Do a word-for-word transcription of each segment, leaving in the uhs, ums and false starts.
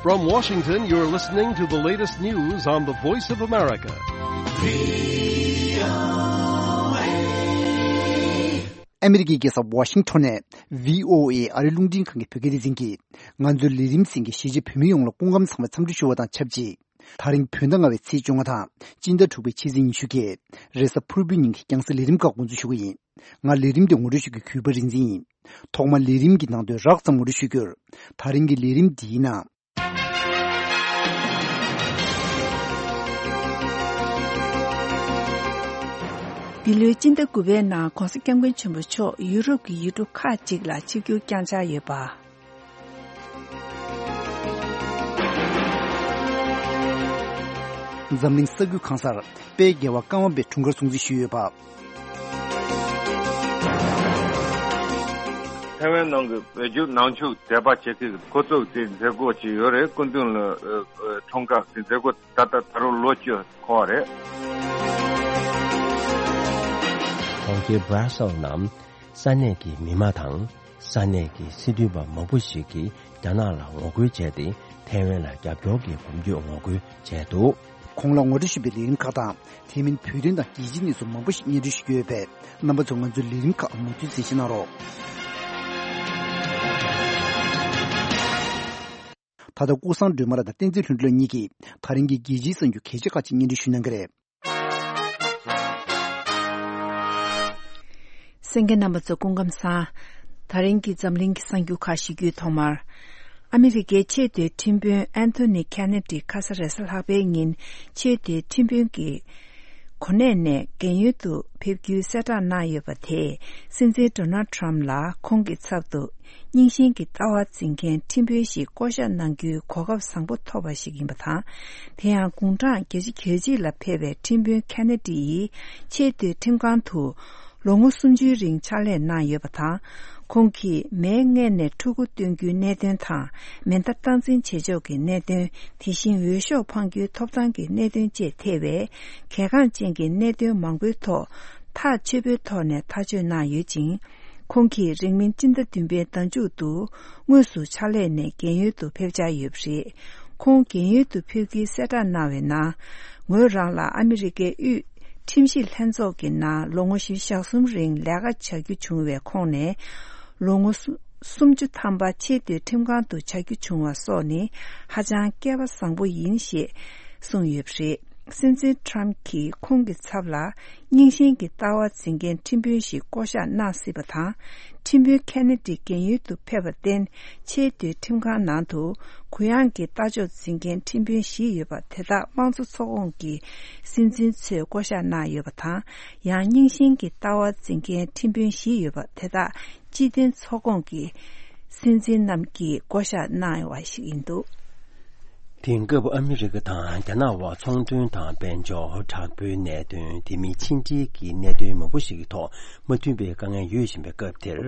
From Washington, you're listening to the latest news on the Voice of America. ཨ་མི་རི་ཀའི་རྒྱལ་ས་ཝ་ཤིང་ཊོན་ནས་བྷི་ཨོ་ཨེ་ཨ་རིའི་རླུང་འཕྲིན་ཁང་གི་བོད་སྐད་སྡེ་ཚན་གྱིས། ང་ཚོའི་ལས་རིམ་གསན་མཁན་གཞིས་བྱེས་བོད་མི་ཡོངས་ལ་སྐུ་ཁམས་བཟང་བའི་འཚམས་འདྲི་ཞུ་བ་དང་ཆབས་ཅིག་ད་རིང་བོད་ཟླ་ལྔ་པའི་ཚེས་བཅོ་ལྔ་དང་སྤྱི་ཟླ་དྲུག་པའི་ཕྱི་ཚེས་ཉི་ཤུ་གི་རེས་གཟའ་ཕུར་བུའི་ཉིན་གྱི་རྒྱང་སྲིང་ལས་རིམ་ཁག་འགོ་འཛུགས་ཞུ་གི་ཡིན། ང་ལས་རིམ་འདི་ངོ་སྤྲོད་ཞུ་རྒྱུའི་གུས་པ་རིག་འཛིན་ཡིན། ཐོག་མར་ལས་རིམ་གྱི་ནང་དོན་རགས་ཙམ་ངོ་སྤྲོད་ཞུ་རྒྱུར། ད་རིང་གི་ལས་རིམ་འདིའི་ནང་། འདི་ལོའི་སྤྱི་ཟླ་དགུ་པའི་ནང་༧གོང་ས་༧སྐྱབས་མགོན་ཆེན་པོ་མཆོག་ཡུ་རོབ་ཀྱི་ཡུལ་གྲུ་ཁག་ཅིག་ལ་ཆིབས་བསྒྱུར་བསྐྱངས་འཆར་ཡོད་པ། འཛམ་གླིང་ས་རྒྱུས་གང་སར་དཔལ་རྒྱལ་བ་ཀརྨ་པའི་འཁྲུངས་སྐར་སྲུང་བརྩི་ཞུས་ཡོད་པ། ཐའེ་ཝན་ནང་གི་བོད་བརྒྱུད་ནང་ཆོས་དད་པ་བྱེད་མཁན་གྱི་འགོ་བཙུགས་དེ་མཛད་སྒོ་ཅིག་ཡོད་རེད། སྐུ་མདུན་ལ་ཨ་ཨ་འཁྲུངས་སྐར་གྱི་མཛད་སྒོ་ད་ལྟ་ད་རུང་ལོ་བཅུ་འཁོར་བ་རེད། གྲོང་ཁྱེར་Brussels་ནང་ས་གནས་ཀྱི་མི་མང་དང་ས་གནས་ཀྱི་སྲིད་དོན་པ་མང་པོ་ཞིག་གིས་རྒྱ་ནག་ལ་ངོ་རྒོལ་བྱས་ཏེ་ཐའེ་ཝན་ལ་རྒྱབ་སྐྱོར་གྱི་གོམ་བགྲོད་ངོ་རྒོལ་བྱས་འདུག་གོང་ལ་ངོ་སྤྲོད་ཞུས་པའི་ལས་རིམ་ཁག་དང་དེ་མིན་བོད་དོན་དང་རྒྱལ་སྤྱིའི་གནས་ཚུལ་མང་པོ་ཞིག་སྙན་སྒྲོན་ཞུ་རྒྱུ་ཡོད་པས། རྣམ་པ་ཚོས་ང་ཚོའི་ལས་རིམ་ཁག་མུ་མཐུད་གསན་བཞེས་གནང་རོགས། ད་ལྟ་ཀུན་བཟང་སྒྲོལ་མ་ལགས་དང་བསྟན་འཛིན་ལྷུན་གྲུབ་ལགས་གཉིས་ཀྱིས་ད་རིང་གི་རྒྱལ་སྤྱིའི་གསར་འགྱུར་གལ་ཆེ་ཁག་ཅིག་སྙན་སྒྲོན་ཞུ་གནང་གི་རེད། གསན་མཁན་རྣམ་པ་ཚོ་སྐུ་ཁམས་བཟང་། ད་རིང་གི་འཛམ་གླིང་གི་གསར་འགྱུར་ཁག་ཞུ་རྒྱུའི་ཐོག་མར། ཨ་མི་རི་ཀའི་ཆེས་མཐོའི་ཁྲིམས་དཔོན་ཨན་ཐོ་ནི་ཁེ་ནེ་ཌི་ཁ་ས་རེས་གཟའ་ལྷག་པའི་ཉིན་ཆེས་མཐོའི་ཁྲིམས་དཔོན་གྱི་གོ་གནས་ནས་རྒན་ཡོལ་དུ་ཕེབས་རྒྱུའི་གསལ་བསྒྲགས་གནང་ཡོད་པ་དེས་སྲིད་འཛིན་ཌོ་ནལ་ཌི་ཊརམ་ཕི་ལ་ཁོང་གི་ཚབ་ཏུ་རྙིང་ཞེན་གྱི་ལྟ་བ་འཛིན་མཁན་ཁྲིམས་དཔོན་ཞིག་བསྐོ་གཞག་གནང་རྒྱུའི་གོ་སྐབས་བཟང་པོ་ཐོབ་པ་ཞིག་ཡིན་པ་དང་། དེ་ཡང་དགུང་གྲངས་བརྒྱད་ཅུ་གྱ་གཅིག་ལ་ཕེབས་པའི་ཁྲིམས་དཔོན་ཁེ་ནེ་ཌི་ཡིས་ཆེས་མཐོའི་ཁྲིམས་ཁང་དུ་ལོ་ངོ་སུམ་ཅུའི་རིང་ཕྱག་ལས་གནང་ཡོད་པ་དང་། ཁོང་གིས་མའི་སྔས་ནས་ཕྲུ་གུ་སྟོན་རྒྱུའི་གནད་དོན་དང་། མེ་མདའ་སྟངས་འཛིན་བྱེད་ཕྱོགས་ཀྱི་གནད་དོན། དེ་བཞིན་འོས་ཤོག་འཕང་རྒྱུའི་ཐོབ་ཐང་གི་གནད་དོན་བཅས་ཐེ་བའི་གལ་འགངས་ཅན་གྱི་གནད་དོན་མང་པོའི་ཐོག་ཐག་ཆོད་པོའི་ཐོག་ནས་ཐག་གཅོད་གནང་ཡོད་ཅིང་། ཁོང་གིས་རིང་མིན་སྤྱི་ཟླ་བདུན་པའི་ཟླ་མཇུག་ཏུ་དངོས་སུ་ཕྱག་ལས་ནས་རྒན་ཡོལ་དུ་ཕེབས་འཆར་ཡོད་པ་རེད། ཁོང་རྒན་ཡོལ་དུ་ཕེབས་རྒྱུའི་གསལ་བསྒྲགས་གནང་བའི་ནང་། ངོས་རང་ལ་ཨ་མི་རི་ཀའི་དབུས་ཁྲིམས་ཞིབ་ལྷན་ཚོགས་ཀྱི་ནང་ལོ་ངོ་བཞི་བཅུ་ཞེ་གསུམ་རིང་ལས་ཀ་བྱ་རྒྱུ་བྱུང་བའི་ཁོངས་ནས། ལོ་ངོ་སུ་སུམ་ཅུ་ཐམ་པ་ཆེས་མཐོའི་ཁྲིམས་ཁང་དུ་བྱ་རྒྱུ་བྱུང་བ་སོགས་ནི་ཧ་ཅང་སྐལ་བ་བཟང་པོ་ཡིན་ཞེས་གསུངས་ཡོད་པ་རེད། སྲིད་འཛིན་ཊརམ་ཕི་གྱིས་ཁོང་གི་ཚབ་ལ་རྙིང་ཞེན་གྱི་ལྟ་བ་འཛིན་མཁན་ཁྲིམས་དཔོན་ཞིག་བསྐོ་གཞག་གནང་སྲིད་པ་དང་། ཁྲིམས་དཔོན་ཁེ་ནེ་ཌི་རྒན་ཡོལ་དུ་ཕེབས་པར་བརྟེན། ཆེས་མཐོའི་ཁྲིམས་ཁང་ནང་དུ་གུ་ཡངས་ཀྱི་ལྟ་ཕྱོགས་འཛིན་མཁན་ཁྲིམས་དཔོན་བཞི་ཡོད་པ་དེ་དག་དམངས་གཙོ་ཚོགས་ཁོངས་ཀྱི་སྲིད་འཛིན་ཚོས་བསྐོ་གཞག་གནང་ཡོད་པ་དང་། ཡང་རྙིང་ཞེན་གྱི་ལྟ་བ་འཛིན་མཁན་ཁྲིམས་དཔོན་བཞི་ཡོད་པ་དེ་དག་སྤྱི་མཐུན་ཚོགས་ཁོངས་ཀྱི་སྲིད་འཛིན་རྣམས་ཀྱིས་བསྐོ་གཞག་གནང་བ་ཞིག་ཡིན་འདུག་དེང་སྐབས་ཨ་མི་རི་ཀ་དང་རྒྱ་ནག་དབར་ཚོང་དོན་དང་དཔལ་འབྱོར། དྲག་པོའི་གནད་དོན། དེ་མིན་ཕྱི་འབྲེལ་གྱི་གནད་དོན་མང་པོ་ཞིག་གི་ཐོག་མ་མཐུན་པའི་དཀའ་ངལ་ཡོད་བཞིན་པའི་སྐབས་དེར།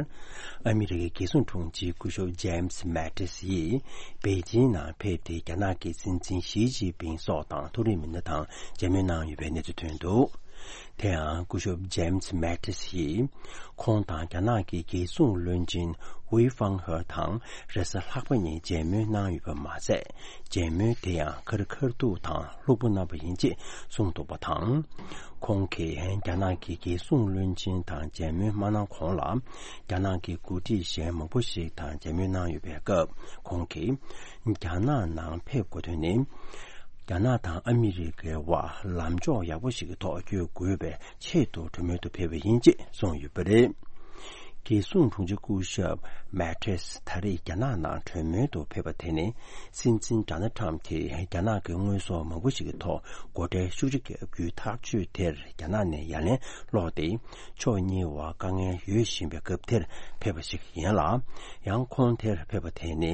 ཨ་མི་རི་ཀའི་རྒྱལ་སྲུང་དྲུང་ཆེ་སྐུ་ཞབས་ཇེམ་སི་མེ་ཏིས་ཡིས་པེ་ཅིན་ནང་ཕེབས་ཏེ་རྒྱ་ནག་གི་སྲིད་འཛིན་ཞི་ཅིན་ཕིང་སོགས་དང་མཐོ་རིམ་མི་སྣ་དང་མཇལ་མོལ་གནང་ཡོད་པའི་གནས་ཚུལ་ཐོན་འདུག་དེ་ཡང་སྐུ་ཞབས་ཇེམ་སི་མེ་ཏིས་ཡིས་ཁོང་དང་རྒྱ་ནག་གི་རྒྱལ་སྲུང་བློན་ཆེན་ཝེ་ཧྥང་ཧེ་དང་རེས་གཟའ་ལྷག་པ་ཉིན་མཇལ་མོལ་གནང་ཡོད་པ་མ་ཟད། མཇལ་མོལ་དེ་ཡང་ཁ་རི་ཁ་ཐུག་དང་ལྷུག་པོ་གནང་བ་ཡིན་ཅེས་གསུངས་འདུག་པ་དང་། ཁོང་གིས་རྒྱ་ནག་གི་རྒྱལ་སྲུང་བློན་ཆེན་དང་མཇལ་མོལ་མ་གནང་གོང་ལ། རྒྱ་ནག་གི་འགོ་ཁྲིད་གཞན་མང་པོ་ཞིག་དང་མཇལ་མོལ་གནང་ཡོད་པའི་སྐབས། ཁོང་གིས་རྒྱ་ནག་ནང་ཕེབས་དགོས་དོན་ནི། རྒྱ་ནག་དང་ཨ་མི་རི་ཀའི་དབར་ལམ་ཕྱོགས་ཡག་པོ་ཞིག་གི་ཐོག་བསྐྱོད་དགོས་པའི་ཆེད་དུ་གྲོས་མོལ་དུ་ཕེབས་པ་ཡིན་ཅེས་གསུངས་ཡོད་པ་རེད། རྒྱལ་སྲུང་དྲུང་ཆེ་སྐུ་ཞབས་མེ་ཏིས་ད་རེས་རྒྱ་ནག་ནང་གྲོས་མོལ་དུ་ཕེབས་པ་དེ་ནི། སྲིད་འཛིན་ཌོ་ནལ་ཊམ་གྱིས་རྒྱ་ནག་གི་དངོས་ཟོག་མང་པོ་ཞིག་གི་ཐོག་སྒོ་ཁྲལ་ཤུགས་ཆེ་བརྒྱབ་རྒྱུའི་ཐག་གཅོད་དེར་རྒྱ་ནག་ནས་ཡ་ལན་སློག་སྟེ། ཕྱོགས་གཉིས་བར་དཀའ་ངལ་ཡོད་བཞིན་པའི་སྐབས་དེར་ཕེབས་པ་ཞིག་ཡིན་ལ། ཡང་ཁོང་དེར་ཕེབས་པ་དེ་ནི།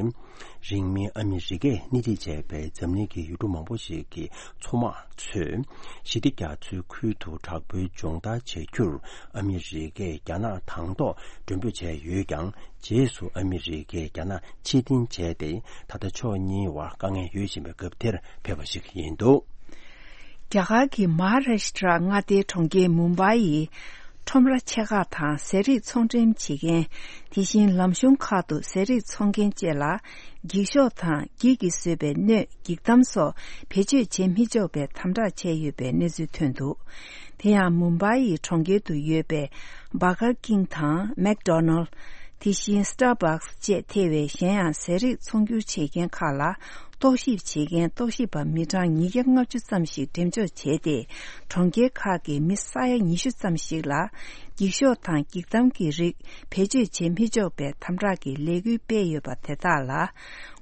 རིང་མིན་ཨ་མི་རི་ཀས་སྣེ་ཁྲིད་བྱས་པའི་འཛམ་གླིང་གི་ཡུལ་གྲུ་མང་པོ་ཞིག་གི་མཚོ་དམག་ཚོས་ཞི་བདེ་རྒྱ་མཚོའི་ཁུལ་དུ་དྲག་པོའི་སྦྱོང་བརྡར་བྱ་རྒྱུར་ཨ་མི་རི་ཀས་རྒྱ་ནག་དང་ཐོག་མགྲོན་འབོད་བྱས་ཡོད་ཀྱང་། རྗེས་སུ་ཨ་མི་རི་ཀས་རྒྱ་ནག་ཕྱིར་འཐེན་བྱས་ཏེ། ད་ལྟ་ཕྱོགས་གཉིས་བར་དཀའ་ངལ་ཡོད་བཞིན་པའི་སྐབས་དེར་ཕེབས་པ་ཞིག་ཡིན་འདུག་རྒྱ་གར་གྱི་མ་ཧཱ་རཱ་ཤི་ཏྲ་མངའ་སྡེའི་གྲོང་ཁྱེར་མུམ་བྷའི་ཡི་ ཁྲོམ་ར་ཆེ་ཁག་དང་ཟས་རིགས་ཚོང་འགྲེམས་བྱེད་མཁན། དེ་བཞིན་ལམ་གཞུང་ཁག་ཏུ་ཟས་རིགས་འཚོང་མཁན་བཅས་ལ། འགྱིག་ཤོག་དང་འགྱིག་གིས་བཟོས་པའི་སྣོད་འགྱིག་དམ་སོགས་བེད་སྤྱོད་བྱེད་མི་ཆོག་པའི་དམ་དྲག་བྱས་ཡོད་པའི་གནས་ཚུལ་ཐོན་འདུག་དེ་ཡང་མུམ་བྷའི་ཡི་གྲོང་ཁྱེར་དུ་ཡོད་པའི་Burger King དང་McDonald། དེ་བཞིན་Starbucks བཅས་ཐེ་བའི་གཞན་ཡང་ཟས་རིགས་ཚོང་སྒྱུར་བྱེད་མཁན་ཁག་ལ། རྟོག་ཞིབ་བྱེད་མཁན་རྟོག་ཞིབ་པ་མི་གྲངས་ཉིས་བརྒྱ་ལྔ་བཅུ་ཙམ་ཞིག་འགྲེམས་འཇོག་བྱས་ཏེ། གྲོང་ཁྱེར་ཁག་གི་མི་ས་ཡ་ཉི་ཤུ་ཙམ་ཞིག་ལ། འགྱིག་ཤོག་དང་འགྱིག་དམ་གྱི་རིགས་བེད་སྤྱོད་བྱེད་མི་ཆོག་པའི་དམ་དྲག་གི་ལས་འགུལ་སྤེལ་ཡོད་པ་དེ་དག་ལ།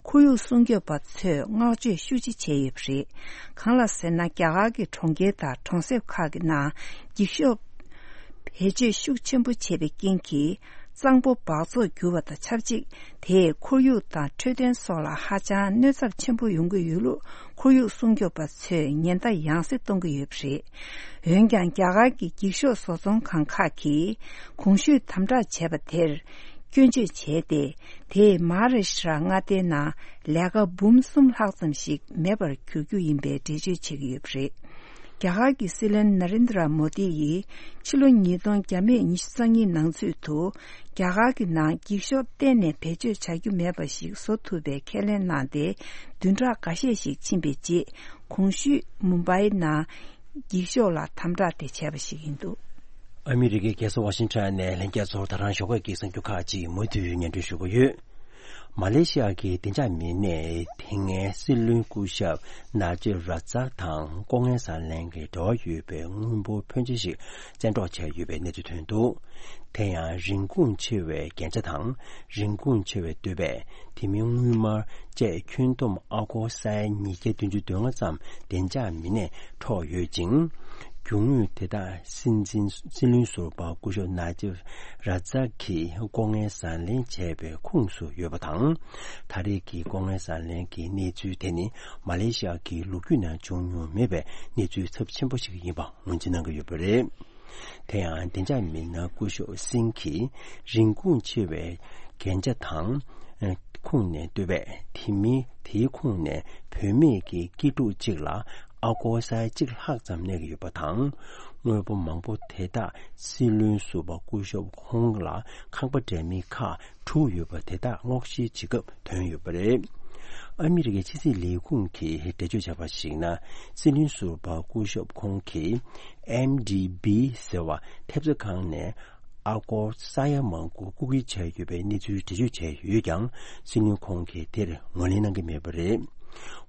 ཁོར་ཡུག་སྲུང་སྐྱོབ་པ་ཚོས་བསྔགས་བརྗོད་ཤུགས་ཆེ་བྱས་ཡོད་པ་རེད། གང་ལ་ཟེར་ན། རྒྱ་གར་གྱི་གྲོང་ཁྱེར་དང་གྲོང་གསེབ་ཁག་གི་ནང་འགྱིག་ཤོག་བེད་སྤྱོད་ཤུགས་ཆེན་པོ་བྱས་པའི་རྐྱེན་གྱིས། གཙང་པོ་འབག་བཙོག་གྱུར་བ་དང་ཆབས་ཅིག་དེས་ཁོར་ཡུག་དང་འཕྲོད་བསྟེན་སོགས་ལ་ཧ་ཅང་གནོད་ཚབས་ཆེན་པོ་ཡོང་གི་ཡོད་ལུགས། ཁོར་ཡུག་སྲུང་སྐྱོབ་པ་ཚོས་ཉེན་བརྡ་ཡང་སེ་གཏོང་གི་ཡོད་པ་རེད། འོན་ཀྱང་། རྒྱ་གར་གྱི་འགྱིག་ཤོག་བཟོ་ཚོང་ཁང་ཁག་གིས་གོང་ཞུས་དམ་དྲག་བྱས་པ་དེར་སྐྱོན་བརྗོད་བྱས་ཏེ། དེས་མ་ཧཱ་རཱ་ཤི་ཏྲ་མངའ་སྡེའི་ནང་ལས་ཀ་འབུམ་གསུམ་ལྷག་ཙམ་ཞིག་མེད་པར་གྱུར་རྒྱུ་ཡིན་པའི་འགྲེལ་བརྗོད་བྱེད་ཀྱི་ཡོད་པ་རེད། རྒྱ་གར་གྱི་སྲིད་བློན་ན་རེན་དྲ་མོ་དི་ཡིས་ཕྱི་ལོ་ཉིས་སྟོང་བརྒྱ་མེད་ཉི་ཤུ་རྩ་གཉིས་ནང་ཚུད་དུ། རྒྱ་གར་གྱི་ནང་འགྱིག་ཤོག་གཏན་ནས་བེད་སྤྱོད་བྱ་རྒྱུ་མེད་པ་ཞིག་བཟོ་ཐུབ་པའི་ཁས་ལེན་གནང་སྟེ། བདུན་ཕྲག་འགའ་ཤས་ཤིག་ཕྱིན་པའི་རྗེས། གོང་ཞུས་མུམ་བྷའི་ནང་འགྱིག་ཤོག་ལ་དམ་དྲག་དེ་བྱས་པ་ཞིག་ཡིན་འདུག་ཨ་མི་རི་ཀའི་རྒྱལ་ས་ཝ་ཤིང་ཊོན་ནས་ལྷན་རྒྱས་ཚོར་ད་རང་ཞོགས་ཀས་ཀྱི་གསར་འགྱུར་ཁག་ཅིག་མུ་མཐུད་སྙན་སྒྲོན་ཞུ་གི་ཡོད། མ་ལེ་ཤི་ཡ་གི་བདེ་འཇགས་མི་སྣས་དེ་སྔའི་སྲིད་བློན་སྐུ་ཞབས་ན་ཇིབ་ར་ཛག་དང་ལྐོག་རྔན་ཟ་ལེན་གྱི་འབྲེལ་བ་ཡོད་པའི་དངུལ་འབོར་ཕོན་ཆེ་ཞིག་བཙན་འཕྲོག་བྱས་ཡོད་པའི་གནས་ཚུལ་ཐོན་འདུག་དེ་ཡང་རིན་གོང་ཆེ་བའི་རྒྱན་ཆ་དང་རིན་གོང་ཆེ་བའི་སྟོད་སྦས། དེ་མིན་དངུལ་སྨར་བཅས་ཁྱོན་བསྡོམས་ཨ་སྒོར་ས་ཡ་ཉིས་བརྒྱ་བདུན་ཅུ་དོན་ལྔ་ཙམ་བདེ་འཇགས་མི་སྣས་འཕྲོག་ཡོད་ཅིང་། རྒྱུ་དངོས་དེ་དག་སྲིད་འཛིན་སྲིད་བློན་ཟུར་པ་སྐུ་ཞབས་ན་ཇིབ་ར་ཛག་གིས་ལྐོག་རྔན་ཟ་ལེན་བྱས་པའི་ཁོངས་སུ་ཡོད་པ་དང་། ད་རེས་ཀྱི་ལྐོག་རྔན་ཟ་ལེན་གྱི་གནས་ཚུལ་དེ་ནི་མ་ལེ་ཤི་ཡ་གི་ལོ་རྒྱུས་ནང་བྱུང་མྱོང་མེད་པའི་གནས་ཚུལ་ཚབས་ཆེན་པོ་ཞིག་ཡིན་པ་ངོས་འཛིན་གནང་གི་ཡོད་པ་རེད། དེ་ཡང་བདེ་འཇགས་མི་སྣ་སྐུ་ཞབས་སིང་གིས་རིན་གོང་ཆེ་བའི་རྒྱན་ཆ་དང་། ཁོངས་ནས་སྟོད་སྦས། དེ་མིན་དེའི་ཁོངས་ནས་བུད་མེད་ཀྱི་སྐྱིད་སྡུག་ཅིག་ལ་ཨ་སྒོར་ས་ཡ་གཅིག་ལྷག་ཙམ་གནས་ཀྱི་ཡོད་པ་དང་། དངོས་པོ་མང་པོ་དེ་དག་སྲིད་བློན་ཟུར་པ་སྐུ་ཞབས་ཁོང་ལ་ཁང་པ་འདྲ་མིན་ཁག་དྲུག་ཡོད་པ་དེ་དག་སྔོག་བཤེར་བྱེད་སྐབས་ཐོན་ཡོད་པ་རེད། ཨ་མི་རི་ཀའི་ཕྱི་སྲིད་ལས་ཁུངས་ཀྱིས་འགྲེལ་བརྗོད་བྱས་པར་གཞིགས་ན། སྲིད་བློན་ཟུར་པ་སྐུ་ཞབས་ཁོང་གིས་ཨེམ་ཌི་བི་ཟེར་བ་ཐེབས་རྩ་ཁང་ནས་ཨ་སྒོར་ས་ཡ་མང་པོ་རྐུ་འཁྱེར་བྱས་ཡོད་པའི་གནས་ཚུལ་འགྲེལ་བརྗོད་བྱས་ཡོད་ཀྱང་། སྲིད་བློན་ཁོང་གིས་དེར་ངོས་ལེན་གནང་གི་མེད་པ་རེད།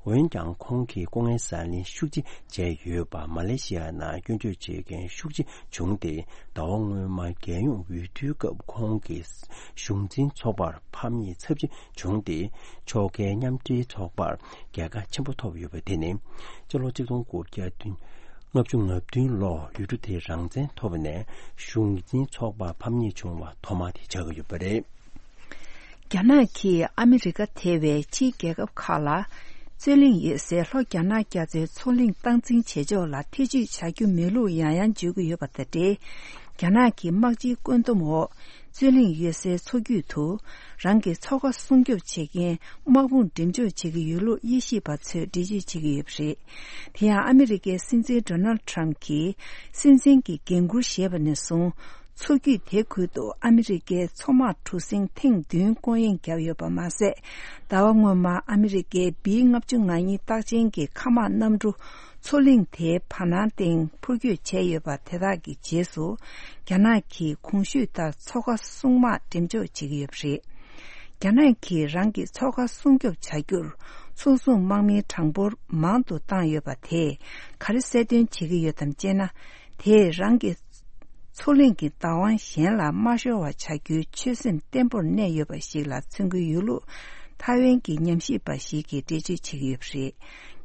འོན་ཀྱང་། ཁོང་གིས་ལྐོག་རྔན་ཟ་ལེན་ཤུགས་ཆེ་བྱས་ཡོད་པ་མ་ལེ་ཤི་ཡ་ནང་སྐྱོན་བརྗོད་བྱེད་མཁན་ཤུགས་ཆེ་བྱུང་སྟེ། ཟླ་བ་སྔོན་མ་རྒྱལ་ཡོངས་འོས་བསྡུའི་སྐབས་ཁོང་གི་གཞུང་འཛིན་ཚོགས་པར་ཕམ་ཉེས་ཚབས་ཆེ་བྱུང་སྟེ། ཕྱོགས་འགལ་མཉམ་འབྲེལ་ཚོགས་པར་རྒྱལ་ཁ་ཆེན་པོ་ཐོབ་ཡོད་པ་དེ་ནི། སྤྱི་ལོ་གཅིག་སྟོང་དགུ་བརྒྱ་བདུན། ལྔ་བཅུ་ང་བདུན་ལོར་ཡུལ་གྲུ་དེས་རང་བཙན་ཐོབ་ནས་གཞུང་འཛིན་ཚོགས་པ་ཕམ་ཉེས་བྱུང་བ་ཐོག་མ་དེ་ཆགས་ཀྱི་ཡོད་པ་རེད། རྒྱ་ནག་གིས་ཨ་མི་རི་ཀ་ཐེ་བའི་ཕྱིའི་རྒྱལ་ཁབ་ཁག་ལ། རྩོད་གླེང་ཡོད་སའི་ལྷོ་རྒྱ་ནག་རྒྱ་མཚོའི་མཚོ་གླིང་སྟངས་འཛིན་བྱེད་ཕྱོགས་ལ་ཐེ་ཇུས་བྱ་རྒྱུ་མེད་ལུགས་ཡང་ཡང་བརྗོད་ཀྱི་ཡོད་པ་དང་འབྲེལ། རྒྱ་ནག་གི་དམག་སྤྱིའི་བཀོད་འདོམས་འོག་རྩོད་གླེང་ཡོད་སའི་མཚོ་རྒྱུད་དུ། རང་གི་མཚོ་ཁ་སྲུང་སྐྱོབ་བྱེད་མཁན་དམག་དཔུང་འགྲེམས་འཇོག་བྱེད་ཀྱི་ཡོད་ལུགས་དབྱེ་ཞིབ་པ་ཚོས་འགྲེལ་བརྗོད་བྱེད་ཀྱི་ཡོད་པ་རེད། དེ་ཡང་ཨ་མི་རི་ཀའི་སྲིད་འཛིན་ཌོ་ནལ་ཊམ་གྱིས་སྲིད་འཛིན་གྱི་འགན་འཁུར་བཞེས་པ་ནས་བཟུང་། མཚོ་རྒྱུད་དེ་ཁུལ་དུ་ཨ་མི་རི་ཀའི་མཚོ་དམག་གྲུ་གཟིངས་ཐེངས་བདུན་སྐོང་གཡེང་བརྒྱབ་ཡོད་པ་མ་ཟད། ཟླ་བ་སྔོན་མ་ཨ་མི་རི་ཀའི་བི་ལྔ་བཅུ་ང་གཉིས་རྟགས་ཅན་གྱི་མཁའ་དམག་གནམ་གྲུ་མཚོ་གླིང་དེའི་བར་སྣང་སྟེང་འཕུར་སྐྱོད་བྱས་ཡོད་པ་དེ་དག་གི་རྗེས་སུ། རྒྱ་ནག་གིས་གོང་ཞུས་ལྟར་མཚོ་ཁ་སྲུང་དམག་འགྲེམས་འཇོག་བྱེད་ཀྱི་ཡོད་པ་རེད། རྒྱ་ནག་གིས་རང་གི་མཚོ་ཁ་སྲུང་སྐྱོབ་བྱ་རྒྱུར་མཚོ་སྲུང་དམག་མིའི་གྲངས་འབོར་མང་དུ་བཏང་ཡོད་པ་དེས་ག་རེ་གསལ་སྟོན་བྱེད་ཀྱི་ཡོད་དམ་ཅེ་ན། དེས་རང་གི་མཚོ་གླིང་གི་བདག་དབང་གཞན་ལ་མ་ཤོར་བ་བྱ་རྒྱུའི་ཆོད་སེམས་བརྟན་པོར་གནས་ཡོད་པ་ཞིག་ལ་མཚོན་གྱི་ཡོད་ལུགས་ཐའེ་ཝན་གྱི་ཉམས་ཞིབ་པ་ཞིག་གིས་འགྲེལ་བརྗོད་བྱེད་ཀྱི་ཡོད་པ་རེད།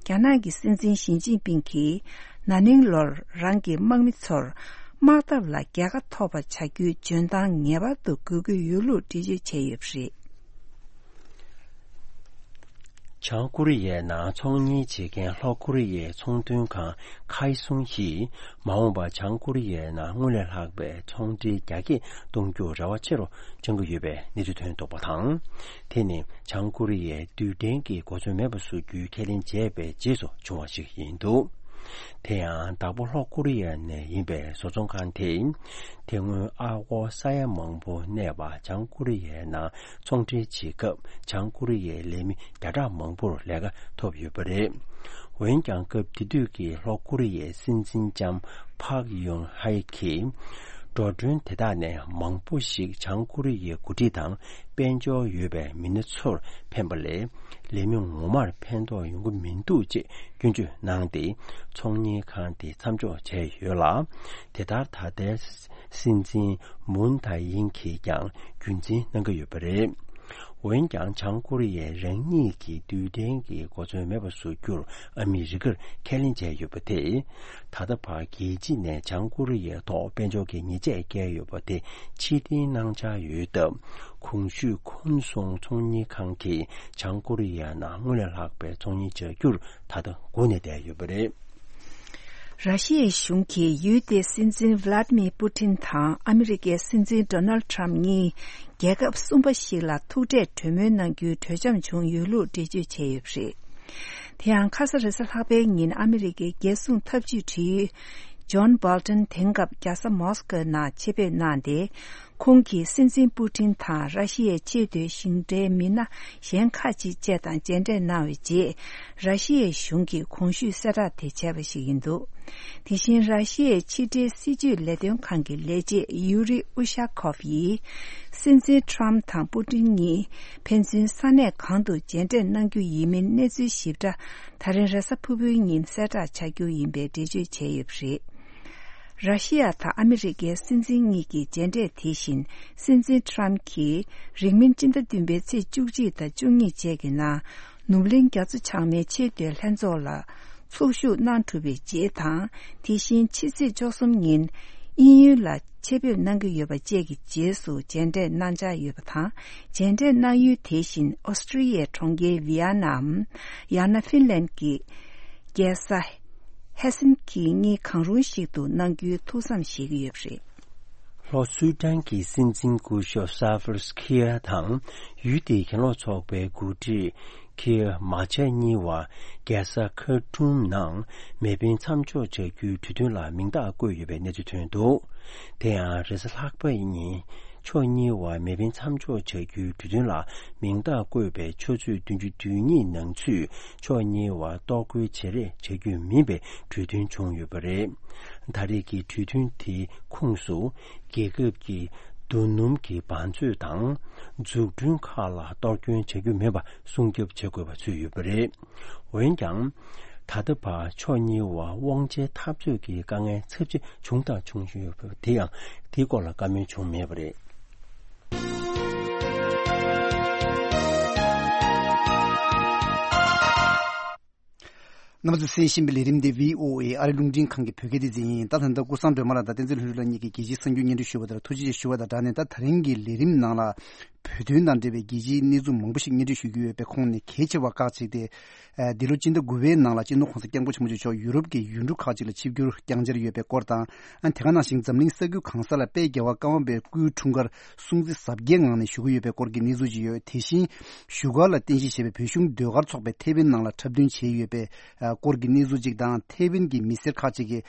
རྒྱ་ནག་གི་སྲིད་འཛིན་ཞི་ཅིན་ཕིང་གིས་ན་ནིང་ལོར་རང་གི་དམག་མི་ཚོར་དམག་འཐབ་ལ་རྒྱལ་ཁ་ཐོབ་པ་བྱ་རྒྱུའི་འཇོན་ཐང་ངེས་པར་དུ་དགོས་ཀྱི་ཡོད་ལུགས་འགྲེལ་བརྗོད་བྱས་ཡོད་པ་རེད། བྱང་ཀོ་རི་ཡའི་ནང་ཚོང་གཉེར་བྱེད་མཁན་ལྷོ་ཀོ་རི་ཡའི་ཚོང་དོན་ཁང་ཁའི་སུང་ཡིས་མ་འོངས་པར་བྱང་ཀོ་རི་ཡའི་ནང་སྔོན་ལས་ལྷག་པའི་ཚོང་འབྲེལ་རྒྱ་སྐྱེད་གཏོང་རྒྱུར་རེ་བ་ཆེ་རུ་བཅངས་ཀྱི་ཡོད་པའི་གནས་ཚུལ་ཐོན་འདུག་པ་དང་། དེ་ནི་བྱང་ཀོ་རི་ཡས་རྡུལ་ཕྲན་གྱི་གོ་མཚོན་མེད་པ་བཟོ་རྒྱུའི་ཁས་ལེན་བྱས་པའི་རྗེས་སུ་བྱུང་བ་ཞིག་ཡིན་འདུག་དེ་ཡང་བདག་པོ་ལྷོ་ཀོ་རི་ཡ་ནས་ཡིན་པའི་བཟོ་ཚོང་ཁང་དེས། དེ་སྔོན་ཨ་སྒོར་ས་ཡ་མང་པོ་གནས་པ་བྱང་ཀོ་རི་ཡའི་ནང་ཚོང་འབྲེལ་བྱེད་སྐབས། བྱང་ཀོ་རི་ཡའི་ལས་མི་བརྒྱ་ཕྲག་མང་པོར་ལས་ཀ་ཐོབ་ཡོད་པ་རེད། འོན་ཀྱང་། སྐབས་དེ་དུས་ཀྱི་ལྷོ་ཀོ་རི་ཡའི་སྲིད་འཛིན་ལྕམ་ཕག་ཡུང་ཧའེ་གིས། འགྲོ་གྲོན་དེ་དག་ནས་མང་པོ་ཞིག་བྱང་ཀོ་རི་ཡའི་འགོ་ཁྲིད་དང་དཔལ་འབྱོར་ཡོད་པའི་མི་སྣ་ཚོར་ཕན་པ་ལས། ལས་མི་ངོ་མར་ཕན་ཐོགས་ཡོང་གི་མི་འདུག་ཅེས་སྐྱོན་བརྗོད་གནང་སྟེ། ཚོང་གཉེར་ཁང་དེ་མཚམས་འཇོག་བྱས་ཡོད་ལ། དེ་ལྟར་ད་ལྟའི་སྲིད་འཛིན་མུན་ཐའེ་ཡིན་གྱིས་ཀྱང་རྒྱུན་འཛིན་གནང་གི་ཡོད་པ་རེད། འོན་ཀྱང་། བྱང་ཀོ་རི་ཡས་རང་ཉིད་ཀྱི་རྡུལ་ཕྲན་གྱི་གོ་མཚོན་མེད་པ་བཟོ་རྒྱུར་ཨ་མི་རི་ཀར་ཁས་ལེན་བྱས་ཡོད་པ་དེས། ད་ལྟ་བར་རྒྱལ་སྤྱི་ནས་བྱང་ཀོ་རི་ཡའི་ཐོག་དཔལ་འབྱོར་གྱི་ཉེས་ཆད་བཀལ་ཡོད་པ་དེ་ཕྱིར་འཐེན་གནང་འཆར་ཡོད་སྟབས། གོང་ཞུས་ཁོན་སུང་ཚོང་གཉེར་ཁང་གིས་བྱང་ཀོ་རི་ཡ་ནང་སྔོན་ལས་ལྷག་པའི་ཚོང་གཉེར་བྱ་རྒྱུར་ད་ལྟ་སྒུག་ནས་བསྡད་ཡོད་པ་རེད། ར་ཤི་ཡའི་གཞུང་གིས་ཡུལ་དེའི་སྲིད་འཛིན་ཝི་ལ་ཏི་མིར་པུ་ཏིན་དང་ཨ་མི་རི་ཀའི་སྲིད་འཛིན་ཌོ་ནལ་ཊམ་གཉིས་རྒྱལ་ཁབ་གསུམ་པ་ཞིག་ལ་ཐུག་འཕྲད་གྲོས་མོལ་གནང་རྒྱུའི་གྲོས་འཆམ་བྱུང་ཡོད་ལུགས་འགྲེལ་བརྗོད་བྱས་ཡོད་པ་རེད། དེ་ཡང་ཁ་ས་རེས་གཟའ་ལྷག་པའི་ཉིན་ཨ་མི་རི་ཀའི་རྒྱལ་སྲུང་ཐབས་ཇུས་དྲུང་ཡིག་ཇོན་སྦོལ་ཊོན་དེང་སྐབས་རྒྱལ་ས་མོ་སི་ཀོའི་ནང་ཆེད་ཕེབས་གནང་སྟེ། ཁོང་གིས་སྲིད་འཛིན་པུ་ཏིན་དང་ར་ཤི་ཡའི་ཆེས་མཐོའི་གཞུང་འབྲེལ་མི་སྣ་གཞན་ཁག་ཅིག་བཅས་དང་མཇལ་འཕྲད་གནང་བའི་རྗེས། ར་ཤི་ཡའི་གཞུང་གིས་གོང་ཞུས་གསལ་བསྒྲགས་དེ་བྱས་པ་ཞིག་ཡིན་འདུག་དེ་བཞིན་ར་ཤི་ཡའི་ཕྱི་འབྲེལ་སྲིད་ཇུས་ལས་དོན་ཁང་གི་ལས་བྱེད་ཡུ་རི་ཨུ་ཤ་ཁོབ་ཡིས། སྲིད་འཛིན་ཊམ་དང་པུ་ཏིན་གཉིས་ཕན་ཚུན་ས་གནས་གང་དུ་མཇལ་འཕྲད་གནང་རྒྱུ་ཡིན་མིན་གནས་ཚུལ་ཞིབ་ཕྲ་ད་རིང་རེས་གཟའ་ཕུར་བུའི་ཉིན་གསལ་བསྒྲགས་བྱ་རྒྱུ་ཡིན་པའི་འགྲེལ་བརྗོད་བྱས་ཡོད་པ་རེད། ར་ཤི་ཡ་དང་ཨ་མི་རི་ཀའི་སྲིད་འཛིན་གཉིས་ཀྱི་མཇལ་འཕྲད་དེ་བཞིན། སྲིད་འཛིན་ཊམ་གྱིས་རིང་མིན་སྤྱི་ཟླ་བདུན་པའི་ཚེས་བཅུ་གཅིག་དང་བཅུ་གཉིས་བཅས་ཀྱི་ནང་ནུབ་གླིང་རྒྱ་མཚོ་བྱང་མའི་ཆེས་མཐོའི་ལྷན་ཚོགས་ལ་ཚོགས་ཞུགས་གནང་གྲུབ་པའི་རྗེས་དང་། དེ་བཞིན་ཕྱི་ཚེས་བཅུ་གསུམ་ཉིན་དབྱིན་ཡུལ་ལ་ཆེད་ཕེབས་གནང་གི་ཡོད་པ་བཅས་ཀྱི་རྗེས་སུ་མཇལ་འཕྲད་གནང་འཆར་ཡོད་པ་དང་། མཇལ་འཕྲད་གནང་ཡུལ་དེ་བཞིན་ཨོ་སི་ཀྲི་ཡའི་གྲོང་ཁྱེར་ཝི་ཡ་ནམ། ཡང་ན་ཧྥིན་ལན་གྱི་རྒྱལ་ས་ཧེ་སིན་ཀི་གཉིས་གང་རུང་ཞིག་ཏུ་གནང་རྒྱུའི་ཐུགས་བསམ་བཞེས་ཀྱི་ཡོད་པ་རེད། ལྷོ་སུའུ་ཏན་གྱི་སྲིད་འཛིན་སྐུ་ཞབས་ས་ཕར་ཁི་ཡ་དང་ཡུལ་དེའི་གྱེན་ལོག་ཚོགས་པའི་འགོ་ཁྲིད་ཁི་མ་ཆ་གཉིས་བར་རྒྱལ་ས་ཁར་ཊུམ་ནང་མེ་འཕེན་མཚམས་འཇོག་བྱ་རྒྱུའི་གྲོས་མཐུན་ལ་མིང་རྟགས་བཀོད་ཡོད་པའི་གནས་ཚུལ་ཐོན་འདུག་དེ་ཡང་རེས་གཟའ་ལྷག་པ་ཉིན། ཕྱོགས་གཉིས་བར་མེ་འཕེན་མཚམས་འཇོག་བྱ་རྒྱུའི་གྲོས་མཐུན་ལ་མིང་རྟགས་བཀོད་པའི་ཆུ་ཚོད་བདུན་ཅུ་དོན་གཉིས་ནང་ཚུད་ཕྱོགས་གཉིས་བར་གཏོར་རྒོལ་བྱེད་རེས་བྱ་རྒྱུ་མིན་པའི་གྲོས་མཐུན་བྱུང་ཡོད་པ་རེད། ད་རེས་ཀྱི་གྲོས་མཐུན་དེའི་ཁོངས་སུ་རྒྱལ་ཁབ་ཀྱི་རྡོ་སྣུམ་གྱི་བང་མཛོད་དང་འཛུགས་སྐྲུན་ཁག་ལ་གཏོར་སྐྱོན་བྱ་རྒྱུ་མིན་པ་སྲུང་སྐྱོབ་བྱེད་དགོས་པ་ཚུད་ཡོད་པ་རེད། འོན་ཀྱང་། ད་ལྟ་བར་ཕྱོགས་གཉིས་བར་དབང་ཆའི་འཐབ་རྩོད་ཀྱི་དཀའ་ངལ་ཚབས་ཆེ་བྱུང་དང་འབྱུང་བཞིན་ཡོད་པ་དེ་ཡང་དེའི་སྐོར་ལ་བཀའ་མོལ་བྱུང་མེད་པ་རེད། རྣམ་པ་ཚོས་གསན་བཞིན་པའི་ལས་རིམ་འདི་བྷི་ཨོ་ཨེ་ཨ་རི་རླུང་འཕྲིན་ཁང་གི་བོད་སྐད་སྡེ་ཚན་ཡིན། ད་ད་ལྟ་ཀུན་བཟང་སྒྲོལ་མ་ལགས་དང་བསྟན་འཛིན་ལྷུན་གྲུབ་ལགས་གཉིས་ཀྱིས་རྒྱལ་སྤྱིའི་གསར་འགྱུར་སྙན་སྒྲོན་ཞུས་པ་དང་ཐུགས་རྗེ་ཆེ་ཞུ་བ་དང་སྦྲགས་ནས། ད་ད་རིང་གི་ལས་རིམ་ནང་ལ་བོད་དོན་དང་འབྲེལ་བའི་རྒྱལ་སྤྱིའི་གནས་ཚུལ་མང་པོ་ཞིག་སྙན་སྒྲོན་ཞུ་རྒྱུ་ཡོད་པའི་ཁོངས་ནས་གལ་ཆེ་བ་ཁག་ཅིག་སྟེ། ཨ། འདི་ལོ་སྤྱི་ཟླ་དགུ་པའི་ནང་ལ་སྤྱི་ནོར་༸གོང་ས་༸སྐྱབས་མགོན་ཆེན་པོ་མཆོག་ཡུ་རོབ་ཀྱི་ཡུལ་གྲུ་ཁག་ཅིག་ལ་ཆིབས་བསྒྱུར་བསྐྱངས་འཆར་ཡོད་པའི་སྐོར་དང་། ཨ། དེ་ག་ནང་བཞིན་འཛམ་གླིང་ས་ཁུལ་གང་ས་ལ་དཔལ་རྒྱལ་བ་ཀརྨ་པའི་སྐུའི་འཁྲུངས་སྐར་སྲུང་བརྩི་གཟབ་རྒྱས་ངང་ནས་ཞུ་གི་ཡོད་པའི་སྐོར་གྱི་གནས་ཚུལ་ཅིག་ཡོད། དེ་བཞིན་བཞུགས་སྒར་ལ་རྟེན་གཞི་བྱས་པའི་བོད་གཞུང་ཟློས་གར་ཚོགས་པས་ཐེ་ཝན་ནང་ལ་འཁྲབ་སྟོན་བྱས་ཡོད་པའི་ཨ་སྐོར་གྱི་གནས་ཚུལ་ཅིག་དང་། ཐེ་ཝན་གྱི་མི་སེར་ཁག་ཅིག་གིས་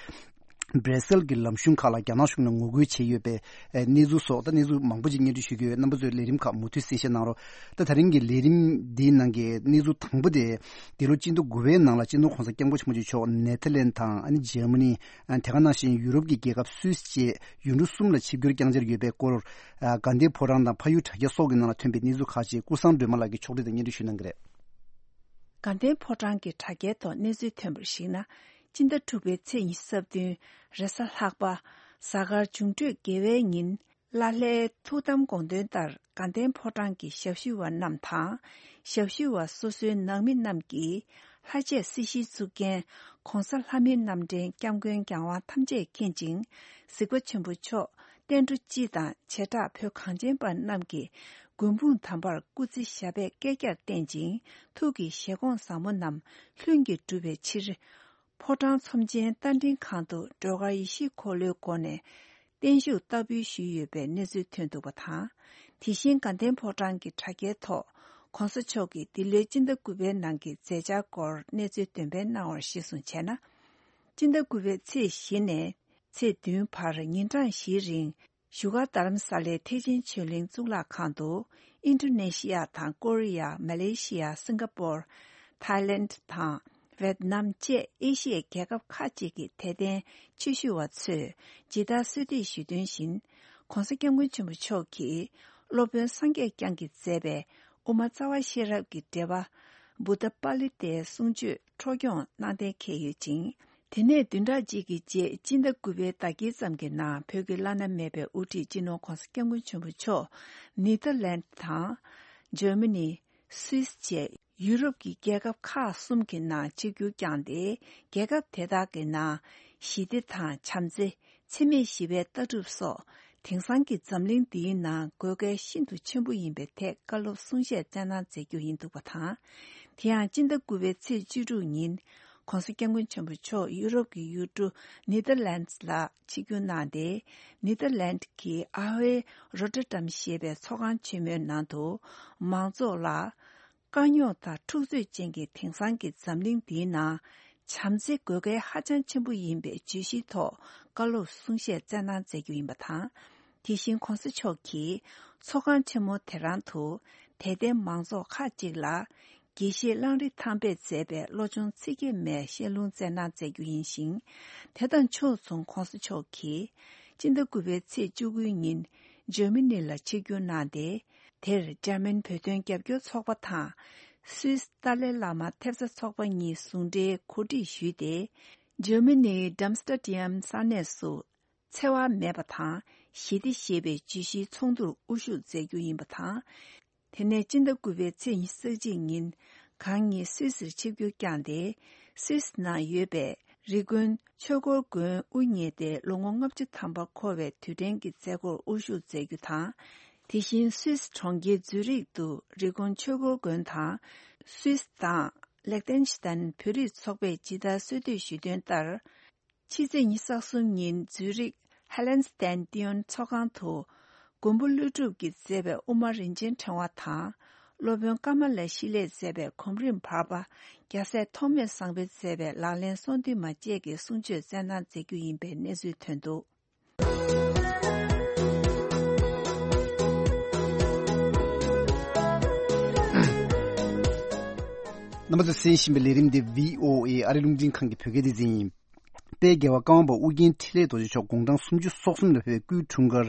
སྦྲེ་སེལ་གྱི་ལམ་གཞུང་ཁག་ལ་རྒྱ་ནག་གཞུང་ནས་ངོ་རྒོལ་བྱས་ཡོད་པའི་ཨ་གནས་ཚུལ་སོགས། ད་གནས་ཚུལ་མང་པོ་ཅིག་སྙན་སྒྲོན་ཞུ་གི་ཡོད། རྣམ་པ་ཚོས་ལས་རིམ་ཁག་མུ་མཐུད་གསན་བཞེས་གནང་རོགས། ད་ད་རིང་གི་ལས་རིམ་འདིའི་ནང་གི་གནས་ཚུལ་དང་པོ་དེ། འདི་ལོ་སྤྱི་ཟླ་དགུ་པའི་ནང་ལ་སྤྱི་ནོར་༸གོང་ས་༸སྐྱབས་མགོན་ཆེན་པོ་མཆོག་ནེ་ཐར་ལེན་དང་ཨ་ནི་འཇར་མ་ནི། ཨ་དེ་ག་ནང་བཞིན་ཡུ་རོབ་ཀྱི་རྒྱལ་ཁབ་སུད་སི་བཅས་ཡུལ་གྲུ་གསུམ་ལ་ཆིབས་བསྒྱུར་བསྐྱངས་འཆར་ཡོད་པའི་སྐོར། ཨ་དགའ་ལྡན་ཕོ་བྲང་དང་ཕ་ཡུལ་དྲ་རྒྱ་སོགས་ཀྱི་ནང་ལ་ཐོན་པའི་གནས་ཚུལ་ཁག་ཅིག་ཀུན་བཟང་སྒྲོལ་མ་ལགས་ཀྱིས་ཕྱོགས་སྒྲིག་དང་སྙན་སྒྲོན་ཞུ་གནང་གི་རེད། དགའ་ལྡན་ཕོ་བྲང་གི་དྲ་རྒྱའི་ཐོག་གནས་ཚུལ་ཐོན་པར་གཞིགས་ན། སྤྱི་ཟླ་དྲུག་པའི་ཚེས་ཉི་ཤུ་རྩ་བདུན་རེས་གཟའ་ལྷག་པ། གཟའ་སྐར་འབྱུང་འཕྲོད་དགེ་བའི་ཉིན། ལ་ལྷའི་ཐུགས་དམ་དགོངས་དོན་ལྟར་དགའ་ལྡན་ཕོ་བྲང་གི་ཞབས་ཞུ་བ་རྣམས་དང་། ཞབས་ཞུ་བ་སོ་སོའི་ནང་མི་རྣམས་ཀྱིས་ལྷ་ཆས་སྲི་ཞུའི་གཙུག་རྒྱན་༸གོང་ས་ལྷ་མིའི་རྣམ་འདྲེན་༸སྐྱབས་མགོན་རྒྱལ་དབང་ཐམས་ཅད་མཁྱེན་ཅིང་། གཟིགས་པ་ཆེན་པོ་མཆོག་བསྟན་འགྲོ་སྤྱི་དང་བྱེ་བྲག་བོད་གངས་ཅན་པ་རྣམས་ཀྱི་མགོན་དཔུང་དམ་པར་སྐུ་ཚེ་ཞབས་པད་བསྐལ་བརྒྱར་བརྟན་ཅིང་ཐུགས་ཀྱི་བཞེད་དགོངས་བཟང་པོ་རྣམས་ལྷུན་གྱིས་གྲུབ་པའི་ཕྱིར། ཕོ་བྲང་ཚོམས་ཆེན་རྟ་མགྲིན་ཁང་དུ་སྒྲོལ་དཀར་ཡེ་ཤེས་འཁོར་ལོའི་སྒོ་ནས་བརྟན་བཞུགས་བསྟར་འབུལ་ཞུས་ཡོད་པའི་གནས་ཚུལ་ཐོན་འདུག་པ་དང་། དེ་བཞིན་དགའ་ལྡན་ཕོ་བྲང་གི་དྲ་རྒྱའི་ཐོག་༸གོང་ས་མཆོག་གི་འདི་ལོའི་སྤྱི་ཟླ་དགུ་པའི་ནང་གི་མཛད་འཆར་སྐོར་གནས་ཚུལ་འདོན་སྤེལ་གནང་བར་གཞིར་བཟུང་བྱས་ན། སྤྱི་ཟླ་དགུ་པའི་ཚེས་བཞི་ནས་ཚེས་བདུན་བར་ཉིན་གྲངས་བཞིའི་རིང་བཞུགས་སྒར་རྡ་རམ་ས་ལའི་ཐེག་ཆེན་ཆོས་གླིང་གཙུག་ལག་ཁང་དུ་ཨིན་ཌོ་ནེ་ཤི་ཡ་དང་ཀོ་རི་ཡ། མ་ལེ་ཤི་ཡ། སིང་ག་པོར། ཐའི་ལེནཌ་དང་ཝེད་ནམ་བཅས་ཨེ་ཤི་ཡའི་རྒྱལ་ཁབ་ཁག་ཅིག་གི་དད་ལྡན་ཆོས་ཞུ་བ་ཚོས་ཇི་ལྟར་གསོལ་འདེབས་ཞུས་དོན་བཞིན། ྋགོང་ས་ྋསྐྱབས་མགོན་ཆེན་པོ་མཆོག་གིས་སློབ་དཔོན་སངས་རྒྱས་བསྐྱངས་ཀྱིས་མཛད་པའི་དབུ་མ་རྩ་བ་ཤེས་རབ་ཀྱི་འགྲེལ་པ་བུདྡྷ་པཱ་ལི་ཏའི་གསུང་ཆོས་འཕྲོ་སྐྱོང་གནང་གཏན་འཁེལ་ཡོད་ཅིང་། དེ་ནས་བདུན་ཕྲག་གཅིག་གི་རྗེས་སྤྱི་ཟླ་དགུ་པའི་ཟླ་དཀྱིལ་ཙམ་གྱི་ནང་བོད་ཀྱི་བླ་ན་མེད་པའི་དབུ་ཁྲིད་སྤྱི་ནོར་ྋགོང་ས་ྋསྐྱབས་མགོན་ཆེན་པོ་མཆོག་ནེ་ཐར་ལན་ཌི་དང་། འཇར་མ་ནི། སུད་སི་བཅས་ཡུ་རོབ་ཀྱི་རྒྱལ་ཁབ་ཁག་གསུམ་གྱི་ནང་ཆིབས་བསྒྱུར་བསྐྱངས་ཏེ། རྒྱལ་ཁབ་དེ་དག་གི་ནང་ཞི་བདེ་དང་བྱམས་བརྩེ། འཚེ་མེད་ཞི་བའི་ལྟ་གྲུབ་སོགས་དེང་སང་གི་འཛམ་གླིང་འདིའི་ནང་དགོས་གལ་ཤིན་ཏུ་ཆེན་པོ་ཡིན་པའི་ཐད་བཀའ་སློབ་གསུང་བཤད་སྩལ་གནང་མཛད་རྒྱུ་ཡིན་འདུག་པ་དང་། དེ་ཡང་སྤྱི་ཟླ་དགུ་པའི་ཚེས་བཅུ་དྲུག་ཉིན་ྋགོང་ས་ྋསྐྱབས་མགོན་ཆེན་པོ་མཆོག་ཡུ་རོབ་ཀྱི་ཡུལ་གྲུ་ནེ་ཐར་ལན་ཌི་ལ་ཆིབས་བསྒྱུར་གནང་སྟེ། ནེ་ཐར་ལན་ཌི་གི་ཨ་ཧོའི་རོ་ཊར་ཌམ་ཞེས་པའི་ཚོགས་ཁང་ཆེན་མོའི་ནང་དུ་མང་ཚོགས་ལ། དཀའ་རྙོག་དང་འཁྲུག་རྩོད་ཅན་གྱི་དེང་སང་གི་འཛམ་གླིང་འདིའི་ནང་། བྱམས་བརྩེ་དགོས་གལ་ཧ་ཅང་ཆེན་པོ་ཡིན་པའི་བརྗོད་གཞིའི་ཐོག་བཀའ་སློབ་གསུང་བཤད་སྩལ་གནང་མཛད་རྒྱུ་ཡིན་པ་དང་། དེ་བཞིན་ྋགོང་ས་མཆོག་གིས་ཚོགས་ཁང་ཆེན་མོ་དེ་རང་དུ་དད་ལྡན་མང་ཚོགས་ཁག་ཅིག་ལ་དགེ་བཤེས་གླང་རི་ཐང་པས་མཛད་པའི་བློ་སྦྱོང་ཚིག་བརྒྱད་མའི་བཤད་ལུང་སྩལ་གནང་མཛད་རྒྱུ་ཡིན་ཞིང་། དེ་དང་ཕྱོགས་མཚུངས་ྋགོང་ས་མཆོག་གིས་སྤྱི་ཟླ་དགུ་པའི་ཚེས་བཅུ་དགུའི་ཉིན་འཇར་མ་ནི་ལ་ཆིབས་བསྒྱུར་གནང་སྟེ། དེར་འཇར་མན་བོད་དོན་རྒྱབ་སྐྱོར་ཚོགས་པ་དང་། སུད་སི་ཏཱ་ལའི་བླ་མ་ཐེབས་རྩ་ཚོགས་པ་གཉིས་ཟུང་འབྲེལ་གོ་སྒྲིག་ཞུས་ཏེ། འཇར་མ་ནིའི་ཌམ་སི་ཊར་ཌི་ཡམ་ས་གནས་སུ་འཚེ་བ་མེད་པ་དང་ཞི་བདེ་ཞེས་པའི་བརྗོད་གཞིའི་ཚོགས་འདུར་དབུ་བཞུགས་མཛད་རྒྱུ་ཡིན་པ་དང་། དེ་ནས་སྤྱི་ཟླ་དགུ་པའི་ཚེས་ཉི་ཤུ་རྩ་གཅིག་ཉིན་གང་ཉིད་སུད་སིར་ཆིབས་བསྒྱུར་བསྐྱངས་ཏེ། སུད་སི་ནང་ཡོད་པའི་རི་ཀོན་ཆོས་འཁོར་དགོན་དབུ་བརྙེས་ཏེ་ལོ་ངོ་ལྔ་བཅུ་ཐམ་པ་འཁོར་བའི་དུས་དྲན་གྱི་མཛད་སྒོར་དབུ་བཞུགས་མཛད་རྒྱུ་དང་། དེ་བཞིན་སུད་སི་གྲོང་ཁྱེར་ཛུ་རིག་ཏུ་རི་ཀོན་ཆོས་འཁོར་དགོན་དང་། སུད་སི་དང་ལེག་ཏེན་ཤི་ཏན་བོད་རིགས་ཚོགས་པས་ཇི་ལྟར་གསོལ་འདེབས་ཞུས་དོན་ལྟར། ཕྱི་ཚེས་ཉི་ཤུ་རྩ་གསུམ་ཉིན་ཛུ་རིག་ཧ་ལན་སི་ཏན་ཏི་ཡོན་ཚོགས་ཁང་དུ། མགོན་པོ་ཀླུ་སྒྲུབ་ཀྱིས་མཛད་པའི་དབུ་མ་རིན་ཆེན་ཕྲེང་བ་དང་། སློབ་དཔོན་ཀ་མ་ལ་ཤཱི་ལས་མཛད་པའི་གོམ་རིམ་བར་པ་རྒྱལ་སྲས་ཐོགས་མེད་བཟང་པོས་མཛད་པའི་ལག་ལེན་གསུང་འདུས་མ་བཅས་ཀྱི་གསུང་ཆོས་སྩལ་གནང་མཛད་རྒྱུ་ཡིན་པའི་གནས་ཚུལ་ཐོན་འདུག། རྣམ་པ་ཚོས་གསན་བཞིན་པའི་ལས་རིམ་འདི་བྷི་ཨོ་ཨེ་ཨ་རི་རླུང་འཕྲིན་ཁང་གི་བོད་སྐད་སྡེ་ཚན་ཡིན། དཔལ་རྒྱལ་བ་ཀརྨ་པ་ཨོ་རྒྱན་འཕྲིན་ལས་རྡོ་རྗེ་མཆོག་དགུང་གྲངས་སུམ་ཅུ་སོ་གསུམ་ལ་ཕེབས་པའི་སྐུའི་འཁྲུངས་སྐར་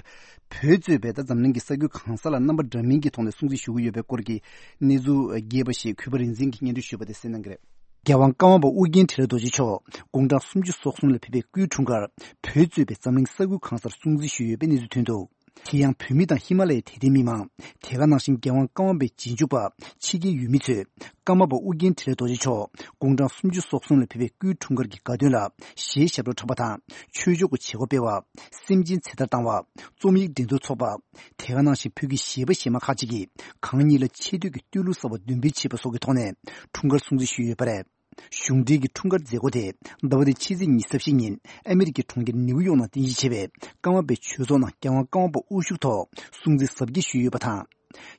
བོད་གཙོས་པའི་ད་འཛམ་གླིང་གི་ས་ཁུལ་གང་ས་ལ་རྣམ་པ་འདྲ་མིན་གྱི་ཐོག་ནས་སྲུང་བརྩི་ཞུ་གི་ཡོད་པའི་སྐོར་གྱི་གནས་ཚུལ་རྒྱས་པ་ཞིག་གུས་པ་རིག་འཛིན་གྱིས་སྙན་སྒྲོན་ཞུས་པ་དེ་གསན་གནང་གི་རེད། རྒྱལ་དབང་ཀརྨ་པ་ཨོ་རྒྱན་འཕྲིན་ལས་རྡོ་རྗེ་མཆོག་དགུང་གྲངས་སུམ་ཅུ་སོ་གསུམ་ལ་ཕེབས་པའི་སྐུའི་འཁྲུངས་སྐར་བོད་གཙོས་པའི་འཛམ་གླིང་ས་ཁུལ་གང་སར་སྲུང་བརྩི་ཞུས་ཡོད་པའི་གནས་ཚུལ་ཐོན་འདུག། དེ་ཡང་བོད་མི་དང་ཧི་མ་ལ་ཡའི་དད་ལྡན་མི་མང་། དེ་ག་ནང་བཞིན་རྒྱལ་དབང་ཀརྨ་པའི་རྗེས་འཇུག་པ། ཕྱི་རྒྱལ་ཡུལ་མི་ཚོས་ཀརྨ་པ་ཨོ་རྒྱན་འཕྲིན་ལས་རྡོ་རྗེ་མཆོག་དགུང་གྲངས་སུམ་ཅུ་སོ་གསུམ་ལ་ཕེབས་པའི་སྐུའི་འཁྲུངས་སྐར་གྱི་དགའ་སྟོན་ལ་གཞས་ཞབས་བྲོ་འཁྲབ་པ་དང་ཆོས་ཕྱོགས་ཀྱི་བྱེད་སྒོ་སྤེལ་བ། སེམས་ཅན་ཚེ་ཐར་བཏང་བ། རྩོམ་ཡིག་འགྲན་བསྡུར་འཚོགས་པ། དེ་ག་ནང་བཞིན་བོད་ཀྱི་གཞས་པ་གཞས་མ་ཁག་ཅིག་གིས་གང་ཉིད་ལ་ཆེ་བསྟོད་ཀྱི་བསྟོད་གླུ་གསར་བ་འདོན་སྤེལ་བྱས་པ་སོགས་ཀྱི་ཐོག་ནས་འཁྲུངས་སྐར་སྲུང་བརྩི་ཞུས་ཡོད་པ་རེད། གཞུང་འབྲེལ་གྱི་འཁྲུངས་སྐར་མཛད་སྒོ་དེ་ཟླ་བ་འདིའི་ཕྱི་ཚེས་ཉི་ཤུ་རྩ་བཞི་ཉིན་ཨ་མི་རི་ཀའི་གྲོང་ཁྱེར་ནིའུ་ཡོག་ནང་རྟེན་གཞི་བྱས་པའི་ཀརྨ་པའི་ཆོས་ཚོགས་ནང་རྒྱལ་དབང་ཀརྨ་པ་དབུ་བཞུགས་ཐོག་སྲུང་བརྩི་གཟབ་རྒྱས་ཞུས་ཡོད་པ་དང་།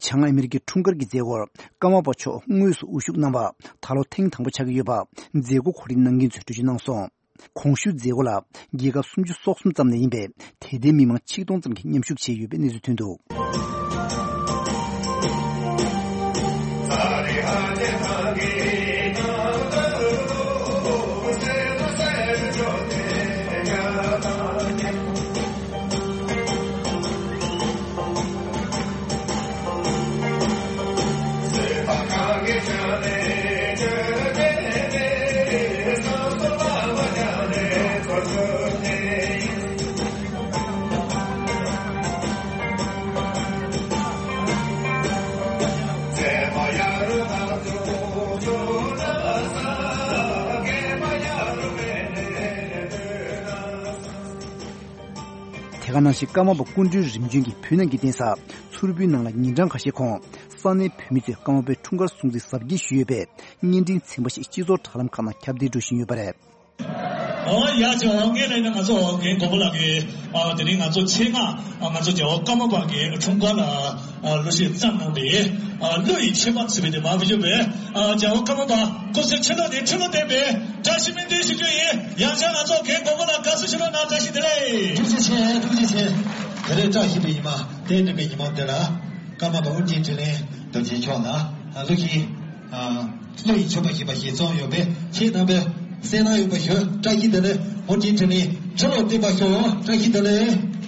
བྱང་ཨ་མི་རི་ཀའི་འཁྲུངས་སྐར་གྱི་མཛད་སྒོར་ཀརྨ་པ་མཆོག་དངོས་སུ་དབུ་བཞུགས་གནང་བ་ད་ལོ་ཐེངས་དང་པོ་ཆགས་ཀྱི་ཡོད་པ་མཛད་སྒོ་གོ་སྒྲིག་གནང་མཁན་ཚོས་འགྲེལ་བརྗོད་གནང་སོང་། གོང་ཞུས་མཛད་སྒོ་ལ་རྒྱལ་ཁབ་སུམ་ཅུ་སོ་གསུམ་ཙམ་ནས་ཡིན་པའི་དད་ལྡན་མི་མང་ཆིག་སྟོང་ཙམ་གྱིས་མཉམ་ཞུགས་བྱས་ཡོད་པའི་གནས་ཚུལ་ཐོན་འདུག། དེ་ག་ནང་བཞིན་ཀརྨ་པ་སྐུ་མགྲོན་རིམ་བྱོན་གྱིས་བོད་ནང་གི་གདན་ས་མཚུར་ཕུའི་ནང་ལ་ཉིན་གྲངས་ཁ་ཤས་གོང་ས་གནས་བོད་མི་ཚོས་ཀརྨ་པའི་འཁྲུངས་སྐར་སྲུང་བརྩི་གཟབ་རྒྱས་ཞུས་ཡོད་པའི་བརྙན་འཕྲིན་ཚན་པ་ཞིག་སྤྱི་ཚོགས་དྲ་ལམ་ཁག་ནང་ཁྱབ་གདལ་འགྲོ་བཞིན་ཡོད་པ་རེད། ཨོ་ཡ་ཅོ་ངས་ལས་ན་ང་ཚོ་རྒན་གོ་པོ་ལགས་ཀྱིས་ཨ་དེ་རིང་ང་ཚོ་ཆེད་མངགས་ཨ་ང་ཚོ་རྒྱལ་བ་ཀརྨ་པ་གི་འཁྲུངས་སྐར་ལ་ཨ་གླུ་གཞས་བརྩམས་གནང་བའི་ཨ་གླུ་ཡི་མཆོད་པ་ཟེར་བའི་དེ་མ་བུ་ཞུ་བའི་ཨ་རྒྱལ་བ་ཀརྨ་པ་སྐུ་ཚེ་ཁྲི་ལོ་ནས་ཁྲི་ལོ་བརྟན་པའི་བཀྲ་ཤིས་སྨོན་འདུན་ཞུ་རྒྱུ་ཡིན། ཡང་བསྐྱར་ང་ཚོ་རྒན་གོ་པོ་ལགས་དགའ་བསུ་ཞུ་རོགས་གནང་། བཀྲ་ཤིས་བདེ་ལེགས། ཐུགས་རྗེ་ཆེ། ཐུགས་རྗེ་ཆེ། ད་རེས་བཀྲ་ཤིས་པའི་ཉི་མ་རྟེན་འབྲེལ་པའི་ཉི་མ་དེ་ལ་ཀརྨ་པ་ཨོ་རྒྱན་འཕྲིན་ལས་རྡོ་རྗེ་མཆོག་ལ་ཨ་གླུ་གཞས་ཨ་གླུ་ཡི་མཆོད་པ་ཞེས་པ་ཞིག་བརྩམས་ཡོད་པས་ཁྱེད་རྣམ་པས་གསན་གནང་ཡོད་པ་ཞུ། བཀྲ་ཤིས་བདེ་ལེགས། ཨོ་རྒྱན་འཕྲིན་ལས་ཁྲི་ལོ་བརྟན་པར་ཤོག། བཀྲ་ཤིས་བདེ་ལེགས།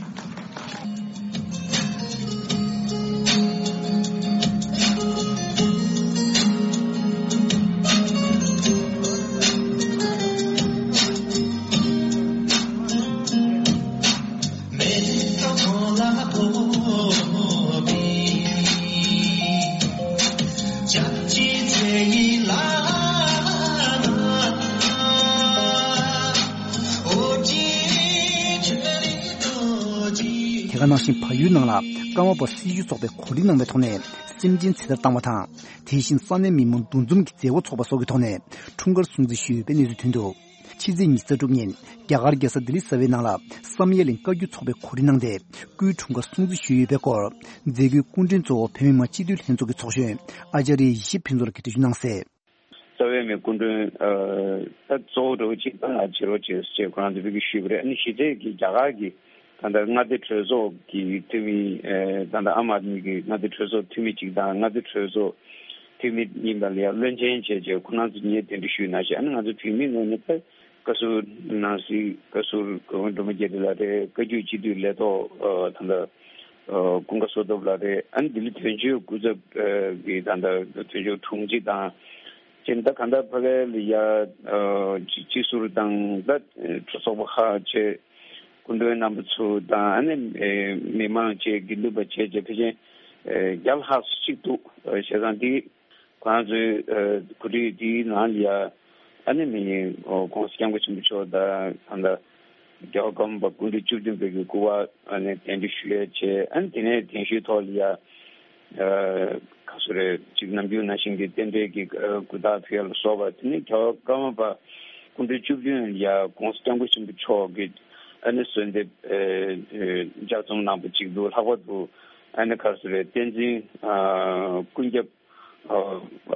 དེ་ག་ནང་བཞིན་བལ་ཡུལ་ནང་ལ་ཀརྨ་པ་སྲི་ཞུ་ཚོགས་པས་གོ་སྒྲིག་གནང་བའི་ཐོག་ནས་སེམས་ཅན་ཚེ་ཐར་བཏང་བ་དང་། དེ་བཞིན་ས་གནས་མི་མང་འདུ་འཛོམས་ཀྱི་མཛད་སྒོ་ཚོགས་པ་སོགས་ཀྱི་ཐོག་ནས་འཁྲུངས་སྐར་སྲུང་བརྩི་ཞུས་ཡོད་པའི་གནས་ཚུལ་ཐོན་འདུག། ཕྱི་ཚེས་ཉི་ཤུ་རྩ་དྲུག་ཉིན་རྒྱ་གར་རྒྱལ་ས་ལྡི་ལི་གསར་པའི་ནང་ལ་བསམ་ཡས་གླིང་བཀའ་བརྒྱུད་ཚོགས་པས་གོ་སྒྲིག་གནང་སྟེ་སྐུའི་འཁྲུངས་སྐར་སྲུང་བརྩི་ཞུས་ཡོད་པའི་སྐོར་མཛད་སྒོའི་སྐུ་མགྲོན་གཙོ་བོ་བོད་མི་མང་སྤྱི་འཐུས་ལྷན་ཚོགས་ཀྱི་ཚོགས་གཞོན་ཨ་ཙཱ་རི་ཡེ་ཤེས་ཕུན་ཚོགས་ལགས་ཀྱིས་འགྲེལ་བརྗོད་གནང་གསལ། རྩ་བའི་མི་སྐུ་མགྲོན་ཨ་ད་གཙོ་བོ་འདྲ་བོ་གཅིག་ད་ང་བྱེད་རོགས་བྱེད་ཟེར་ཁོ་རང་ཚོ་ཕ་གི་ཞུས་པ་རེད། ཨ་ནི་གཞི་རྩའི་གི་རྒྱ་གར་གི་ད་ལྟ་མངའ་སྡེ་གྲོས་ཚོགས་ཀྱི་འཐུས་མི་ཨེ་ད་ལྟ་ཨམ་ཨད་མི་གི་མངའ་སྡེ་གྲོས་ཚོགས་འཐུས་མི་གཅིག་དང་མངའ་སྡེ་གྲོས་ཚོགས་འཐུས་མི་ཡིན་པ་ལ་ཡང་བློན་ཆེན་བྱས་རྗེས་ཁོ་རང་ཚོ་ངས་གདན་འདྲེན་ཞུས་གནང་ཞེས། ཨ་ནི་ང་ཚོ་བོད་མི་ངོས་ནས་ད་བཀའ་ཟུར་ནང་སྲིད་བཀའ་ཟུར་སྐུ་ངོ་སྒྲོལ་མ་རྒྱ་རི་ལགས་རེད། བཀའ་བརྒྱུད་སྤྱི་འཐུས་ལས་ཐོག་ཨ་ད་ལྟ་ཨ་ཀུན་དགའ་བསོད་སྟོབས་ལགས་རེད། ཨ་ནི་ལྡི་ལི་དོན་གཅོད་སྐུ་ཚབ་ཨ་གི་ད་ལྟ་དོན་གཅོད་དྲུང་ཆེ་དང་། ཅེས་ད་ག་ད་ཕ་གི་ལ་ཡ་ཨ་སྤྱི་སྤྱི་ཟུར་དང་ད་གྲོས་ཚོགས་པ་ཁག་བཅས་སྐུ་མགྲོན་རྣམ་པ་ཚོ་དང་ཨ་ནི་ཨེ་མི་མང་བཅས་དགེ་འདུན་པ་བཅས་ཀྱི་ཕལ་ཆེར་ཨེ་བརྒྱ་ལྷག་ཙམ་ཅིག་འདུག། ཨེ་བྱས་ཙང་འདི་ཁོ་རང་ཚོའི་ཨེ་གོ་སྒྲིག་འདིའི་ནང་ལ་ཡ་ཨ་ནི་མི་ཨོ་༸གོང་ས་༸སྐྱབས་མགོན་ཆེན་པོ་མཆོག་དང་ད་ལྟ་རྒྱལ་བ་ཀརྨ་པ་སྐུ་ཕྲེང་བཅུ་བདུན་པའི་གི་སྐུ་པར་ཨ་ནི་གདན་འདྲེན་ཞུ་ཡས་བྱས། ཨ་ནི་དེ་ནས་གདན་ཞུའི་ཐོག་ལ་ཡ། ཨ་ག་སུ་རེད་ཅིག་ནམ་རྒྱུན་ནང་བཞིན་གྱི་རྟེན་འབྲེལ་གྱི་ཨ་གུས་རྟག་ཕུལ་ཡ་ལ་སོགས་པ། དེ་ནས་རྒྱལ་བ་ཀརྨ་པ་སྐུ་ཕྲེང་བཅུ་བདུན་ཡ་༸གོང་ས་༸སྐྱབས་མགོན་ཆེན་པོ་མཆོག་གིས་ཨ་ནི་གསོལ་འདེབས་ཨ་ཨ་ལྗགས་རྩོམ་གནང་པ་ཅིག་འདུག། ལྷག་པར་དུ་ཨ་ནི་ག་སུ་རེད་བསྟན་འཛིན་ཨ་ཀུན་ཁྱབ་ཨ་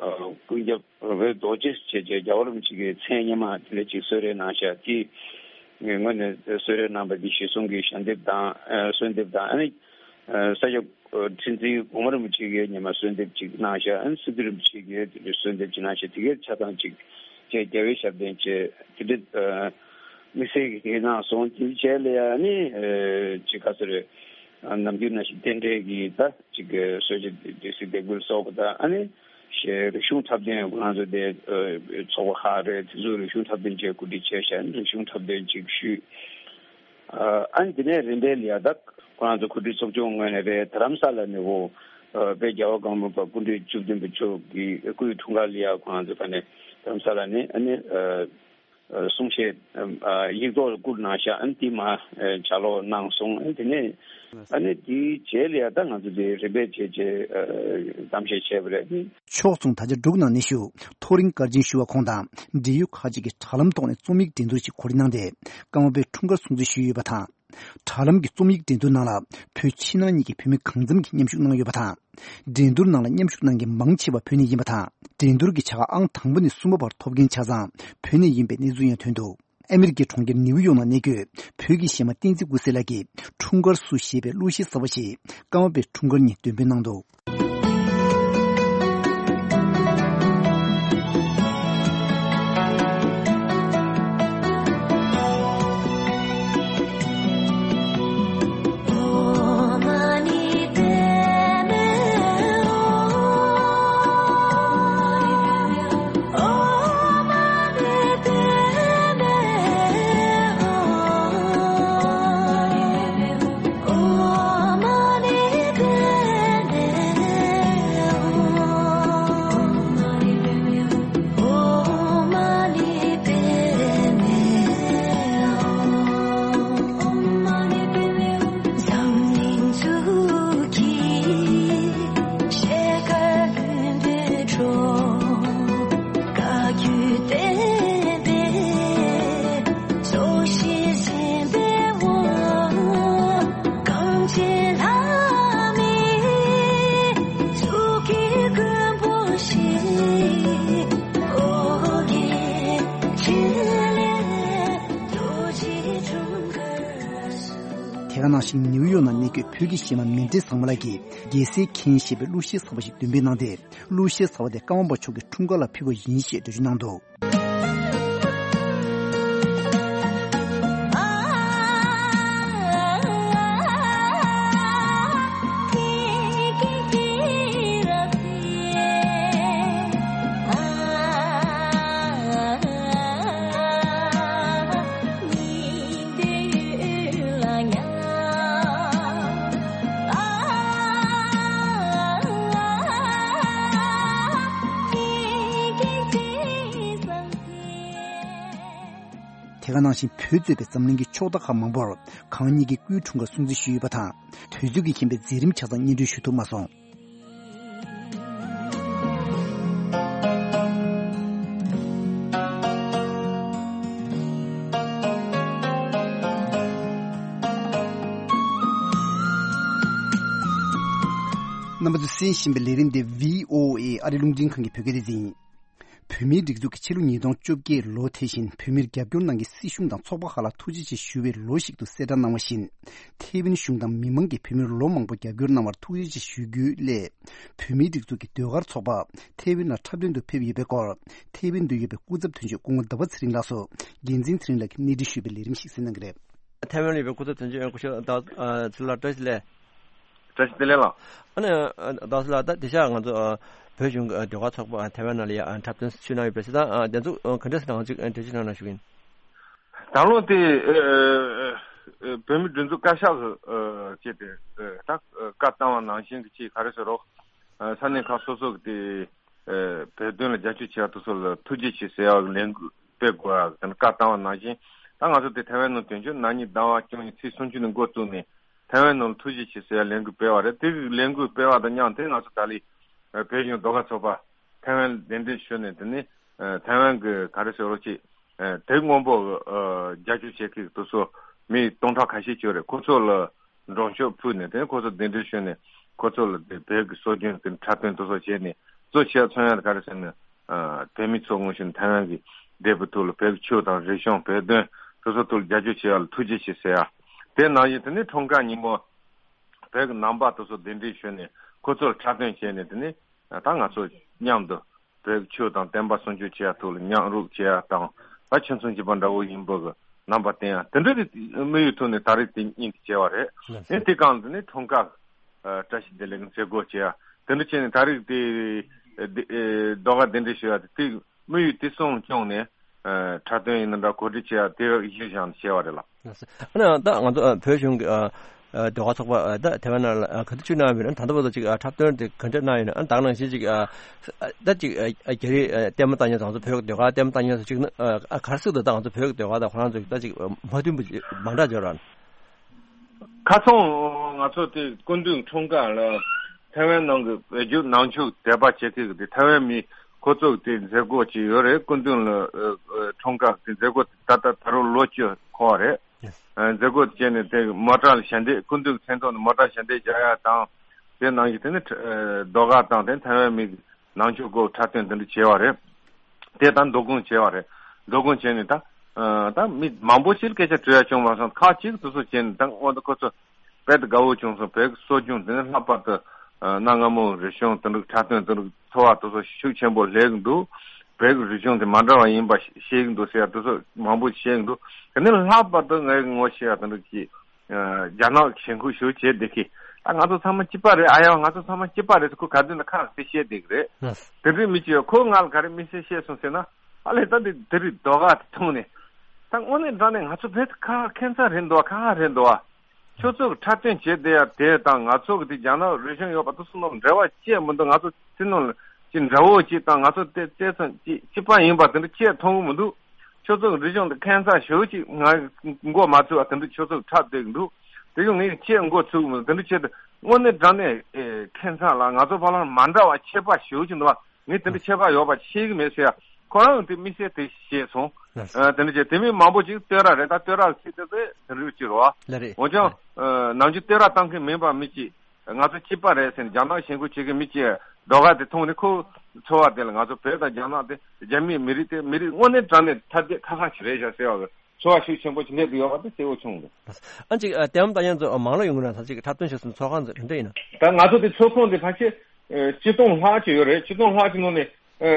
ཨ་ཀུན་ཁྱབ་འོད་རྡོ་རྗེ་བྱས་རྗེས་རྒྱལ་བ་རིན་པོ་ཆེ་གི་མཚན་སྔོན་མ་དེ་འདྲ་ཅིག་གསོལ་རས་གནང་ཤག། དེ་ངོས་ནས་གསོལ་རས་གནང་པ་འདི་གཞིར་བཟུང་གི་ཞལ་འདེབས་དང་ཨ་གསོལ་འདེབས་དང་ཨ་ནི། ས་སྐྱ་ཁྲི་འཛིན་གོང་མ་རིན་པོ་ཆེ་གིས་ཉི་མ་གསོལ་འདེབས་ཅིག་གནང་ཤག། ཨ་ནི་སི་ཏུ་རིན་པོ་ཆེ་གིས་དེ་འདྲའི་གསོལ་འདེབས་ཅིག་གནང་ཤག། དེ་གའི་ཆ་ཚང་ཅིག་བཅས་རྒྱལ་བའི་ཞབས་བརྟན་བཅས་དེ་འདྲའི་དམིགས་བསལ་གྱི་གནང་སོང་། དེ་རྗེས་ལ་ཡང་ནི་ཅིག་ག་ཚོད་རེད། ནམ་རྒྱུན་ནང་བཞིན་རྟེན་འབྲེལ་གྱི་ད་ཅིག་གསོལ་ཇ་སྡེ་སྲིད་སྡེ་དགུ་ལ་སོགས་པ་དང་ཨ་ནི་རིག་གཞུང་འཁྲབ་སྟོན་ཁོ་རང་ཚོ་དེ་ཚོགས་པ་ཁག་རེད། དེ་ཚོ་རིག་གཞུང་འཁྲབ་སྟོན་བཅས་གོ་སྒྲིག་བྱས་ཤག། རིག་གཞུང་འཁྲབ་སྟོན་ཅིག་ཞུས། ཨ་ནི་དེ་ནས་རིམ་པས་ལ་ཡ་ད་ཁོ་རང་ཚོ་གོ་སྒྲིག་ཚོགས་ཆུང་ངོས་ནས་རེད། རྡ་རམ་ས་ལ་ནས་འོ་དཔལ་རྒྱལ་བ་ཀརྨ་པ་སྐུ་ཕྲེང་བཅུ་བདུན་པ་མཆོག་གི་སྐུའི་འཁྲུངས་སྐར་ལ་ཡ་ཁོ་རང་ཚོ་ཕ་ནས་རྡ་རམ་ས་ལ་ནས་ཨ་ནི་གསུང་བཤད་ཡིག་ཐོག་ལ་བསྐུར་གནང་ཤག། ཨ་ནི་དེ་མ་ཕྱག་ལོག་གནང་སོང་། ཨ་ནི་དེ་ནས་ཨ་ནི་དེའི་རྗེས་ལ་ཡ་ད་ང་ཚོ་དེ་རིམ་པས་བྱས་བྱས་གཏམ་བཤད་བྱས་པ་རེད། ཕྱོགས་མཚུངས་ད་ཆ་འབྲུག་ནང་ནས་བཞུགས་མཐོ་རིམ་སྐར་ཆེན་ཞུ་བ་ཁོང་དང་འབྲེལ་ཡོད་ཁག་ཅིག་གིས་དྲ་ལམ་ཐོག་ནས་རྩོམ་ཡིག་འགྲན་བསྡུར་ཞིག་གོ་སྒྲིག་གནང་སྟེ་ཀརྨ་པའི་འཁྲུངས་སྐར་སྲུང་བརྩི་ཞུས་ཡོད་པ་དང་། དྲ་ལམ་གྱི་རྩོམ་ཡིག་འགྲན་བསྡུར་ནང་ལ་བོད་ཕྱི་ནང་གཉིས་ཀྱི་བུད་མེད་གང་འཚམ་གྱིས་མཉམ་ཞུགས་གནང་ཡོད་པ་དང་། འགྲན་བསྡུར་ནང་ལ་མཉམ་ཞུགས་གནང་མཁན་མང་ཆེ་བ་བོད་ནས་ཡིན་པ་དང་། འགྲན་བསྡུར་གྱི་བྱ་དགའ་ཨང་དང་པོ་ནས་གསུམ་པ་བར་ཐོབ་མཁན་ཆ་ཚང་བོད་ནས་ཡིན་པའི་གནས་ཚུལ་ཡང་ཐོན་འདུག། ཨ་མི་རི་ཀའི་གྲོང་ཁྱེར་ནིའུ་ཡོག་ནང་གནས་འཁོད་བོད་ཀྱི་གཞས་མ་བསྟན་འཛིན་ཀུན་གསལ་ལགས་ཀྱིས་འཁྲུངས་སྐར་བསུ་ཞེས་པའི་གླུ་གཞས་གསར་པ་ཞིག་ཀརྨ་པའི་འཁྲུངས་སྐར་ཉིན་འདོན་སྤེལ་གནང་འདུག། ནིའུ་ཡོག་ནང་གནས་འཁོད་བོད་ཀྱི་གཞས་མ་མཎྜལ་བཟང་མོ་ལགས་ཀྱིས་རྒྱལ་སྲས་མཁྱེན་ཞེས་པའི་གླུ་གཞས་གསར་པ་ཞིག་འདོན་སྤེལ་གནང་སྟེ། གླུ་གཞས་གསར་པ་དེ་ཀརྨ་པ་མཆོག་གི་འཁྲུངས་སྐར་ལ་ཕུལ་བ་ཡིན་ཞེས་འགྲེལ་བརྗོད་གནང་འདུག། དེ་ག་ནང་བཞིན་བོད་གཙོས་པའི་འཛམ་གླིང་གི་ཕྱོགས་མཐའ་ཁག་མང་པོར་གང་ཉིད་ཀྱི་སྐུའི་འཁྲུངས་སྐར་སྲུང་བརྩི་ཞུས་ཡོད་པ་དང་། དུས་ཚོད་ཀྱི་རྐྱེན་པས་མཛད་རིམ་ཆ་ཚང་སྙན་སྒྲོན་ཞུ་ཐུབ་མ་སོང་། རྣམ་པ་ཚོས་གསན་བཞིན་པའི་ལས་རིམ་འདི་བྷི་ཨོ་ཨེ་ཨ་རི་རླུང་འཕྲིན་ཁང་གི་བོད་སྐད་སྡེ་ཚན་ཡིན། བོད་མིའི་སྒྲིག་འཛུགས་ཀྱིས་ཕྱི་ལོ་ཉིས་སྟོང་བཅོ་བརྒྱད་ལོ་དེ་བཞིན་བོད་མིར་རྒྱབ་སྐྱོར་གནང་མཁན་སྲིད་གཞུང་དང་ཚོགས་པ་ཁག་ལ་ཐུགས་རྗེ་ཆེ་ཞུ་བའི་ལོ་ཞིག་ཏུ་གསལ་བསྒྲགས་གནང་བ་བཞིན། ཐའེ་ཝན་གཞུང་དང་མི་མང་གིས་བོད་མིར་ལོ་མང་པོ་རྒྱབ་སྐྱོར་གནང་བར་ཐུགས་རྗེ་ཆེ་ཞུ་རྒྱུའི་སླད། བོད་མིའི་སྒྲིག་འཛུགས་ཀྱི་ཟློས་གར་ཚོགས་པ་ཐའེ་ཝན་ལ་འཁྲབ་སྟོན་དུ་ཕེབས་ཡོད་པའི་སྐོར། ཐའེ་ཝན་དུ་ཡོད་པའི་སྐུ་ཚབ་དོན་གཅོད་སྐུ་ངོ་ཟླ་བ་ཚེ་རིང་ལགས་སུ་འགན་འཛིན་ཚེ་རིང་ལགས་ཀྱིས་གནས་འདྲི་ཞུས་པའི་ལས་རིམ་ཞིག་གསན་གནང་གི་རེད། ཐའེ་ཝན་ལ་ཡོད་པའི་སྐུ་ཚབ་དོན་གཅོད་སྐུ་ཞབས་ཚེ་ལགས་བཀྲ་ཤིས་བདེ་ལེགས། བཀྲ་ཤིས་བདེ་ལེགས་ལགས། ཨ་ནི་ཟླ་བ་ཚེ་ལགས། ད་དེང་སང་ང་ཚོ་བོད་གཞུང་གི་ཟློས་གར་ཚོགས་པ་ཐའེ་ཝན་ནང་ལ་ཡ་འཁྲབ་སྟོན་ཞུས་གནང་ཡོད་པས། ད་དེ་ཚོ་ག་འདྲ་ཞིག་རང་ཅིག་འགྲེལ་བརྗོད་གནང་ན་ཞུ་གི་ཡིན། ད་ལོ་དེ་བོད་མི་སྒྲིག་འཛུགས་བཀའ་ཤག་གིས་བྱས་ཏེ་ད་བཀའ་བཏང་བ་ནང་བཞིན་གྱི་ཅིག་ག་རེ་ཟེར་རོགས། ས་གནས་ཁག་སོ་སོ་གི་དེ་བོད་དོན་ལ་རྒྱབ་སྐྱོར་བྱེད་ཡག་དེ་ཚོ་ལ་ཐུགས་རྗེ་ཆེ་ཟེར་ཡག་གི་ལས་འགུལ་སྤེལ་དགོས་ཡག་གི་བཀའ་བཏང་བ་ནང་བཞིན། ད་ང་ཚོ་དེ་ཐའེ་ཝན་ནང་དོན་གཅོད་ན་ནིང་ཟླ་བ་བཅུ་གཉིས་ཚེས་སུམ་ཅུ་ནས་འགོ་བཙུགས་ནས་ཐའེ་ཝན་ནང་ལ་ཐུགས་རྗེ་ཆེ་ཟེར་ཡག་ལས་འགུལ་སྤེལ་བ་རེད། དེ་གི་ལས་འགུལ་སྤེལ་བ་དང་མཉམ་དུ་ང་ཚོ་ད་ལོ་བོད་གཞུང་ཟློས་གར་ཚོགས་པ་ཐའེ་ཝན་གདན་འདྲེན་ཞུས་ནས། དེ་ནས་ཐའེ་ཝན་གི་ག་རེ་ཟེར་རོགས་ཅིག་དེབ་སྔོན་པོ་གི་རྒྱབ་སྐྱོར་བྱེད་མཁན་དེ་ཚོ་མི་སྟོང་ཕྲག་ཁ་ཤས་ཅིག་ཡོད་རེད། ཁོ་ཚོ་ལ་མགྲོན་ཤོག་ཕུལ་ནས། དེ་ནས་ཁོ་ཚོ་གདན་འདྲེན་ཞུས་ནས་ཁོ་ཚོ་ལ་དེ་བོད་ཀྱི་སྲོལ་རྒྱུན་དེ་འཁྲབ་སྟོན་དེ་ཚོ་བྱས་ནས། གཙོ་ཆེ་བ་མཚོན་ཡག་ག་རེ་ཟེར་ན། བོད་མི་ཚོ་དངོས་གཞི་ཐའེ་ཝན་གྱི་བདེ་པོའི་ཐོག་ལ་བོད་ཀྱི་ཆོས་དང་རིག་གཞུང་བོད་དོན་དེ་ཚོ་ཐོག་ལ་རྒྱབ་སྐྱོར་བྱེད་ཡག་ལ་ཐུགས་རྗེ་ཆེ་ཟེར་ཡག་དེ་ནང་བཞིན་དེ་ནས་འཁྲུངས་སྐར་ཉིན་མོ་བོད་ཀྱི་ནང་པ་དེ་ཚོ་གདན་འདྲེན་ཞུས་ནས་ཁོ་ཚོར་འཁྲབ་སྟོན་བྱས་ནས། དེ་ནས་ད་ང་ཚོ་མཉམ་དུ་བོད་ཀྱི་ཆོས་དང་བསྟན་པ་སྲུང་སྐྱོབ་བྱེད་ཡག་ཐོག་ལ་མཉམ་རུབ་བྱེད་ཡག་དང་། ད་ཁྱིམ་ཚང་གཅིག་པ་འདྲ་བོ་ཡིན་པ་གི་རྣམ་པ་བསྟན་ཡག་དེ་འདྲ་གི་དམིགས་ཡུལ་ཐོག་ནས་ད་རེས་དེ་ཉིན་དེ་བྱས་པ་རེད། ལགས་སོ། ཨེ་དེ་གང་དེ་ནས་འཁྲུངས་སྐར་བཀྲ་ཤིས་བདེ་ལེགས་མཛད་སྒོ་བྱེད་ཡག་དེ་འདྲ་བྱས་ནས། ད་རེས་དེ་ཟློས་གར་གདན་འདྲེན་ཞུ་ཡག་དེ་དེ་དམིགས་ཡུལ་དེ་གསུམ་བསྐྱངས་ནས་འཁྲབ་སྟོན་ཡིན་ན་འདྲ། གོ་སྒྲིག་བྱེད་ཡག་དེ་གཞིར་བཞག་ནས་བྱས་པ་རེད་ལགས། ལགས་སོ། ཨ་ནི་ད་ང་ཚོ་བོད་གཞུང་གི་ཟློས་གར་ཚོགས་པ་ད་ཐའེ་ཝན་ནང་ལ་ག་དུས་ཅིག་གནང་ཡོད་ན། ད་ལྟ་བར་དུ་ཅིག་འཁྲབ་སྟོན་དེ་ག་འདྲ་གནང་ཡོད་ན། ཨ་ནི་ད་ག་ནང་བཞིན་ཅིག་ད་ཅིག་རྒྱ་རིགས་ལྟད་མོ་ལྟ་མཁན་ཚོ་བོད་ཀྱི་ཟློས་གར་ལྟད་མོ་ལྟ་མཁན་ཚོ་ཅིག་ནི་ག་རེ་ཟེར་དགོས་འདུག་ད་ང་ཚོ་བོད་ཀྱི་ཟློས་གར་དང་ཁོ་རང་ཚོ་ད་ཅིག་མ་མཐུན་པ་ཅིག་མ་འདྲ་འབྱོར་ར། ཁ་སང་ང་ཚོ་དེ་སྐུ་མདུན་འཁྲུངས་སྐར་ལ་ཐའེ་ཝན་ནང་གི་བོད་བརྒྱུད་ནང་ཆོས་དད་པ་བྱེད་མཁན་གྱི་དེ་ཐའེ་ཝན་མི་ཁོ་ཚོ་གི་དེ་མཛད་སྒོ་ཅིག་ཡོད་རེད། སྐུ་མདུན་ལ་འཁྲུངས་སྐར་དེ་མཛད་སྒོ་ད་ལྟ་ད་རུང་ལོ་བཅུ་འཁོར་བ་རེད། ལགས་སོ། མཛད་སྒོ་དེ་བྱས་ནས་དེ་མོ་ཊ་ལ་ཞལ་འདེབས། སྐུ་མདུན་གྱི་མཚན་ཐོག་ནས་མོ་ཊ་ཞལ་འདེབས་རྒྱག་ཡག་དང་། དེ་ནང་བཞིན་དེ་ནས་ཟློས་གར་དང་དེ་ཐའེ་ཝན་མི་གི་ནང་ཆོས་སྐོར་འཁྲབ་སྟོན་དེ་འདྲ་བྱས་པ་རེད། དེ་ད་མདོ་དགོང་བྱས་པ་རེད། མདོ་དགོང་བྱས་ནས་ད་ཨ་ད་མི་མང་པོ་ཞིག་སྐད་ཆ་དྲི་ཡག་བྱུང་མ་སོང་། ཁག་ཅིག་དེ་ཚོ་བྱས་ནས་ད་སྔོན་དུ་ཁོ་ཚོ་དཔེ་དེ་དགའ་བོ་བྱུང་སོང་། བོད་ཀྱི་སྲོལ་རྒྱུན་དེ་ནས་ལྷག་པར་དུ་ཨ་གནའ་སྔ་མོའི་རིག་གཞུང་དེ་འདྲ་འཁྲབ་སྟོན་དེ་འདྲ་འཚོ་བ་དེ་ཚོ་ཤུགས་ཆེན་པོ་སླེབས་ཀྱི་འདུག། བོད་ཀྱི་རིག་གཞུང་དེ་མ་འདྲ་བ་ཡིན་པ་ཤེས་ཀྱི་འདུག་ཟེར་ཡག་དེ་ཚོ་མང་པོ་བཤད་ཀྱི་འདུག། དེ་ནས་ལྷག་པར་དུ་ངས་ངོ་ཤེས་ཡག་དེ་འདྲ་གི་ཨ་རྒྱ་ནག་གི་ཞེན་ཁོག་ཞེ་པོ་བྱས་བསྡད་མཁན། ད་ང་ཚོ་ཚང་མ་གཅིག་པ་རེད། ཨ་ཡ་ང་ཚོ་ཚང་མ་གཅིག་པ་རེད་ཟེར་ཁོ་ག་དུས་ན་ཁ་ནས་དེ་བཤད་བསྡད་ཀྱི་རེད། ལགས། དེ་འདྲའི་མི་གཅིག་ཡོད། ཁོ་ང་ལ་ག་རེ་དམིགས་བསལ་བཤད་སོང་ཟེར་ན། ཨ་ལས་ད་འདི་དེ་རིང་ཟློས་གར་དེ་མཐོང་ནས། ད་དངོས་གནས་དྲང་གནས་ང་ཚོ་བོད་ཁ་ཁྱད་མཚར་རེད་འདུག་བ། ཁག་ཁག་རེད་འདུག་བ། ཁྱོད་ཚོ་གི་འཁྲབ་སྟོན་བྱས་བསྡད་ཡག་དེ་དང་ང་ཚོ་གི་དེ་རྒྱ་ནག་རིག་གཞུང་ཡོད་པ་དེ་ཚོ་ནང་འབྲེལ་བ་ཅི་ཡང་མི་འདུག། ང་ཚོ་དེ་ནང་ལ་ཅི་འདྲ་བོ་ཅིག་དང་ང་ཚོ་དེ་དེ་ཙམ་ཅིག་གཅིག་པ་ཡིན་པ་དེ་འདྲ་ཅི་ཡང་མཐོང་གི་མི་འདུག། ཁྱོད་ཚོ་གི་རིག་གཞུང་དེ་ཁྱད་མཚར་ཞེ་པོ་ཅིག་ང་མགོ་མ་ཚོས་པ་དེ་འདྲ་ཁྱོད་ཚོ་གི་འཁྲབ་བསྡད་ཀྱི་འདུག། དེ་ཡང་ངས་ཅི་ཡང་མགོ་ཚོས་ཀྱི་མི་འདུག། དེ་འདྲ་བྱས་ཏེ་དངོས་གནས་དྲང་གནས་ཨེ་ཁྱད་མཚར་ལ་ང་ཚོ་བར་ལ་མ་འདྲ་བ་ཁྱད་པར་ཞེ་པོ་ཅིག་འདུག་བ། ངས་དེ་འདྲ་ཁྱད་པར་ཡོད་པ་ཤེས་ཀྱི་མེད་ཟེར་ཡ། ཁོ་རང་དེ་དམིགས་བསལ་དེ་བཤད་སོང་། ལགས་སོ། ཨ་དེ་འདྲ་བྱས་དེ་མིན་མང་པོ་ཅིག་བསྟོད་ར་རེད། ད་བསྟོད་ར་ཟེར་དེ་ཚོ་དེ་འདྲ་ཅིག་རེད་བ། ལགས་རེད། འོན་ཀྱང་ཨ་ནམ་རྒྱུན་བསྟོད་ར་བཏང་མཁན་མིན་པ་མི་གཅིག་ང་ཚོ་གཅིག་པ་རེད་ཟེར་ནས་རྒྱ་ནག་ཞེན་ཁོག་བྱེད་མཁན་མི་གཅིག་ཟློས་གར་དེ་མཐོང་ནས་ཁོ་ཚོར་བ་དེ་ལ་ང་ཚོ་བོད་དང་རྒྱ་ནག་དེ་རྒྱ་མིའི་མི་རིགས་དེ་མི་རིགས་དངོས་གནས་དྲང་གནས་ཐ་དད་ཁག་ཁག་ཅིག་རེད་ཤག་ཟེར་བ་གི། ཚོར་བ་ཤུགས་ཆེན་པོ་ཞིག་སླེབས་ཀྱི་ཡོད་པ་དེ་གསལ་པོ་བྱུང་འདུག་ཨ་ཅིག་ལྟད་མོ་ལྟ་མཁན་ཚོ་མང་ལོ་ཡོང་གི་ན་ད་ཅིག་འཁྲབ་སྟོན་བྱེད་སའི་ཚོགས་ཁང་ཚོ་དེ་འདྲ་ཡིན་ན། ད་ང་ཚོ་དེ་ཚོགས་ཁང་དེ་ཕལ་ཆེར་ཨ་ཆིག་སྟོང་ལྷག་ཅིག་ཡོད་རེད། ཆིག་སྟོང་ལྷག་ཅིག་ནང་ནས་ཨ་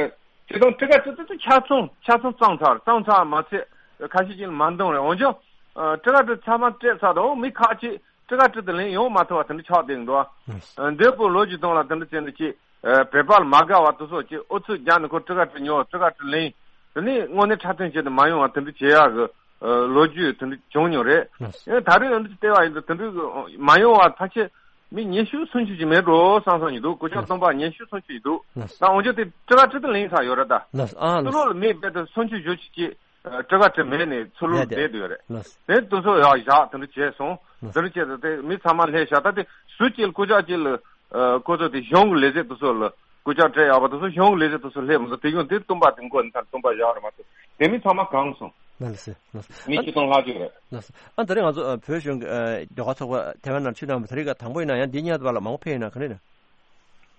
ཆིག་སྟོང་ཁྲི་ཁ་ཁྲི་དེ་ཆ་ཚང་ཆ་ཚང་བཙོངས་ཚར། བཙོངས་ཚར་མ་ཚད་ཁ་ཤས་ཅིག་མ་འདང་རེད། འོན་ཀྱང་ཨ་ཁྲི་ཁ་ཁྲི་ཚང་མ་སྤྲད་ཚར་དང་མི་ཁག་ཅིག་ཁྲི་ཁ་ཁྲི་དེ་ལེན་ཡོང་མ་ཐུབ་པ་དེ་འདྲ་ཆགས་བསྡད་འདུག་ཨ་འདས་པོ་ལོ་བཅུ་སྟོང་ལ་དེ་འདྲ་བྱས་ནས་ཅིག་ཨ་བོད་པ་ལ་མ་དགའ་བ་དེ་ཚོ་ཅིག་ཨུ་ཚུགས་རྒྱག་ནས་ཁོ་ཁྲི་ཁ་ཁྲི་ཉོ། ཁྲི་ཁ་ཁྲི་ལེན། དེ་ནས་དངོས་གནས་འཁྲབ་སྟོན་བྱེད་དུ་མ་ཡོང་བ་དེ་འདྲ་བྱེད་ཡག་གི་ཨ་ལོ་རྒྱུས་དེ་འདྲ་བྱུང་མྱོང་རེད། ལགས་སོ། ཨེ་ད་རེས་ཡང་འདི་བལྟས་པ་ཡིན་ན་དེ་འདྲ་གི་མ་ཡོང་བ་ཕལ་ཆེར་མི་ཉི་ཤུ་སུམ་ཅུ་ཅིག་མེད་འགྲོ་བསམ་བསམ་ཡིན་འདུག་སྐུ་ཞབས་ལགས་སོ། སྟོན་པ་ཉི་ཤུ་སུམ་ཅུ་ཡིན་འདུག་ལགས་སོ། ད་འོན་ཀྱང་དེ་ཁྲི་ཁ་ཁྲི་དེ་ལེན་ཚར་ཡོད་རེད་ད། ལགས་སོ། ཨ་ཚུར་ལོག་ལ་མི་རྦད་དེ་སུམ་ཅུ་བཞི་བཅུ་ཅིག་ཨ་ཁྲི་ཁ་ཁྲི་མེད་ནས་ཚུར་ལོག་ལ་བསྡད་བསྡད་ཡོད་རེད། ལགས་སོ། དེ་དེ་ཚོ་ཡང་བཞག་དེ་འདྲ་བྱས་སོང་། ལགས་སོ། དེ་འདྲ་བྱས་ཏེ་དེ་མི་ཚང་མ་སླེབས་ཤག་ད་དེ་སུ་གཅིག་ལ་སྐུ་ཞབས་གཅིག་ལ་ཨ་ཁོ་ཚོ་དེ་གཞུང་གི་ལས་བྱེད་དེ་ཚོ་ལ་སྐུ་ཞབས་སྤྲད་ཡག་པ་དེ་ཚོ་གཞུང་གི་ལས་བྱེད་དེ་ཚོ་སླེབས་མ་སོང་། དེ་གཞུང་དེ་སྟོན་པ་དེ་མགོ་ནས་མཐར་སྟོན་པ་བཞག་རེད་མ་གཏོགས་དེ་མི་ཚང་མ་གང་སོང་། ལགས་སོ། ལགས་སོ། མི་ཨ་ཆིག་སྟོང་ལྷག་ཅིག་རེད། ལགས་སོ། ཨ་ད་རེས་ང་ཚོ་ཨ་བོད་གཞུང་གི་ཨ་ཟློས་གར་ཚོགས་པ་ཐེ་ཝན་ནང་ཕྱིར་བཏང་བ་དེ་རིང་ག་དང་པོ་ཡིན་ན་ཡང་འདི་སྔོན་བར་ལ་མང་པོ་ཕེབས་ཡོད་ན་ག་རེ་ཡིན་ན།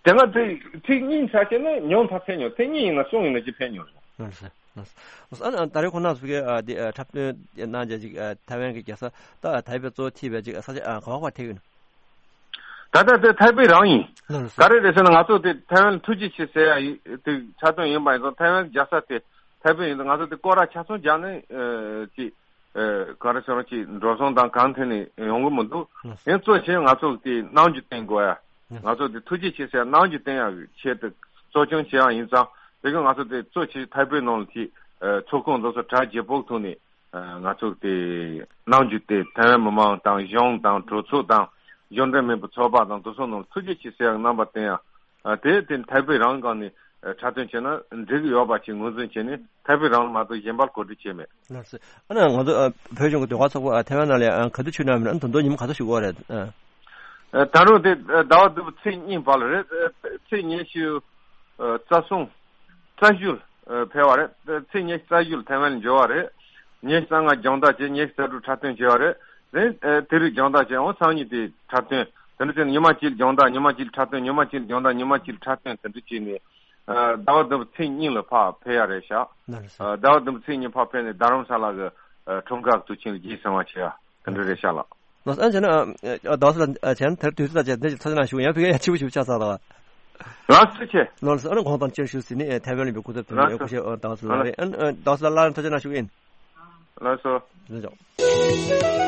དེ་སྔ་དེ་ཚིག་གཉིས་ཆ་བྱས་ན་ཉུང་མཐའ་ཕེབས་མྱོང་། ཚིག་གཉིས་ཡིན་ན་གསུམ་ཡིན་ན་ཅིག་ཕེབས་མྱོང་རེད། ལགས་སོ། ལགས་སོ། ཨ་ད་རེས་ཁོང་རྣམ་ཚོ་གིས་ཨ་འདི་ཨ་འཁྲབ་སྟོན་གནང་བྱས་ཅིག་ཨ་ཐེ་ཝན་གྱི་རྒྱལ་ས་ད་ཐའེ་པེ་གཙོ་བོ་ཐིག་པའི་ཅིག་ས་ཆ་ཨ་ག་བ་ག་བ་ཕེབས་ཡོད་ན། ད་ལྟ་དེ་ཐའེ་པེ་རང་ཡིན། ལགས་སོ། ག་རེ་རེད་ཟེར་ན་ང་ཚོ་དེ་ཐའེ་ཝན་ལ་ཐུགས་རྗེ་ཆེ་ཟེར་ཡ་ཡི་དེ་འཁྲབ་སྟོན་ཡིན་པ་ཡིན་ཙང་ཐའེ་ཝན་རྒྱལ་ས་དེ་ཐའེ་པེ་ཡིན་ཙང་ང་ཚོ་དེ་སྐོར་ར་ཆ་ཚང་རྒྱག་ནས་ཨ་ཅིག་ཨ་ག་རེ་ཟེར་ན་ཅིག་འགྲོ་སོང་དང་གང་ཐད་ནས་ཡོང་གི་མི་འདུག་ལགས་སོ། ཡིན་གཙོ་ཆེ་ང་ཚོ་དེ་གནང་རྒྱུ་བསྟན་དགོས་ཡ། ལགས་སོ། ང་ཚོ་དེ་ཐུགས་རྗེ་ཆེ་ཟེར་ཡ་གནང་རྒྱུ་བསྟན་ཡ་གི་ཆེད་དུ་གཙོ་སྐྱོང་བྱེད་ཡ་ཡིན་ཙང་དེ་གི་ང་ཚོ་དེ་གཙོ་ཆེ་ཐའེ་པེ་ནང་ལ་དེ་ཨ་ཚོགས་ཁང་འདི་ཚོ་གྲ་རྒྱས་པོ་ཐོག་ནས། ང་ཚོ་དེ་གནང་རྒྱུ་དེ་ཐའེ་ཝན་མི་མང་དང་གཞུང་དང་གྲོས་ཚོགས་དང་གཞུང་འབྲེལ་མིན་པའི་ཚོགས་པ་དང་དེ་ཚོ་ནང་ཐུགས་རྗེ་ཆེ་ཟེར་ཡག་རྣམ་པ་བསྟན་ཡ། དེ་དེ་ཐའེ་པེ་རང་སྒང་ནས་འཁྲབ་སྟོན་བྱས་ན་འགྲིག་གི་ཡོད་པ་ཞིག་ངོས་འཛིན་བྱས་ནས་ཐའེ་པེ་རང་ལ་མ་གཏོགས་གཞན་པར་གོ་སྒྲིག་བྱས་མེད། ལགས་སོ། ཨ་ནི་ང་ཚོ་ཨ་བོད་གཞུང་གི་ཟློས་གར་ཚོགས་པ་ཨ་ཐའེ་ཝན་ནང་ལ་ཨ་ག་དུས་ཕྱིར་བཏང་ཡིན་ན། ཨ་ནི་ད་དུང་ཉིན་མོ་ག་ཚོད་ཞིག་འགོར་རེད། ཨ། ཨ་ད་རུང་དེ་ཨ་ཟླ་བ་བདུན་པའི་ཚེས་གཉིས་བར་ལ་རེད། ཨ་ཚེས་ཉི་ཤུ་ཨ་རྩ་གསུམ་རྩ་བཞི་ལ་ཨ་ཕེབས་པ་རེད། ཨ་ཚེས་ཉི་ཤུ་རྩ་བཞི་ལ་ཐའེ་ཝན་ལ་འབྱོར་བ་རེད། ཉི་ཤུ་རྩ་ལྔ་སྦྱོང་བརྡར་བྱས། ཉི་ཤུ་རྩ་དྲུག་འཁྲབ་སྟོན་བྱས་པ་རེད། དེ་ཨ་དེ་རིང་སྦྱོང་བརྡར་བྱས། འོ་སང་ཉིན་དེ་འཁྲབ་སྟོན། དེ་འདྲ་བྱས་ནས་ཉི་མ་གཅིག་ལ་སྦྱོང་བརྡར། ཉི་མ་གཅིག་ལ་འཁྲབ་སྟོན། ཉི་མ་གཅིག་ལ་སྦྱོང་བརྡར། ཉི་མ་གཅིག་ལ་འཁྲབ་སྟོན། དེ་འདྲ་བྱས་ནས་ཨ་ཟླ་བ་བདུན་པའི་ཚེས་གཉིས་ལ་ཕར་ཕེབས་ཡ་རེད་ཤག་ལགས་སོ། ཨ་ཟླ་བ་བདུན་པའི་ཚེས་གཉིས་ཕར་ཕེབས་ནས་རྡ་རམ་ས་ལ་གི་ཨ་འཁྲུངས་སྐར་དུས་ཆེན་ལ་རྗེས་བཟུང་བ་བྱེད་ཡ་དེ་འདྲ་རེད་ཤག་ལགས། ལགས་སོ། ཨ་བྱས་ན་ཨ་ཟླ་བ་ས་ལ་ཨ་བྱས་ན་དེར་དུས་ཚོད་དང་བཅས་ཏེ་ཚོགས་ཆེན་ནང་ཞུགས། ཡང་ཕ་གིར་ཡང་ཕྱི་པོ་ཞིག་ཆགས་ཚར་ལ། ལགས་སོ་ཆེ། ལགས་སོ། ཨ་ནི་གོང་དང་སྤྱིར་ཞུ་ཟིན་ནི་ཐའེ་ཝན་ལ་ཡོད་པའི་སྐུ་ཚབ་དེ་ལགས་སོ། སྐུ་ཞབས་ཟླ་བ་ས་ལ་ལགས་རེད། ཨ་ཟླ་བ་ས་ལ་ལགས་ལ་ཐུགས་རྗེ་གནང་ཞུ་གི་ཡིན། ལགས་སོ། ལགས་སོ།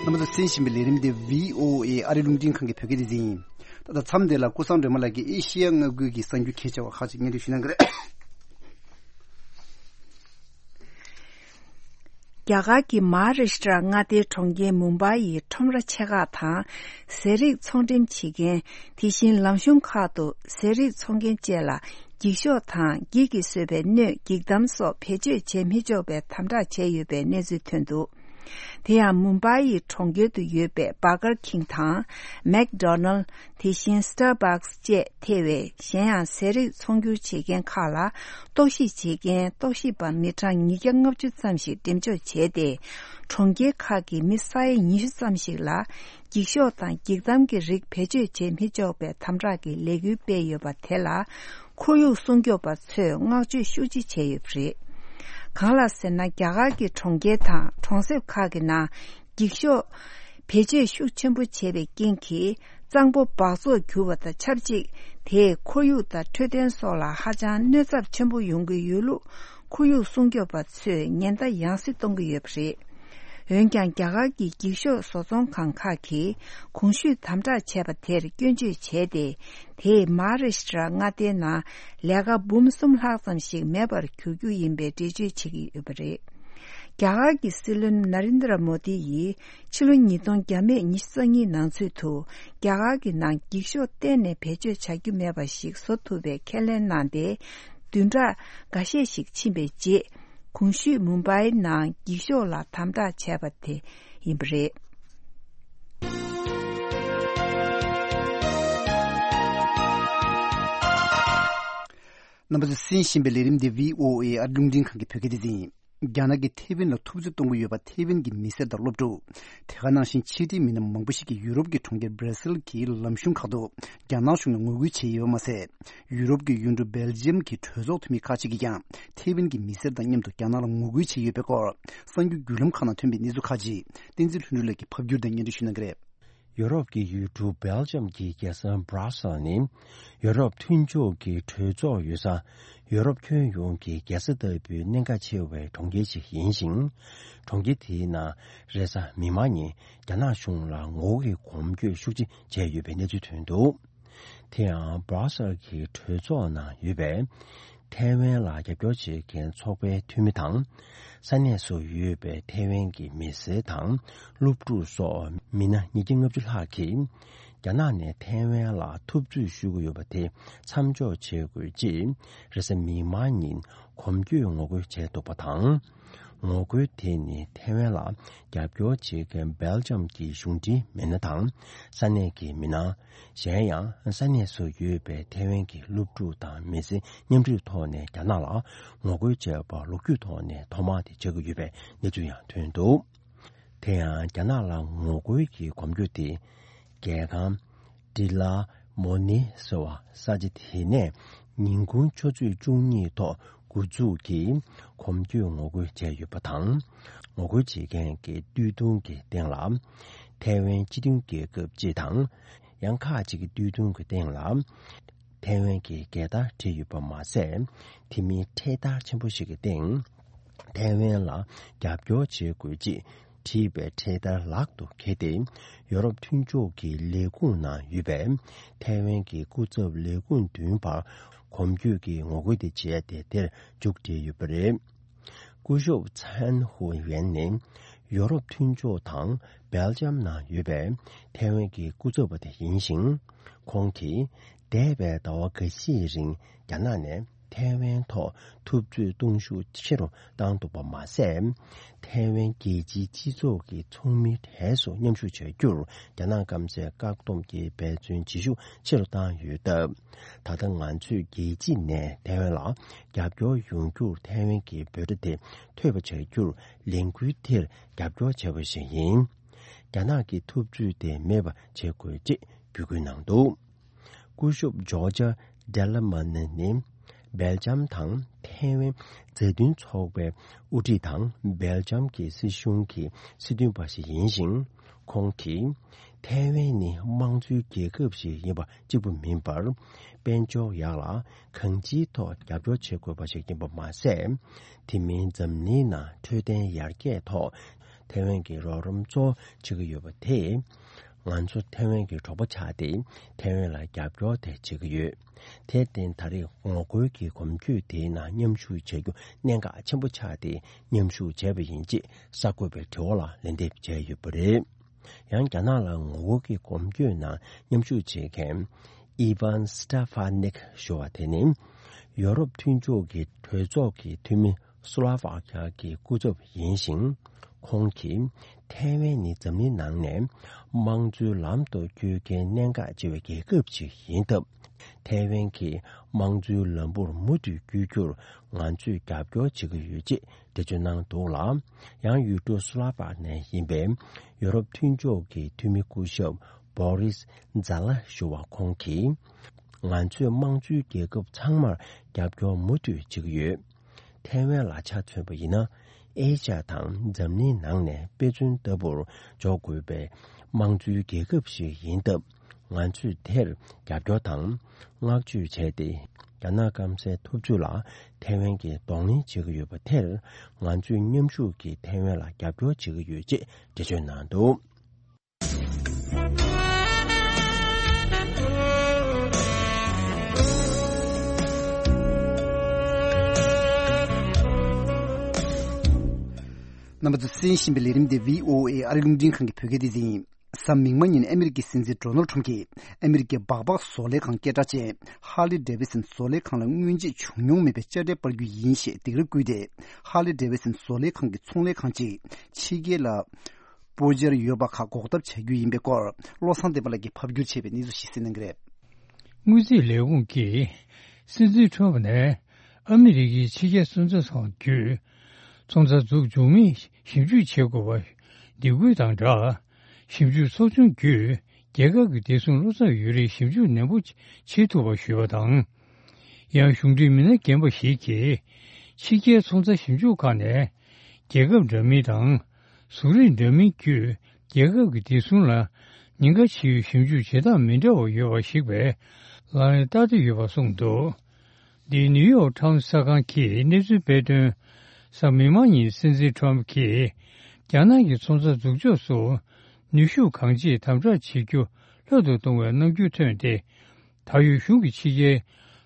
རྣམ་པ་ཚོས་གསན་བཞིན་པའི་ལས་རིམ་དེ་བྷི་ཨོ་ཨེ་ཨ་རིའི་རླུང་འཕྲིན་ཁང་གི་བོད་སྐད་སྡེ་ཚན་ཡིན། ད་ལྟ་མཚམས་འདི་ལ་ཀུན་བཟང་སྒྲོལ་མ་ལགས་ཀྱིས་ཨེ་ཤེ་ཡ་མངའ་ཁུལ་གྱི་གསར་འགྱུར་གལ་ཆེ་བ་ཁག་ཅིག་སྙན་སྒྲོན་ཞུ་གནང་གི་རེད། རྒྱ་གར་གྱི་མ་ཧཱ་རཱ་ཤི་ཏྲ་མངའ་སྡེའི་གྲོང་ཁྱེར་མུམ་བྷའི་ཡི་ཁྲོམ་ར་ཆེ་ཁག་དང་། ཟས་རིགས་ཚོང་འགྲེམས་བྱེད་མཁན། དེ་བཞིན་ལམ་གཞུང་ཁག་ཏུ་ཟས་རིགས་འཚོང་མཁན་བཅས་ལ་འགྱིག་ཤོག་དང་འགྱིག་གིས་བཟོས་པའི་སྣོད་འགྱིག་དམ་སོགས་བེད་སྤྱོད་བྱེད་མི་ཆོག་པའི་དམ་དྲག་བྱས་ཡོད་པའི་གནས་ཚུལ་ཐོན་འདུག་དེ་ཡང་མུམ་བྷའི་ཡི་གྲོང་ཁྱེར་དུ་ཡོད་པའི་བྷར་གར་ཁིང་དང་མེག་ཌོ་ནལ། དེ་བཞིན་སི་ཊར་བྷག་སི་བཅས་ཐེ་བའི་གཞན་ཡང་ཟས་རིགས་ཚོང་སྒྱུར་བྱེད་མཁན་ཁག་ལ་གཏོགས་གཤིས་བྱེད་མཁན་གཏོགས་གཤིས་པ་མི་གྲངས་ཉིས་བརྒྱ་ལྔ་བཅུ་ཙམ་ཞིག་འགྲེམས་འཇོག་བྱས་ཏེ། གྲོང་ཁྱེར་ཁག་གི་མི་ས་ཡ་ཉི་ཤུ་ཙམ་ཞིག་ལ་འགྱིག་ཤོག་དང་འགྱིག་དམ་གྱི་རིགས་བེད་སྤྱོད་བྱེད་མི་ཆོག་པའི་དམ་དྲག་གི་ལས་འགུལ་སྤེལ་ཡོད་པ་དེ་ལ་ཁོར་ཡུག་སྲུང་སྐྱོབ་པ་ཚོས་བསྔགས་བརྗོད་ཤུགས་ཆེ་བྱས་ཡོད་པ་རེད། གང་ལགས་ཟེར་ན། རྒྱ་གར་གྱི་གྲོང་ཁྱེར་དང་གྲོང་གསེབ་ཁག་གི་ནང་འགྱིག་ཤོག་བེད་སྤྱོད་ཤུགས་ཆེན་པོ་བྱས་པའི་རྐྱེན་གྱིས། གཙང་པོ་འབག་བཙོག་གྱུར་བ་དང་ཆབས་ཅིག་དེས་ཁོར་ཡུག་དང་འཕྲོད་བསྟེན་སོགས་ལ་ཧ་ཅང་གནོད་ཚབས་ཆེན་པོ་ཡོང་གི་ཡོད་ལུགས་ཁོར་ཡུག་སྲུང་སྐྱོབ་པ་ཚོས་ཉེན་བརྡ་ཡང་སེ་གཏོང་གི་ཡོད་པ་རེད། འོན་ཀྱང་། རྒྱ་གར་གྱི་འགྱིག་ཤོག་བཟོ་ཚོང་ཁང་ཁག་གིས་གོང་ཞུས་དམ་དྲག་བྱས་པ་དེར་སྐྱོན་བརྗོད་བྱས་ཏེ། དེས་མ་ཧཱ་རཱ་ཤི་ཏྲ་མངའ་སྡེའི་ནང་ལས་ཀ་འབུམ་གསུམ་ལྷག་ཙམ་ཞིག་མེད་པར་གྱུར་རྒྱུ་ཡིན་པའི་འགྲེལ་བརྗོད་བྱེད་ཀྱི་ཡོད་པ་རེད། རྒྱ་གར་གྱི་སྲིད་བློན་ན་རེན་དྲ་མོ་དི་ཡིས་ཕྱི་ལོ་ཉིས་སྟོང་བརྒྱ་མེད་ཉི་ཤུ་རྩ་གཉིས་ནང་ཚུད་དུ་རྒྱ་གར་གྱི་ནང་འགྱིག་ཤོག་གཏན་ནས་བེད་སྤྱོད་བྱ་རྒྱུ་མེད་པ་ཞིག་བཟོ་ཐུབ་པའི་ཁས་ལེན་གནང་སྟེ། བདུན་ཕྲག་འགའ་ཤས་ཤིག་ཕྱིན་པའི་རྗེས། གོང་ཞུས་མུམ་བྷའི་ནང་འགྱིག་ཤོག་ལ་དམ་དྲག་བྱས་པ་དེ་ཡིན་པ་རེད། རྣམ་པ་ཚོས་གསན་བཞིན་པའི་ལས་རིམ་འདི་བྷི་ཨོ་ཨེ་ཨ་རིའི་རླུང་འཕྲིན་ཁང་གི་བོད་སྐད་སྡེ་ཚན་ཡིན། རྒྱ་ནག་གིས་ཐེ་ཝན་ལ་ཐུབ་ཚོད་གཏོང་གི་ཡོད་པ། ཐེ་ཝན་གྱི་མི་སེར་དང་སློབ་ཕྲུག་དེ་ག་ནང་བཞིན་ཕྱི་འབྲེལ་མི་སྣ་མང་པོ་ཞིག་གིས་ཡུ་རོབ་ཀྱི་གྲོང་ཁྱེར་སྦྲ་སིལ་གྱི་ལམ་གཞུང་ཁག་ཏུ་རྒྱ་ནག་གཞུང་ལ་ངོ་རྒོལ་བྱས་ཡོད་པ་མ་ཟད། ཡུ་རོབ་ཀྱི་ཡུལ་གྲུ་སྦེལ་ཇི་ཡམ་གྱི་གྲོས་ཚོགས་འཐུས་མི་ཁག་ཅིག་གིས་ཀྱང་ཐེ་ཝན་གྱི་མི་སེར་དང་མཉམ་དུ་རྒྱ་ནག་ལ་ངོ་རྒོལ་བྱས་ཡོད་པའི་སྐོར་གསར་འགྱུར་བརྒྱུད་ལམ་ཁག་ནང་ཐོན་པའི་གནས་ཚུལ་ཁག་ཅིག་བསྟན་འཛིན་ལྷུན་གྲུབ་ལགས་ཀྱིས་ཕབ་བསྒྱུར་དང་སྙན་སྒྲོན་ཞུ་གནང་གི་རེད། ཡུ་རོབ་ཀྱི་ཡུལ་གྲུ་སྦེལ་ཇམ་གྱི་རྒྱལ་ས་སྦྲ་སེལ་ནི། ཡུ་རོབ་མཐུན་ཕྱོགས་ཀྱི་གྲོས་ཚོགས་ཡོད་ས། ཡུ་རོབ་ཁྱོན་ཡོངས་ཀྱི་རྒྱལ་ས་ལྟ་བུའི་གནད་འགག་ཆེ་བའི་གྲོང་ཁྱེར་ཞིག་ཡིན་ཞིང་། གྲོང་ཁྱེར་དེའི་ནང་རེས་གཟའ་མིག་དམར་ཉིན་རྒྱ་ནག་གཞུང་ལ་ངོ་རྒོལ་གྱི་གོམ་བགྲོད་ཤུགས་ཆེ་བྱས་ཡོད་པའི་གནས་ཚུལ་ཐོན་འདུག་དེ་ཡང་སྦྲ་སེལ་གྱི་གྲོས་ཚོགས་ནང་ཡོད་པའི་ཐའེ་ཝན་ལ་རྒྱབ་སྐྱོར་བྱེད་མཁན་ཚོགས་པའི་འཐུས་མི་དང་། ས་གནས་སུ་ཡོད་པའི་ཐའེ་ཝན་གྱི་མི་སེར་དང་སློབ་ཕྲུག་སོགས་མི་སྣ་ཉིས་བརྒྱ་ལྔ་བཅུ་ལྷག་གིས་རྒྱ་ནག་ནས་ཐའེ་ཝན་ལ་ཐུབ་ཚོད་ཞུ་གི་ཡོད་པ་དེ་མཚམས་འཇོག་བྱེད་དགོས་ཅེས་རེས་གཟའ་མིག་དམར་ཉིན་གོམ་བགྲོད་ངོ་རྒོལ་བྱས་འདུག་པ་དང་། ངོ་རྒོལ་དེ་ནི་ཐའེ་ཝན་ལ་རྒྱབ་སྐྱོར་བྱེད་མཁན་སྦེལ་ཇམ་གྱི་གཞུང་འབྲེལ་མི་སྣ་དང་ས་གནས་ཀྱི་མི་སྣ། གཞན་ཡང་ས་གནས་སུ་ཡོད་པའི་ཐའེ་ཝན་གྱི་སློབ་ཕྲུག་དང་མི་སེར་མཉམ་འབྲེལ་ཐོག་ནས་རྒྱ་ནག་ལ་ངོ་རྒོལ་བྱས་པ་ལོ་རྒྱུས་ཐོག་ནས་ཐོག་མ་དེ་ཆགས་ཀྱི་ཡོད་པའི་གནས་ཚུལ་ཡང་ཐོན་འདུག་དེ་ཡང་རྒྱ་ནག་ལ་ངོ་རྒོལ་གྱི་གོམ་བགྲོད་དེ་རྒྱལ་ཁང་ཏི་ལ་མོ་ནི་ཟེར་བ་ས་ཆ་དེ་ནས་ཉིན་གུང་ཆུ་ཚོད་བཅུ་གཉིས་ཐོག་འགོ་འཛུགས་ཀྱིས་གོམ་བགྲོད་ངོ་རྒོལ་བྱས་ཡོད་པ་དང་། ངོ་རྒོལ་བྱེད་མཁན་གྱི་སྟོད་ཐུང་གི་སྟེང་ལ་ཐའེ་ཝན་སྤྱི་མཐུན་རྒྱལ་ཁབ་ཅེས་དང་། ཡང་ཁག་ཅིག་གི་སྟོད་ཐུང་གི་སྟེང་ལ་ཐའེ་ཝན་གྱི་རྒྱལ་དར་བྲིས་ཡོད་པ་མ་ཟད། དེ་མིན་འཕྲེད་དར་ཆེན་པོ་ཞིག་གི་སྟེང་ཐའེ་ཝན་ལ་རྒྱབ་སྐྱོར་བྱེད་དགོས་ཅེས་བྲིས་པའི་འཕྲེད་དར་ལག་ཏུ་འཁྱེར་ཏེ། ཡོ་རོབ་མཐུན་ཕྱོགས་ཀྱི་ལས་ཁུངས་ནང་ཡོད་པའི་ཐའེ་ཝན་གྱི་སྐུ་ཚབ་ལས་ཁུངས་མདུན་བར་གོམ་བགྲོད་ཀྱི་ངོ་རྒོལ་དེ་བྱས་ཏེ་དེར་མཇུག་སྒྲིལ་ཡོད་པ་རེད། སྐུ་ཞབས་ཚན་ཧུ་ཡན་ནི་ཡོ་རོབ་མཐུན་ཕྱོགས་དང་སྦེལ་ཇམ་ནང་ཡོད་པའི་ཐའེ་ཝན་གྱི་སྐུ་ཚབ་པ་དེ་ཡིན་ཞིང་། ཁོང་གིས་འདས་པའི་ཟླ་བ་འགའ་ཤས་རིང་རྒྱ་ནག་ནས་ཐའེ་ཝན་ཐོག་ཐུབ་ཚོད་གཏོང་ཤུགས་ཆེ་རུ་བཏང་འདུག་པ་མ་ཟད། ཐའེ་ཝན་རྒྱལ་སྤྱིའི་སྤྱི་ཚོགས་ཀྱི་ཚོགས་མིའི་གྲས་སུ་མཉམ་ཞུགས་བྱ་རྒྱུར་རྒྱ་ནག་སྐམ་སའི་བཀག་སྡོམ་གྱི་འབད་བརྩོན་བྱེད་ཤུགས་ཆེ་རུ་བཏང་ཡོད་སྟབས། ད་ལྟ་ང་ཚོས་རྒྱལ་སྤྱི་ནས་ཐའེ་ཝན་ལ་རྒྱབ་སྐྱོར་ཡོང་རྒྱུར་ཐའེ་ཝན་གྱི་འབོད་སྒྲ་དེ་ཐོས་པ་བྱ་རྒྱུར་ལས་འགུལ་དེར་རྒྱབ་སྐྱོར་བྱས་པ་ཞིག་ཡིན། རྒྱ་ནག་གི་ཐུབ་ཚོད་དེ་མེད་པ་བྱེད་དགོས་ཅེས་འབོད་སྐུལ་གནང་འདུག་སྐུ་ཞབས་ཇོར་ཇ་ཌེ་ལ་མ་ནི་ནི་སྦེལ་ཇམ་དང་ཐའེ་ཝན་མཛའ་མཐུན་ཚོགས་པའི་དབུ་ཁྲིད་དང་སྦེལ་ཇམ་གྱི་སྲིད་གཞུང་གི་སྲིད་དོན་པ་ཞིག་ཡིན་ཞིང་། ཁོང་གིས་ཐའེ་ཝན་ནི་དམངས་གཙོའི་རྒྱལ་ཁབ་ཞིག་ཡིན་པ་གཅིག་པུ་མིན་པར། དཔལ་འབྱོར་ཡག་ལ་གང་ཅིའི་ཐོག་རྒྱབ་སྐྱོར་བྱེད་དགོས་པ་ཞིག་ཡིན་པ་མ་ཟད། དེ་མིན་འཛམ་གླིང་ནང་འཕྲོད་བསྟེན་ཡར་རྒྱས་ཐོག་ཐའེ་ཝན་གྱི་རོགས་རམ་གཙོ་བོ་བྱེད་ཀྱི་ཡོད་པ་དེས། ང་ཚོ་ཐའེ་ཝན་གྱི་གྲོགས་པོ་ཆགས་ཏེ་ཐའེ་ཝན་ལ་རྒྱབ་སྐྱོར་དེ་བྱེད་ཀྱི་ཡོད། དེར་བརྟེན་ད་རེས་ངོ་རྒོལ་གྱི་གོམ་བགྲོད་དེའི་ནང་མཉམ་ཞུགས་བྱ་རྒྱུ་གནད་འགག་ཆེན་པོ་ཆགས་ཏེ་མཉམ་ཞུགས་བྱས་པ་ཡིན་ཅེས་གསར་འགོད་པའི་དྲི་བ་ལ་ལན་འདེབས་བྱས་ཡོད་པ་རེད། ཡང་རྒྱ་ནག་ལ་ངོ་རྒོལ་གྱི་གོམ་བགྲོད་ནང་མཉམ་ཞུགས་བྱེད་མཁན་ཨི་ཝན་སི་ཏ་ཧྥ་ནིག་ཞུ་བ་དེ་ནི་ཡོ་རོབ་མཐུན་ཕྱོགས་ཀྱི་གྲོས་ཚོགས་ཀྱི་འཐུས་མི་སུ་ལ་ཝ་ཁ་གི་སྐུ་ཚབ་ཡིན་ཞིང་། ཁོང་གིས་ཐའེ་ཝན་ནི་འཛམ་གླིང་ནང་ནས་དམངས་གཙོའི་ལམ་དུ་བསྐྱོད་མཁན་གནད་འགག་ཆེ་བའི་རྒྱལ་ཁབ་ཅིག་ཡིན་སྟབས། ཐའེ་ཝན་གྱི་དམངས་གཙོའི་ལམ་བུར་མུ་མཐུད་བསྐྱོད་རྒྱུར་ང་ཚོས་རྒྱབ་སྐྱོར་བྱེད་ཀྱི་ཡོད་ཅེས་འགྲེལ་བརྗོད་གནང་འདུག་ལ། ཡང་ཡུལ་གྲུ་སུ་ལ་ཝ་ནས་ཡིན་པའི་ཡོ་རོབ་མཐུན་ཕྱོགས་ཀྱི་འཐུས་མི་སྐུ་ཞབས་བོ་རིས་ཛ་ལ་ཞུ་བ་ཁོང་གིས། ང་ཚོས་དམངས་གཙོའི་རྒྱལ་ཁབ་ཚང་མར་རྒྱབ་སྐྱོར་མུ་མཐུད་བྱེད་ཀྱི་ཡོད། ཐའེ་ཝན་ལ་ཆ་མཚོན་པ་ཡིན་ན། ཨེ་ཤ་ཡ་དང་འཛམ་གླིང་ནང་ནས་དཔེ་མཚོན་ལྟ་བུར་འཇོག་དགོས་པའི་དམངས་གཙོའི་རྒྱལ་ཁབ་ཞིག་ཡིན་སྟབས། ང་ཚོས་དེར་རྒྱབ་སྐྱོར་དང་བསྔགས་བརྗོད་བྱས་ཏེ། རྒྱ་ནག་སྐམ་སའི་ཐུབ་ཚོད་ལ་ཐའེ་ཝན་གྱིས་གདོང་ལེན་བྱེད་ཀྱི་ཡོད་པ་དེར། ང་ཚོས་མཉམ་ཞུགས་ཀྱིས་ཐའེ་ཝན་ལ་རྒྱབ་སྐྱོར་བྱེད་ཀྱི་ཡོད་ཅེས་འགྲེལ་བརྗོད་གནང་འདུག་རྣམ་པ་ཚོས་གསན་བཞིན་པའི་ལས་རིམ་དེ་བྷི་ཨོ་ཨེ་ཨ་རིའི་རླུང་འཕྲིན་ཁང་གི་བོད་སྐད་སྡེ་ཚན་ཡིན། གཟའ་མིག་དམར་ཉིན་ཨ་མི་རི་ཀའི་སྲིད་འཛིན་ཌོ་ནལ་ཁྲམ་གྱིས་ཨ་མི་རི་ཀའི་སྦག་སྦག་བཟོ་ལས་ཁང་སྐད་གྲགས་ཅན་ཧར་ལི་ཌེ་ཝི་སན་བཟོ་ལས་ཁང་ལ་སྔོན་ཆད་བྱུང་མྱོང་མེད་པའི་དཔྱ་ཁྲལ་སྤར་རྒྱུ་ཡིན་ཞེས་སྡིགས་ར་བསྐུལ་ཏེ། ཧར་ལི་ཌེ་ཝི་སན་བཟོ་ལས་ཁང་གི་ཚོང་ལས་ཁང་གཅིག་ཕྱི་རྒྱལ་ལ་སྤོ་འཆར་ཡོད་པ་ཁག་འགོག་ཐབས་བྱ་རྒྱུ་ཡིན་པའི་སྐོར། བློ་བཟང་བསྟན་པ་ལགས་ཀྱིས་ཕབ་བསྒྱུར་བྱས་པའི་གནས་ཚུལ་ཞིག་གསན་གནང་གི་རེད། དངུལ་རྩིས་ལས་ཁུངས་ཀྱིས་སྲིད་འཛིན་ཁྲོམ་ནས་ཨ་མི་རི་ཀའི་ཕྱི་རྒྱལ་སུན་ཙེ་ཚང་བརྒྱུད། ཚོང་རྩ་འཛུགས་འབྱུང་མིན་ཞིབ་འཇུག་བྱེད་དགོས་པ་འདེད་སྐུལ་དང་སྦྲགས། ཞིབ་འཇུག་ཚོགས་ཆུང་བརྒྱུད་རྒྱལ་ཁབ་ཀྱི་བདེ་སྲུང་བློ་འཚབ་ཡོད་རིགས་ཞིབ་འཇུག་ནན་པོ་བྱེད་ཐུབ་པ་ཞུས་པ་དང་། ཡང་གཞུང་འབྲེལ་མི་སྣ་རྒན་པ་ཞིག་གིས་ཕྱི་རྒྱལ་ཚོང་རྩ་ཞིབ་འཇུག་ཁང་ནས་རྒྱལ་ཁབ་འདྲ་མིན་དང་། གཟུགས་རིས་འདྲ་མིན་བརྒྱུད་རྒྱལ་ཁབ་ཀྱི་བདེ་སྲུང་ལ་ཉེན་ཁ་ཆེ་བའི་ཞིབ་འཇུག་བྱེད་སྟངས་མི་འདྲ་བ་ཡོད་པ་ཞིག་པའི་ལག་ལེན་བསྟར་ཏེ་ཡོད་པ་གསུངས་འདུག་འདིའི་ནིའུ་ཡོག་ཊའིམ་གསར་ཁང་གིས་གནས་ཚུལ་སྤེལ་དོན། གཟའ་མིག་དམར་ཉིན་སྲིད་འཛིན་ཊམ་གྱིས་རྒྱ་ནག་གི་ཚོང་རྩ་འཛུགས་ཕྱོགས་སུ་ནུས་ཤུགས་གང་ཆེ་དམ་དྲག་བྱེད་རྒྱུ་ལྷོད་དུ་གཏོང་བའི་རྣམ་འགྱུར་ཐོན་ཏེ། ད་ཡོད་གཞུང་གི་ཕྱི་རྒྱལ་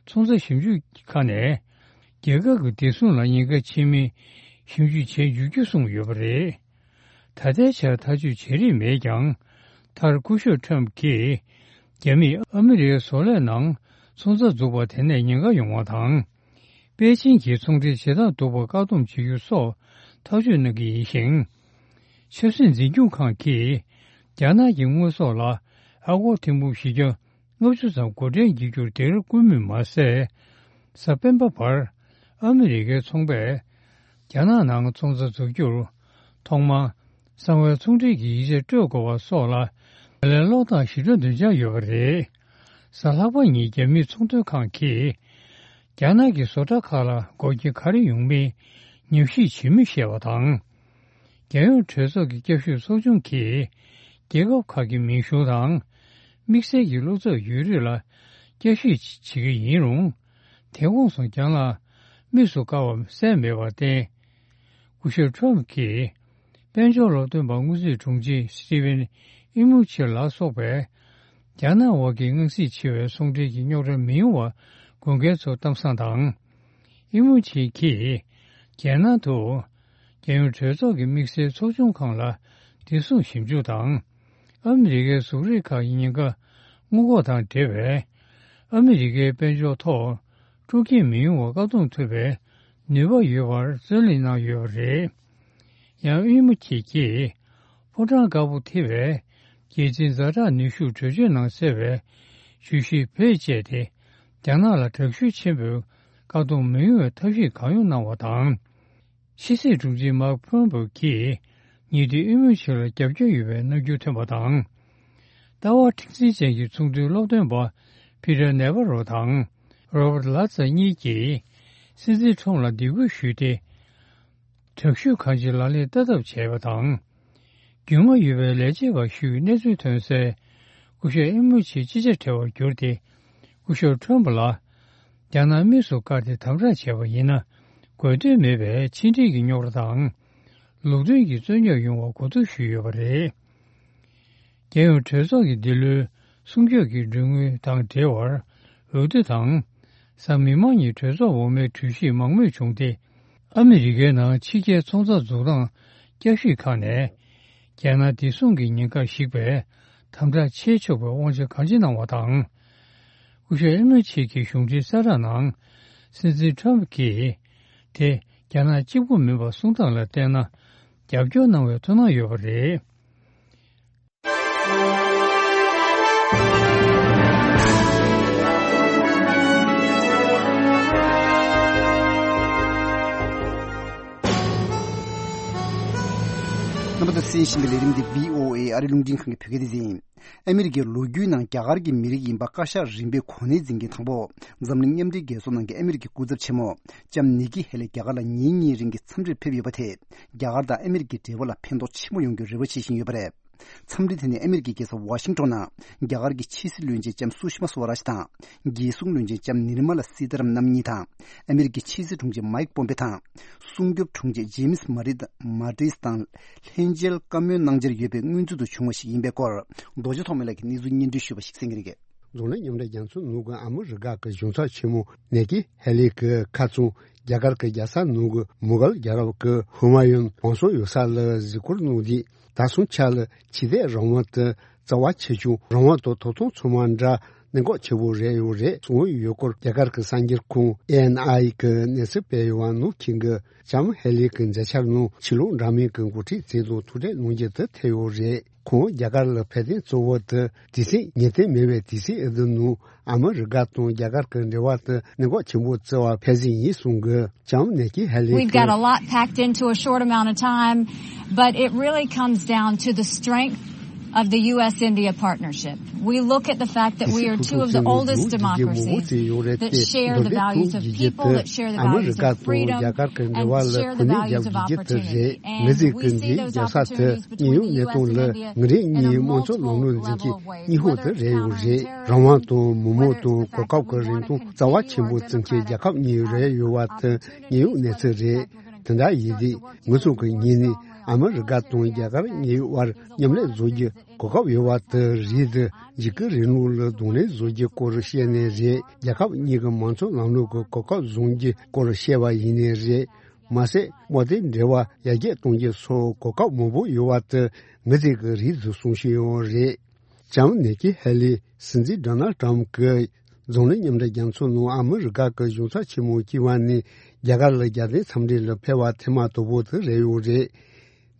ཚོང་རྩ་ཞིབ་འཇུག་ཁང་ནས་རྒྱལ་ཁབ་ཀྱི་བདེ་སྲུང་ལ་ཉེན་ཁ་ཆེ་མིན་ཞིབ་འཇུག་བྱས་འཇུག་རྒྱུ་གསུངས་ཡོད་པ་རེད། ད་ལྟའི་ཆར་ཐག་གཅོད་བྱེད་རིན་མེད་ཀྱང་། མཐར་སྐུ་ཞབས་ཊམ་གྱིས་རྒྱ་མིས་ཨ་མི་རི་ཀའི་བཟོ་ལས་ནང་ཚོང་རྩ་འཛུགས་པ་དེ་ནས་ཉེན་ཁ་ཡོང་བ་དང་། པེ་ཅིང་གིས་ཚོང་འབྲེལ་བྱེད་སྟངས་སྡུག་པ་བཀག་སྡོམ་བྱེད་རྒྱུ་སོགས་ཐག་གཅོད་གནང་གི་ཡིན་ཞིང་། ཆབ་སྲིད་འཛིན་སྐྱོང་ཁང་གིས་རྒྱ་ནག་གི་དངོས་ཟོག་ལ་ཨ་སྒོར་ཐེར་འབུམ་བཞི་བརྒྱ་ལྔ་བཅུ་ཙམ་སྒོ་ཁྲལ་འཇལ་རྒྱུར་སྡིགས་ར་བསྐུལ་མུས་མ་ཟད། གཟའ་སྤེན་པ་བར་ཨ་མི་རི་ཀའི་ཚོང་པས་རྒྱ་ནག་ནང་ཚོང་རྩ་འཛུགས་རྒྱུར་ཐོག་མར་གསང་བའི་ཚོང་འབྲེལ་གྱི་ཡིག་ཆ་སྤྲོད་དགོས་པ་སོགས་ལ་ལས་ཀློག་སྟངས་ཞིབ་ཕྲ་འདོན་འཆར་ཡོད་པ་རེད། གཟའ་ལྷག་པ་ཉིན་རྒྱ་མིའི་ཚོང་དོན་ཁང་གིས་རྒྱ་ནག་གི་བཟོ་གྲྭ་ཁག་ལ་འགོག་རྐྱེན་ག་རེ་ཡོང་མིན་ཉམས་ཞིབ་བྱེད་མུས་བཤད་པ་དང་། རྒྱལ་ཡོངས་གྲོས་ཚོགས་ཀྱི་བསྐྱར་ཞིབ་ཚོགས་ཆུང་གིས་རྒྱལ་ཁབ་ཁག་གི་མིང་གཞུང་དང་དམིགས་བསལ་གྱི་བློ་འཚབ་ཡོད་རིགས་ལ་བསྐྱར་ཞིབ་བྱེད་ཀྱི་ཡིན་རུང་། དེ་ཁོངས་སུ་རྒྱ་ནག་དམིགས་སུ་བཀར་བ་གསལ་མེད་པར་བརྟེན། སྐུ་ཞབས་ཊམ་གྱིས་དཔལ་འབྱོར་སློབ་སྟོན་པ་དངུལ་རྩིས་དྲུང་ཆེ་སི་ཊི་ཝེན་ཨི་མུ་ཆི་ལ་སོགས་པས་རྒྱ་ནག་དབར་གྱི་དངངས་སྲིད་ཆེ་བའི་ཟུང་འབྲེལ་གྱི་རྙོག་དྲ་མི་ཡོང་བར་དགོས་གལ་ཚོར་གཏམ་བཟང་དང་། ཨི་མུ་ཆི་གིས་རྒྱལ་ནང་དུ་རྒྱལ་ཡོངས་གྲོས་ཚོགས་ཀྱི་དམིགས་བསལ་ཚོགས་ཆུང་ཁང་ལ་བདེ་སྲུང་ཞིབ་འཇུག་དང་། ཨ་མི་རི་ཀའི་གཟུགས་རིས་ཁག་གི་ཉེན་ཁ་སྔོན་འགོག་དང་འབྲེལ་བའི་ཨ་མི་རི་ཀའི་དཔལ་འབྱོར་ཐོག་འཕྲོག་རྐྱེན་མི་ཡོང་བར་བཀག་སྡོམ་ཐུབ་པའི་ནུས་པ་ཡོད་པར་རྩོད་གླེང་གནང་ཡོད་པ་རེད། ཡང་ཨི་མུ་ཆི་གིས་ཕོ་བྲང་དཀར་པོ་ཐེ་བའི་རྒྱལ་སྤྱིའི་ཛ་དྲག་ནུས་ཤུགས་གྲོས་ཆོད་ནང་གསལ་བའི་བརྗོད་གཞི་བེད་སྤྱད་དེ་རྒྱ་ནག་ལ་དྲག་ཤུགས་ཆེན་པོས་བཀག་སྡོམ་མི་ཡོང་བའི་ཐབས་ཤེས་གང་ཡོང་གནང་བ་དང་། ཕྱི་སྲིད་དྲུང་ཆེ་མཱག་ཕོམ་པེའོ་གིས་ཉེ་དུས་ཨི་མུ་ཆི་ལ་རྒྱབ་སྐྱོར་ཡོད་པའི་རྣམ་འགྱུར་ཐོན་པ་དང་། ལྟ་བ་མཁྲེགས་འཛིན་ཅན་གྱི་ཚོགས་འདུའི་སློབ་སྟོན་པ་ཕི་ཏར་ནེ་ཝ་རོ་དང་རོ་བར་ལ་ཙ་གཉིས་ཀྱིས་སྲིད་འཛིན་ཁྲོམ་ལ་སྡིགས་སྐུལ་ཞུས་ཏེ། དྲག་ཤུགས་གང་ཅིའི་ལག་ལེན་བསྟར་ཐབས་བྱས་པ་དང་། རྒྱུས་མངའ་ཡོད་པའི་ལས་བྱེད་པ་ཞིག་གནས་ཚུལ་ཐོན་སའི་སྐུ་ཞབས་ཨི་མུ་ཆི་ཅི་ཆ་བྲལ་བར་གྱུར་ཏེ། སྐུ་ཞབས་ཁྲོམ་ལ་རྒྱ་ནག་དམིགས་སུ་བཀར་ཏེ་དམ་དྲག་བྱས་པ་ཡིན་ན། དགོས་འདུན་མེད་པའི་ཕྱི་འབྲེལ་གྱི་རྙོག་དྲ་དང་། ལུགས་མཐུན་གྱི་རྩོད་རྙོག་ཡོང་བར་གོ་བསྡུར་ཞུས་ཡོད་པ་རེད། རྒྱལ་ཡོངས་གྲོས་ཚོགས་ཀྱི་འདི་ལོའི་སྲུང་སྐྱོབ་ཀྱི་གྲོས་མོལ་དང་འབྲེལ་བར་འོས་བསྡུ་དང་། གཟའ་མིག་དམར་ཉིན་གྲོས་ཚོགས་འོག་མའི་གྲོས་གཞིས་མང་མོས་བྱུང་སྟེ། ཨ་མི་རི་ཀའི་ནང་ཕྱི་རྒྱལ་ཚོང་རྩ་འཛུགས་སྟངས་བསྐྱར་ཞིབ་ཁང་ནས། རྒྱལ་ནང་བདེ་སྲུང་གི་ཉེན་ཁ་ཞིག་པའི་དམ་དྲག་བྱེད་ཆོག་པའི་དབང་ཆ་གང་ཅི་གནང་བ་དང་། སྐུ་ཞབས་ཨེ་མོ་ཆེ་གི་གཞུང་འབྲེལ་གསལ་བསྒྲགས་ནང་། སྲིད་འཛིན་ཁྲོམ་གྱིས་དེ་རྒྱ་ནག་གཅིག་པུ་མིན་པ་གསུང་སྟངས་ལ་བལྟས་ན། རྒྱབ་སྐྱོར་གནང་བའི་ཐུགས་སྣང་ཡོད་པ་རེད། རྣམ་པ་ཚོས་གསན་བཞིན་པའི་ལས་རིམ་འདི་བྷི་ཨོ་ཨེ་ཨ་རི་རླུང་འཕྲིན་ཁང་གི་བོད་སྐད་སྡེ་ཚན་ཡིན། ཨ་མི་རི་ཀའི་ལོ་རྒྱུས་ནང་རྒྱ་གར་གྱི་མི་རིགས་ཡིན་པ་བཀའ་ཤག་རིམ་པའི་གོ་གནས་འཛིན་མཁན་དང་པོ་འཛམ་གླིང་མཉམ་འབྲེལ་རྒྱལ་ཚོགས་ནང་གི་ཨ་མི་རི་ཀའི་སྐུ་ཚབ་ཆེན་མོ་ལྕམ་ནི་ཀི་ཧེ་ལི་རྒྱ་གར་ལ་ཉིན་གཉིས་རིང་གི་འཚམས་འདྲིར་ཕེབས་ཡོད་པ་དེས་རྒྱ་གར་དང་ཨ་མི་རི་ཀའི་འབྲེལ་བ་ལ་ཕན་ཐོགས་ཆེན་པོ་ཡོང་རྒྱུར་རེ་བ་བྱེད་བཞིན་ཡོད་པ་རེད། འཚམས་འདྲི་དེ་ནི་ཨ་མི་རི་ཀའི་རྒྱལ་ས་ཝ་ཤིང་ཏོན་ནང་རྒྱ་གར་གྱི་ཕྱི་སྲིད་བློན་ཆེན་ལྕམ་སུ་ཤི་མ་སུ་ཝ་རཱཇ་དང་། རྒྱལ་སྲུང་བློན་ཆེན་ལྕམ་ནིར་མ་ལ་སི་ཏཱ་རམ་རྣམ་གཉིས་དང་། ཨ་མི་རི་ཀའི་ཕྱི་སྲིད་དྲུང་ཆེ་མའིག་པོམ་པེ་དང་། སྲུང་སྐྱོབ་དྲུང་ཆེ་ཇེམ་སི་མ་རི་མ་ཏིས་དང་ལྷན་མཇལ་བཀའ་མོལ་གནང་འཆར་ཡོད་པའི་སྔོན་ཚུད་དུ་བྱུང་བ་ཞིག་ཡིན་པའི་སྐོར། རྡོ་རྗེ་ཐོགས་མེད་ལགས་ཀྱིས་གནས་ཚུལ་སྙན་སྒྲོན་ཞུས་པ་ཞིག་གསན་གྱི་རེད། འཛམ་གླིང་མཉམ་འབྲེལ་རྒྱལ་ཚོགས་ནང་གི་ཨ་མི་རི་ཀ་གི་གཞུང་ཚབ་ཆེན་མོ་ནེ་ཀི་ཧེ་ལི་གི་ཁ་ཚོན་རྒྱ་གར་གྱི་རྒྱལ་ས་ནང་གི་མུ་གལ་རྒྱལ་རབས་ཀྱི་ཧུ་མ་ཡུན་བང་སོ་ཡོད་ས་ལ་གཟིགས་སྐོར་གནང་དུས། ད་སོང་ཆ་ལ་ཆོས་དད་རང་དབང་དང་རྩ་བ་ཆེ་ཆུང་རང་དབང་དང་ཐོབ་ཐང་ཚང་མ་འདྲ། གནད་འགག་ཆེ་བོ་རེད་ཡོད་རེད་གསུངས་ཡོད་སྐོར། རྒྱ་གར་གྱི་གསར་འགྱུར་ཁང་ཨེ་ཨེན་ཨའི་གིས་གནས་ཚུལ་སྤེལ་ཡོད་པ་ནང་། ཁྱེད་ཀྱིས་ལྕམ་ཧེ་ལི་གི་མཛད་འཆར་ནང་ཕྱི་ལོགས་འདྲ་མིན་གྱི་འགོ་ཁྲིད་རྩིས་དང་ཐུག་འཕྲད་གནང་རྒྱུ་དེ་ཐེ་ཡོད་རེད། ཁོང་རྒྱ་གར་ལ་ཕེབས་དོན་གཙོ་བོ་དེ་དུས་ཚོད་ངེས་གཏན་མེད་པའི་དུས་ཚོད་འདི་ནང་ཨ་མི་རི་ཀ་དང་རྒྱ་གར་གྱི་འབྲེལ་བ་དེ་གནད་འགག་ཆེན་པོ་བརྩི་བར་ཕེབས་ཟིན་ཡིན་གསུང་གི། ལྕམ་ནེ་ཀི་ཧེ་ལི། We've got a lot packed into a short amount of time, but it really comes down to the strength of the U S India partnership. We look at the fact that we are two of the oldest democracies that share the values of people, that share the values of freedom, and share the values of opportunity. And we see those opportunities between the U S and India at the level of wealth and territory and ཚོགས་ཀྱི་ཉེན་གཡོལ་གནས་ཚུལ་རེད། དེ་འདྲ་ཡིན་དུས་ང་ཚོ་གི་ངོས་ནས་ཨ་མི་རི་ཀ་དང་རྒྱ་གར་གཉིས་བར་མཉམ་ལས་བཟོ་རྒྱུ་གོ་སྐབས་ཡོད་པ་དེ་རེད། འཇིགས་སྐུལ་རིང་ལུགས་ལ་གདོང་ལེན་བཟོ་རྒྱུ་སྐོར་བཤད་ནའི་རེད། རྒྱལ་ཁབ་གཉིས་ཀྱི་མང་གཙོ་ལམ་ལུགས་ཀྱི་གོ་སྐབས་བཟུང་རྒྱུ་སྐོར་བཤད་པ་ཡིན་ནའི་རེད། མ་ཟད་དམག་དོན་འབྲེལ་བ་ཡར་རྒྱས་གཏོང་རྒྱུ་སོགས་གོ་སྐབས་མང་པོ་ཡོད་པ་དེ་ངེས་གཏན་གྱི་རེད་དུ་གསུངས་བཞིན་ཡོད་རེད། ལྕམ་ནེ་ཀི་ཧེ་ལི་སྲིད་འཛིན་ཌོ་ནལ་ཊམ་གྱི་རྫོང་ནས་མཉམ་འབྲེལ་རྒྱལ་ཚོགས་ནང་ཨ་མི་རི་ཀ་གི་གཞུང་ཚབ་ཆེན་མོ་བྱས་པ་ནས་རྒྱ་གར་ལ་རྒྱལ་དོན་འཚམས་འདྲི་ལ་ཕེབས་པ་ཐེངས་མ་དང་པོ་དེ་རེད་ཡོད་རེད།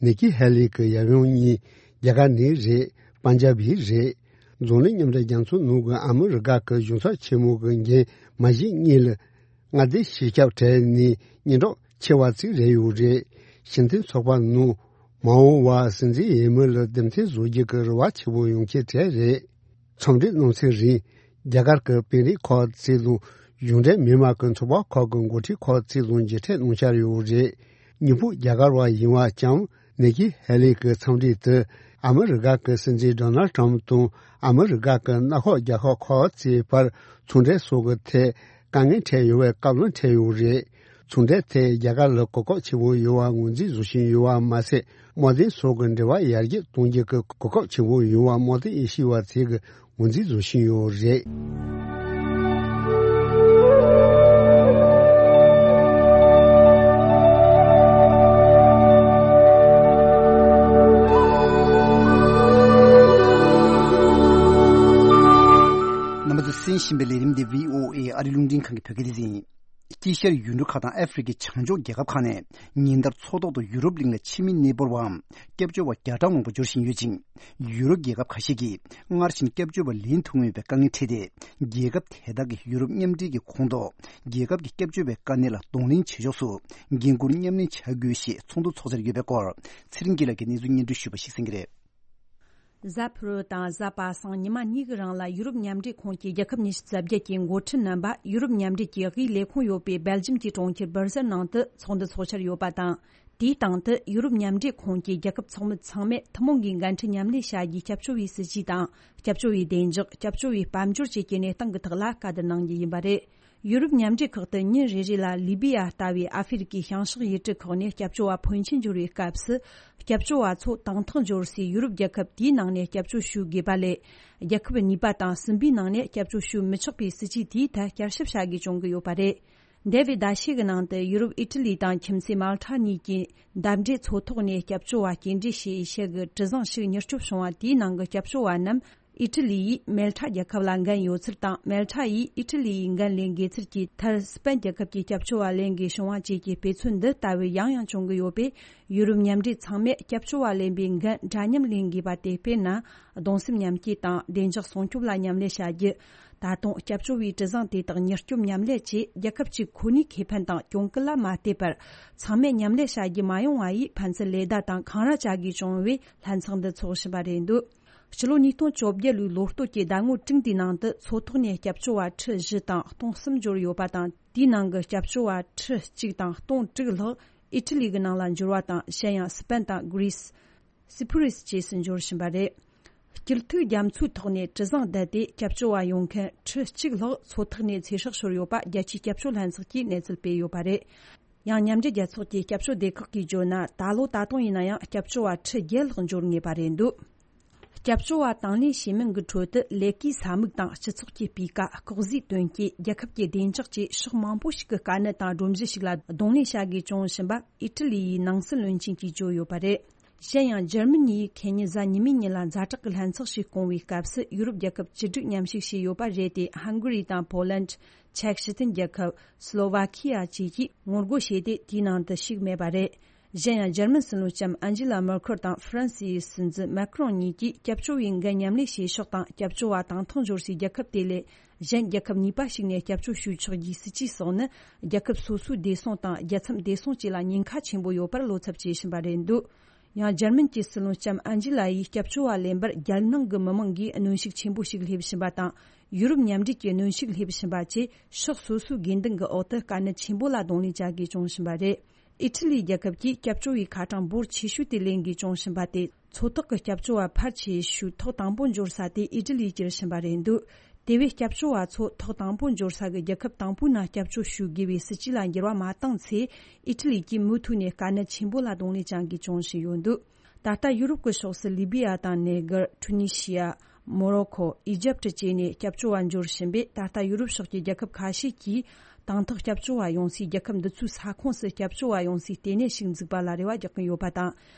ནེ་ཀི་ཧེ་ལི་གི་ཡབ་ཡུམ་གཉིས་རྒྱ་གར་ནས་རེད། པན་ཇབ་ཡིག་རེད། རྫོང་ནས་མཉམ་འབྲེལ་རྒྱལ་ཚོགས་ནང་གི་ཨ་མི་རི་ཀ་གི་གཞུང་ཚབ་ཆེན་མོ་གི་འགན་མ་བཞེས་སྔོན་ལ་མངའ་སྡེ་སྤྱི་ཁྱབ་གྲས་ནས་སྙན་གྲགས་ཆེ་བ་ཅིག་རེད་ཡོད་རེད། ཕྱི་འཐེན་ཚོགས་པ་ནང་མ་འོངས་པར་སྲིད་འཛིན་འོས་མི་ལ་འདེམས་ཐོན་བཟོ་རྒྱུ་གི་རེ་བ་ཆེ་བོ་ཡོང་མཁན་གྲས་རེད། འཚམས་འདྲིའི་གནང་ཚེ་རིང་རྒྱ་གར་གྱི་དཔོན་རིགས་ཁག་ཅིག་དང་གཞུང་འབྲེལ་མི་མང་གི་ཚོགས་པ་ཁག་གི་འགོ་ཁྲིད་ཁག་ཅིག་དང་མཇལ་འཕྲད་གནང་འཆར་ཡོད་རེད། སྙིང་ཕུགས་རྒྱ་གར་བ་ཡིན་པ་ལྕམ་ནེ་ཀི་ཧེ་ལི་གི་འཚམས་འདྲི་དེ་ཨ་མི་རི་ཀ་གི་སྲིད་འཛིན་ཌོ་ནལ་ཊམ་དང་ཨ་མི་རི་ཀ་གི་མངའ་ཁོངས་རྒྱལ་ཁབ་ཁག་ཅིག་བར་ཚོང་འབྲེལ་སོགས་ཀྱི་ཐད་དཀའ་ངལ་འཕྲད་ཡོད་པའི་བཀའ་བློན་འཕྲད་ཡོད་རེད། ཚོང་འབྲེལ་ཐད་རྒྱ་གར་ལ་གོ་སྐབས་ཆེ་བོ་ཡོད་པ་ངོས་འཛིན་བཟོ་བཞིན་ཡོད་པ་མ་ཟད། དམག་དོན་སོགས་ཀྱི་འབྲེལ་བ་ཡར་རྒྱས་གཏོང་རྒྱུ་གི་གོ་སྐབས་ཆེ་བོ་ཡོད་པ་དམག་དོན་དབྱེ་ཞིབ་པ་ཚོས་ཀྱི་ངོས་འཛིན་བཟོ་བཞིན་ཡོད་རེད། རྣམ་པ་ཚོས་གསན་བཞིན་པའི་ལས་རིམ་འདི་བྷི་ཨོ་ཨེ་ཨ་རི་རླུང་འཕྲིན་ཁང་གི་བོད་སྐད་སྡེ་ཚན་ཡིན། དཀྱིལ་ཤར་ཡུལ་གྲུ་ཁག་དང་ཨ་ཧྥེ་རི་ཁའི་བྱང་ཕྱོགས་རྒྱལ་ཁབ་ཁག་ནས་ཉིན་ལྟར་མཚོ་ཐོག་ཏུ་ཡུ་རོབ་གླིང་ལ་ཕྱི་མི་གནས་སྤོར་བའམ་སྐྱབས་བཅོལ་བ་བརྒྱ་གྲངས་མང་པོ་འབྱོར་བཞིན་ཡོད་ཅིང་། ཡུ་རོབ་རྒྱལ་ཁབ་ཁ་ཤས་ཀྱིས་སྔར་བཞིན་སྐྱབས་བཅོལ་བ་ལེན་ཐུབ་མེད་པའི་དཀའ་ངལ་འཕྲད་དེ། རྒྱལ་ཁབ་དེ་དག་གིས་ཡུ་རོབ་མཉམ་འབྲེལ་གྱི་ཁོངས་གཏོགས་རྒྱལ་ཁབ་ཀྱི་སྐྱབས་བཅོལ་བའི་དཀའ་གནད་ལ་གདོང་ལེན་བྱེད་ཕྱོགས་སུ་འགན་འཁུར་མཉམ་ལེན་བྱ་དགོས་ཞེས་ཚོགས་འདུ་འཚོགས་འཆར་ཡོད་པའི་སྐོར། ཚེ་རིང་སྐྱིད་ལགས་ཀྱིས་གནས་ཚུལ་སྙན་སྒྲོན་ཞུས་པ་ཞིག་གསན་གྱི་རེད། གཟའ་ཕུར་བུ་དང་གཟའ་པ་སངས་ཉི་མ་གཉིས་ཀྱི་རིང་ལ་ཡུ་རོབ་མཉམ་འབྲེལ་ཁོངས་ཀྱི་རྒྱལ་ཁབ་ཉི་ཤུ་རྩ་བརྒྱད་ཀྱི་འགོ་ཁྲིད་རྣམ་པ་ཡུ་རོབ་མཉམ་འབྲེལ་གྱི་དབུས་ལས་ཁུངས་ཡོད་པའི་སྦེལ་ཇམ་གྱི་གྲོང་ཁྱེར་སྦར་སེལ་ནང་དུ་ཚོགས་འདུ་འཚོགས་འཆར་ཡོད་པ་དང་། དེའི་སྟེང་དུ་ཡུ་རོབ་མཉམ་འབྲེལ་ཁོངས་ཀྱི་རྒྱལ་ཁབ་ཚོགས་མི་ཚང་མས་ཐུན་མོང་གི་འགན་འཁྲི་མཉམ་ལེན་བྱ་རྒྱུའི་སྐྱབས་བཅོལ་བའི་སྲིད་ཇུས་དང་། སྐྱབས་བཅོལ་བའི་བདེ་འཇགས། སྐྱབས་བཅོལ་བའི་དཔལ་འབྱོར་བཅས་ཀྱི་གནས་སྟངས་ཀྱི་ཐོག་ལ་བཀའ་བསྡུར་གནང་རྒྱུ་ཡིན་པ་རེད། ཡུ་རོབ་མཉམ་འབྲེལ་ཁག་ཏུ་ཉིན་རེ་རེ་ལ་ལི་བི་ཡ་ལྟ་བུའི་ཨ་ཧྥེ་རི་ཀའི་བྱང་ཕྱོགས་ཡུལ་གྲུ་ཁག་ནས་སྐྱབས་བཅོལ་བ་ཕོན་ཆེན་འབྱོར་བའི་སྐབས་སུ། སྐྱབས་བཅོལ་བ་ཚོ་དང་ཐོག་འབྱོར་སའི་ཡུ་རོབ་རྒྱལ་ཁབ་དེའི་ནང་ནས་སྐྱབས་བཅོལ་ཞུ་དགོས་པ་ལས། རྒྱལ་ཁབ་གཉིས་པ་དང་གསུམ་པའི་ནང་ནས་སྐྱབས་བཅོལ་ཞུ་མི་ཆོག་པའི་སྲིད་ཇུས་དེའི་ཐད་བསྐྱར་ཞིབ་བྱ་དགོས་བྱུང་གི་ཡོད་པ་རེད། འདས་པའི་ཟླ་ཤས་ཀྱི་ནང་དུ་ཡུ་རོབ་ཨི་ཊ་ལི་དང་ཁྱིམ་མཚེས་མལ་ཊ་གཉིས་ཀྱིས་འདབས་འབྲེལ་མཚོ་ཐོག་ནས་སྐྱབས་བཅོལ་བ་སྐྱེལ་འདྲེན་བྱེད་ཡུལ་ཤུལ་གྱི་གྲུ་གཟིངས་ཤིག་མྱུར་སྐྱོབ་བྱུང་བ་དེའི་ནང་གི་སྐྱབས་བཅོལ་བ་རྣམས། ཨི་ཊ་ལི་ཡིས་མལ་ཊ་རྒྱལ་ཁབ་ལ་འགན་ཡོད་ཚུལ་དང་། མལ་ཊ་ཡིས་ཨི་ཊ་ལི་ཡི་འགན་ལེན་དགོས་ཚུལ་གྱི་མཐར། སི་པན་རྒྱལ་ཁབ་ཀྱི་སྐྱབས་བཅོལ་བ་ལེན་དགོས་བྱུང་བ་བཅས་ཀྱི་དཔེ་མཚོན་འདི་ལྟ་བུ་ཡང་ཡང་བྱུང་གི་ཡོད་པས། ཡུ་རོབ་མཉམ་འབྲེལ་ཚང་མས་སྐྱབས་བཅོལ་བ་ལེན་པའི་འགན་འདྲ་མཉམ་ལེན་དགོས་པ་དེ། དཔེར་ན། གདུང་སེམས་མཉམ་སྐྱེད་དང་བདེ་འཇགས་སྲུང་སྐྱོབ་ལ་མཉམ་ལས་བྱ་རྒྱུ། ད་དུང་སྐྱབས་བཅོལ་བའི་གྲུ་གཟིངས་དེ་དག་མྱུར་སྐྱོབ་མཉམ་ལས་བཅས། རྒྱལ་ཁབ་གཅིག་ཁོ་ནའི་ཁེ་ཕན་དང་གྱོང་གུན་ལ་མ་བལྟས་པར། ཚང་མས་མཉམ་ལས་བྱ་རྒྱུ་མ་ཡོང་བ་ཡིས་ཕན་ཚུན་ལེ་བདའ་དང་འཁང་ར་བྱ་དགོས་བྱུང་བས། ལྷན་ཚོགས་འདི་འཚོགས་བཞིན་པ་རེད་འདུག་སྤྱི་ལོ་ཉིས་སྟོང་བཅོ་བརྒྱད་ལོའི་ལོ་སྟོད་ཀྱི་ཟླ་ངོ་དྲུག་འདིའི་ནང་དུ་མཚོ་ཐོག་ནས་སྐྱབས་བཅོལ་བ་ཁྲི་བཞི་དང་སྟོང་གསུམ་འབྱོར་ཡོད་པ་དང་། དེའི་ནང་གི་སྐྱབས་བཅོལ་བ་ཁྲི་གཅིག་དང་སྟོང་དྲུག་ལྷག་ཨི་ཊ་ལི་གི་ནང་ལ་འབྱོར་བ་དང་། གཞན་ཡང་སི་པན་དང་གྷི་རི་སི། སི་ཕུ་རི་སི་བཅས་སུ་འབྱོར་བཞིན་པ་རེད། སྐྱིད་ཐོའི་རྒྱ་མཚོའི་ཐོག་ནས་གྲུ་གཟིངས་བསྡད་དེ་སྐྱབས་བཅོལ་བ་ཡོང་མཁན་ཁྲི་གཅིག་ལྷག་མཚོ་ཐོག་ནས་ཚེ་སྲོག་ཤོར་ཡོད་པ་རྒྱལ་སྤྱིའི་སྐྱབས་བཅོལ་ལྷན་ཚོགས་ཀྱིས་གནས་ཚུལ་སྤེལ་ཡོད་པ་རེད། ཡང་མཉམ་འབྲེལ་རྒྱལ་ཚོགས་ཀྱི་སྐྱབས་བཅོལ་སྡེ་ཁག་གིས་བརྗོད་ན། ད་ལོ་ད་དུང་ཡིན་ན་ཡང་སྐྱབས་བཅོལ་བ་ཁྲི་བརྒྱད་ལྷག་འབྱོར་ངེས་པ་རེད་འདུག་སྐྱབས་བཅོལ་བ་དང་ལེན་བྱེད་མིན་གྱི་ཁྲོད་དུ་ལས་ཀའི་ས་མིག་དང་སྤྱི་ཚོགས་ཀྱི་སྤུས་ཀ། ལྐོག་ཟའི་ཐོན་སྐྱེད། རྒྱལ་ཁབ་ཀྱི་བདེ་འཇགས་བཅས་ཕྱོགས་མང་པོ་ཞིག་གི་དཀའ་གནད་དང་སྒྲོམ་གཞི་ཞིག་ལ་གདོང་ལེན་བྱ་དགོས་བྱུང་བཞིན་པ་ཨི་ཊ་ལི་ཡི་ནང་སྲིད་བློན་ཆེན་གྱིས་བརྗོད་ཡོད་པ་རེད། གཞན་ཡང་འཇར་མ་ནི་ཡིས་ཁེ་ཉིན་གཟའ་ཉི་མའི་ཉིན་ལ་ཛ་དྲག་གི་ལྷན་ཚོགས་ཤིག་བསྐོང་བའི་སྐབས་སུ་ཡུ་རོབ་རྒྱལ་ཁབ་བཅུ་དྲུག་མཉམ་ཞུགས་བྱས་ཡོད་པ་རེད་དེ། ཧང་གུ་རི་དང་པོ་ལན། ཅེཀ་སྤྱི་མཐུན་རྒྱལ་ཁབ། སློ་ཝ་ཁི་ཡ་བཅས་ཀྱིས་ངོ་རྒོལ་བྱས་ཏེ་དེའི་ནང་དུ་ཞུགས་མེད་པ་རེད། གཞན་ཡང་འཇར་མན་སྲིད་བློན་ལྕམ་ཨན་ཇི་ལ་མེར་ཁེལ་དང་ཧྥ་རན་སིའི་སྲིད་འཛིན་མེ་ཁ་རོང་གཉིས་ཀྱིས་སྐྱབས་བཅོལ་བའི་འགན་མཉམ་ལེན་བྱེད་ཕྱོགས་དང་སྐྱབས་བཅོལ་བ་དང་ཐོག་འབྱོར་སའི་རྒྱལ་ཁབ་དེ་ལས་གཞན་རྒྱལ་ཁབ་གཉིས་པ་ཞིག་ནས་སྐྱབས་བཅོལ་ཞུ་ཆོག་རྒྱུའི་སྲིད་ཇུས་སོགས་ནི། རྒྱལ་ཁབ་སོ་སོའི་བདེ་སྲུང་དང་རྒྱལ་མཚམས་བདེ་སྲུང་བཅས་ལ་ཉེན་ཁ་ཆེན་པོ་ཡོད་པར་བློ་འཚབ་བྱེད་བཞིན་པ་རེད་འདུག་ཡང་འཇར་མན་གྱི་སྲིད་བློན་ལྕམ་ཨན་ཇི་ལ་ཡིས་སྐྱབས་བཅོལ་བ་ལེན་པར་རྒྱལ་ནང་གི་མི་མང་གིས་གནོན་ཤུགས་ཆེན་པོ་ཞིག་སླེབས་བཞིན་པ་དང་། ཡུ་རོབ་མཉམ་འབྲེལ་གྱི་གནོན་ཤུགས་སླེབས་བཞིན་པ་བཅས་ཕྱོགས་སོ་སོའི་དགོས་འདུན་གྱི་འོག་ཏུ་དཀའ་གནད་ཆེན་པོ་ལ་གདོང་ལེན་བྱ་དགོས་བྱུང་བཞིན་པ་རེད། ཨི་ཊ་ལི་རྒྱལ་ཁབ་ཀྱིས་སྐྱབས་བཅོལ་བའི་ཁ་གྲངས་འབོར་ཆེ་ཤོས་དེ་ལེན་དགོས་བྱུང་བཞིན་པ་སྟེ། མཚོ་ཐོག་གི་སྐྱབས་བཅོལ་བ་ཕལ་ཆེ་ཤོས་ཐོག་དང་པོ་འབྱོར་ས་དེ་ཨི་ཊ་ལིར་གྱུར་བཞིན་པ་རེད་འདུག་དེ་བས་སྐྱབས་བཅོལ་བ་ཚོ་ཐོག་དང་པོ་འབྱོར་ས་གི་རྒྱལ་ཁབ་དང་པོའི་ནང་སྐྱབས་བཅོལ་ཞུ་དགོས་པའི་སྲིད་ཇུས་ལ་འགྱུར་བ་མ་བཏང་ཚེ། ཨི་ཊ་ལི་གིས་མུ་མཐུད་ནས་དཀའ་གནད་ཆེན་པོ་ལ་གདོང་ལེན་བྱ་དགོས་བྱུང་བཞིན་ཡོད་འདུག་ད་ལྟ་ཡུ་རོབ་ཀྱི་ཕྱོགས་སུ་ལི་བི་ཡ་དང་ནེ་གར། ཊུ་ནི་ཤི་ཡ། མོ་རོ་ཁོ། ཨི་ཇེབ་བཅས་ནས་སྐྱབས་བཅོལ་བ་འབྱོར་བཞིན་པས། ད་ལྟ་ཡུ་རོབ་ཕྱོགས་ཀྱི་རྒྱལ་ཁབ་ཁ་ཤས་ཀྱིས་དང་ཐོག་སྐྱབས་བཅོལ་བ་ཡོང་སའི་རྒྱལ་ཁབ་འདི་ཚོའི་ས་ཁོངས་སུ་སྐྱབས་བཅོལ་བ་ཡོང་སའི་ལྟེ་གནས་ཤིག་འཛུགས་པ་ལ་རེ་བ་རྒྱག་གིན་ཡོད་པ་དང་།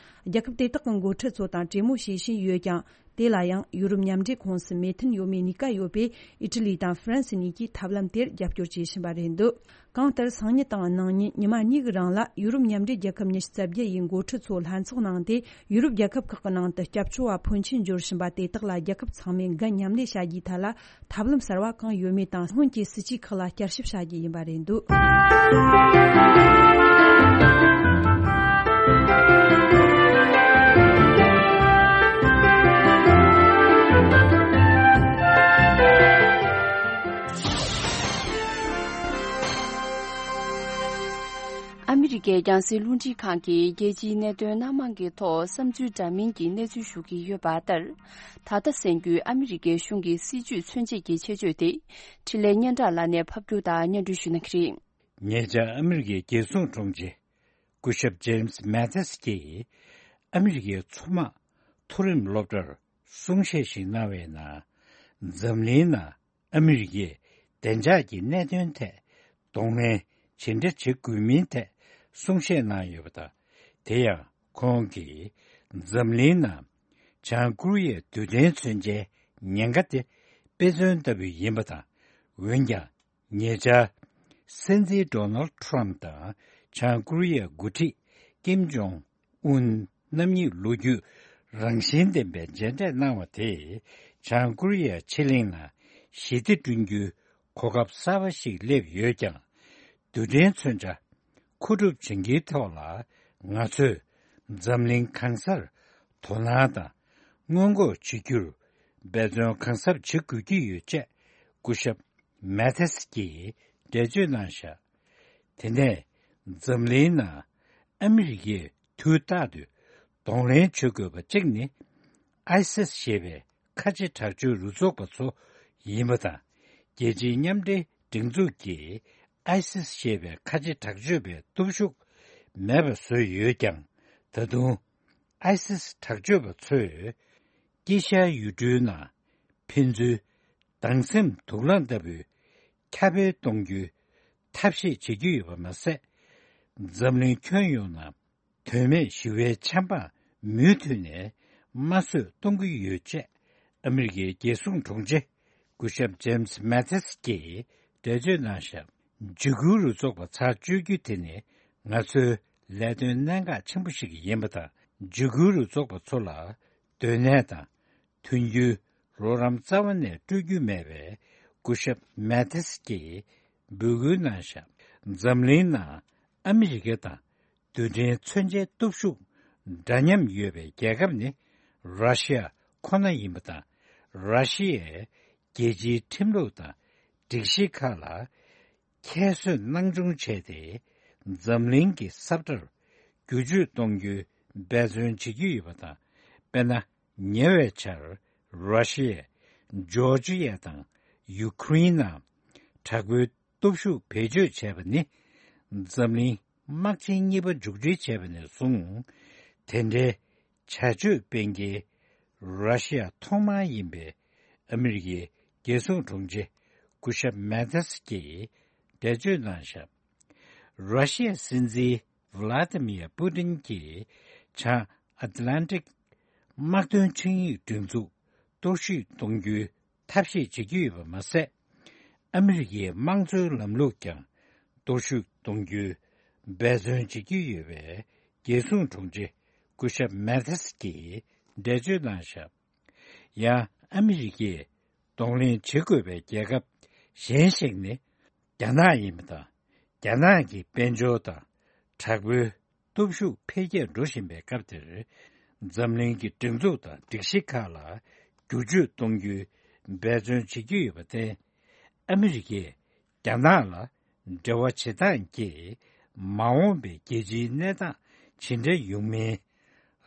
རྒྱལ་ཁབ་དེ་དག་གི་འགོ་ཁྲིད་ཚོ་དང་གྲོས་མོལ་བྱེད་བཞིན་ཡོད་ཀྱང་། དེ་ལ་ཡང་ཡུ་རོབ་མཉམ་འབྲེལ་ཁོངས་སུ་མོས་མཐུན་ཡོད་མེད་གཉིས་ཀ་ཡོད་པས། ཨི་ཊ་ལི་དང་ཧྥ་རན་སི་གཉིས་ཀྱིས་ཐབས་ལམ་དེར་རྒྱབ་སྐྱོར་བྱེད་བཞིན་པ་རེད་འདུག་གང་ལྟར་སང་ཉིན་དང་གནངས་ཉིན་ཉི་མ་གཉིས་ཀྱི་རིང་ལ་ཡུ་རོབ་མཉམ་འབྲེལ་རྒྱལ་ཁབ་ཉི་ཤུ་རྩ་བརྒྱད་ཡི་འགོ་ཁྲིད་ཚོ་ལྷན་ཚོགས་གནང་སྟེ། ཡུ་རོབ་རྒྱལ་ཁབ་ཁག་གི་ནང་དུ་སྐྱབས་བཅོལ་བ་ཕོན་ཆེན་འབྱོར་བཞིན་པ་དེ་དག་ལ་རྒྱལ་ཁབ་ཚང་མས་འགན་མཉམ་ལེན་བྱ་རྒྱུའི་ཐད་ལ་ཐབས་ལམ་གསར་བ་གང་ཡོད་མེད་དང་སྔོན་གྱི་སྲིད་ཇུས་ཁག་ལ་བསྐྱར་ཞིབ་བྱ་རྒྱུ་ཡིན་པ་རེད་འདུག་ཨ་མི་རི་ཀའི་རྒྱང་སྲིང་རླུང་འཕྲིན་ཁང་གིས་རྒྱལ་སྤྱིའི་གནད་དོན་སྣ་མང་གི་ཐོག་བསམ་ཚུལ་འདྲ་མིན་གྱི་གནས་ཚུལ་ཞུ་གི་ཡོད་པ་ལྟར། ད་ལྟ་གསན་རྒྱུའི་ཨ་མི་རི་ཀའི་གཞུང་གི་སྲིད་ཇུས་མཚོན་བྱེད་ཀྱི་ཆེད་བརྗོད་དེ། འཕྲིན་ལས་སྙན་གྲགས་ལགས་ནས་ཕབ་སྒྱུར་དང་སྙན་སྒྲོན་ཞུ་གནང་གི་རེད། ཉེ་ཆར་ཨ་མི་རི་ཀའི་རྒྱལ་སྲུང་དྲུང་ཆེ་སྐུ་ཞབས་ཇེམ་སི་མེ་ཐིས་ཀྱིས་ཨ་མི་རི་ཀའི་མཚོ་དམག་མཐོ་རིམ་སློབ་གྲྭར་གསུང་བཤད་ཞིག་གནང་བའི་ནང་། འཛམ་གླིང་ནང་ཨ་མི་རི་ཀས་བདེ་འཇགས་ཀྱི་གནད་དོན་ཐད་གདོང་ལེན་ཇི་འདྲ་བྱེད་དགོས་མིན་ཐད་གསུང་བཤད་གནང་ཡོད་པ་དང་། དེ་ཡང་ཁོང་གིས་འཛམ་གླིང་ནང་བྱང་ཀོ་རི་ཡའི་རྡུལ་ཕྲན་མཚོན་ཆའི་ཉེན་ཁ་དེ་དཔེ་མཚོན་ལྟ་བུ་ཡིན་པ་དང་། འོན་ཀྱང་། ཉེ་ཆར། སྲིད་འཛིན་ཌོ་ནལ་ཁྲམ་དང་བྱང་ཀོ་རི་ཡའི་འགོ་ཁྲིད་ཀིམ་ཇོང་ཨུན་རྣམ་གཉིས་ལོ་རྒྱུས་རང་བཞིན་ལྡན་པའི་མཇལ་འཕྲད་གནང་བ་དེས། བྱང་ཀོ་རི་ཡའི་ཕྱི་གླིང་ནང་ཞི་བདེ་བསྐྲུན་རྒྱུའི་གོ་སྐབས་གསར་པ་ཞིག་སླེབས་ཡོད་ཀྱང་། རྡུལ་ཕྲན་མཚོན་ཆ་མཁོ་སྒྲུབ་བྱེད་མཁན་ཐོག་ལ་ང་ཚོས་འཛམ་གླིང་གང་སར་དོ་སྣང་དང་སྔོན་འགོག་བྱེད་རྒྱུར་འབད་བརྩོན་གང་ཟབ་བྱེད་དགོས་ཀྱི་ཡོད་ཅེས་སྐུ་ཞབས་མེ་ཐེས་ཀྱིས་འགྲེལ་བརྗོད་གནང་བཞག་དེ་ནས་འཛམ་གླིང་ནང་ཨ་མི་རི་ཀས་དུས་རྟག་ཏུ་གདོང་ལེན་བྱེད་དགོས་པ་གཅིག་ནི། ཨའི་སིས་ཞེས་པའི་ཁ་ཆེ་དྲག་སྤྱོད་རུ་ཚོགས་པ་ཚོ་ཡིན་པ་དང་། རྒྱལ་སྤྱིའི་མཉམ་འབྲེལ་སྒྲིག་འཛུགས་ཀྱིས་ཨའི་སིས་ཞེས་པའི་ཁ་ཆེ་དྲག་སྤྱོད་པའི་སྟོབས་ཤུགས་མེད་པ་བཟོས་ཡོད་ཀྱང་། ད་དུང་ཨའི་སིས་དྲག་སྤྱོད་པ་ཚོས་དཀྱིལ་ཤར་ཡུལ་གྲུའི་ནང་ཕན་ཚུན་སྡང་སེམས་དུག་རླངས་ལྟ་བུའི་ཁྱབ་སྤེལ་གཏོང་རྒྱུའི་ཐབས་ཤེས་བྱེད་ཀྱི་ཡོད་པ་མ་ཟད། འཛམ་གླིང་ཁྱོན་ཡོངས་ནང་དོན་མེད་ཞི་བའི་ཆབ་འབངས་མུ་མཐུད་ནས་དམར་གསོད་གཏོང་གི་ཡོད་ཅེས་ཨ་མི་རི་ཀའི་རྒྱལ་སྲུང་དྲུང་ཆེ་སྐུ་ཞབས་ཇེམ་སི་མེ་ཐིས་ཀྱིས་འགྲེལ་བརྗོད་གནང་བཞག་འཇིགས་སྐུལ་རུ་ཚོགས་པ་ཚར་གཅོད་རྒྱུ་དེ་ནི་ང་ཚོའི་ལས་དོན་གནད་འགག་ཆེན་པོ་ཞིག་ཡིན་པ་དང་། འཇིགས་སྐུལ་རུ་ཚོགས་པ་ཚོ་ལ་སྡོད་གནས་དང་། མཐུན་འགྱུར་རོགས་རམ་རྩ་བ་ནས་སྤྲོད་རྒྱུ་མེད་པའི་སྐུ་ཞབས་མེ་ཐིས་ཀྱིས་འབོད་སྐུལ་གནང་བཞག་འཛམ་གླིང་ནང་ཨ་མི་རི་ཀ་དང་རྡུལ་ཕྲན་མཚོན་ཆའི་སྟོབས་ཤུགས་འདྲ་མཉམ་ཡོད་པའི་རྒྱལ་ཁབ་ནི་ར་ཤི་ཡ་ཁོ་ན་ཡིན་པ་དང་། ར་ཤི་ཡས་རྒྱལ་སྤྱིའི་ཁྲིམས་ལུགས་དང་སྒྲིག་གཞི་ཁག་ལ་ཁྱད་གསོད་སྣང་ཆུང་བྱས་ཏེ། འཛམ་གླིང་གི་ས་བཀྲར་བསྒྱུར་བཅོས་གཏོང་རྒྱུའི་འབད་བརྩོན་བྱེད་ཀྱི་ཡོད་པ་དང་། དཔེར་ན། ཉེ་བའི་ཆར་ར་ཤི་ཡས་ཇོར་ཇི་ཡ་དང་ཡུ་ཁུ་རེན་ནང་དྲག་པོའི་སྟོབས་ཤུགས་བེད་སྤྱོད་བྱས་པ་ནི་འཛམ་གླིང་དམག་ཆེན་གཉིས་པ་མཇུག་སྒྲིལ་བྱས་པ་ནས་བཟུང་། དེ་འདྲའི་བྱ་སྤྱོད་སྤེལ་མཁན་ར་ཤི་ཡ་ཐོག་མ་ཡིན་པའི་ཨ་མི་རི་ཀའི་རྒྱལ་སྲུང་དྲུང་ཆེ་སྐུ་ཞབས་མེ་ཐིས་ཀྱིས་འགྲེལ་བརྗོད་གནང་བཞག་ར་ཤི་ཡའི་སྲིད་འཛིན་ཝི་ལ་ཏི་མིར་པུ་ཏིན་གྱིས་བྱང་ ཨ་ཏི་ལན་ཏིག་དམག་དོན་ཆིངས་ཡིག་སྒྲིག་འཛུགས་གཏོར་བཤིག་གཏོང་རྒྱུའི་ཐབས་ཤེས་བྱེད་ཀྱི་ཡོད་པ་མ་ཟད། ཨ་མི་རི་ཀའི་དམངས་གཙོའི་ལམ་ལུགས་ཀྱང་གཏོར་བཤིག་གཏོང་རྒྱུའི་འབད་བརྩོན་བྱེད་ཀྱི་ཡོད་པའི་རྒྱལ་སྲུང་དྲུང་ཆེ་སྐུ་ཞབས་མེ་ཐེས་ཀྱིས་འགྲེལ་བརྗོད་གནང་བཞག་ཡང་ཨ་མི་རི་ཀས་གདོང་ལེན་བྱེད་དགོས་པའི་རྒྱལ་ཁབ་གཞན་ཞིག་ནི་རྒྱ་ནག་ཡིན་པ་དང་། རྒྱ་ནག་གི་དཔལ་འབྱོར་དང་དྲག་པོའི་སྟོབས་ཤུགས་འཕེལ་རྒྱས་འགྲོ་བཞིན་པའི་སྐབས་དེར། འཛམ་གླིང་གི་སྒྲིག་འཛུགས་དང་སྒྲིག་གཞི་ཁག་ལ་བསྒྱུར་བཅོས་གཏོང་རྒྱུའི་འབད་བརྩོན་བྱེད་ཀྱི་ཡོད་པར་བརྟེན། ཨ་མི་རི་ཀས་རྒྱ་ནག་ལ་འབྲེལ་བ་བྱེད་སྟངས་ཀྱིས་མ་འོངས་པའི་རྒྱལ་སྤྱིའི་གནས་སྟངས་ཇི་འདྲ་ཡོང་མིན་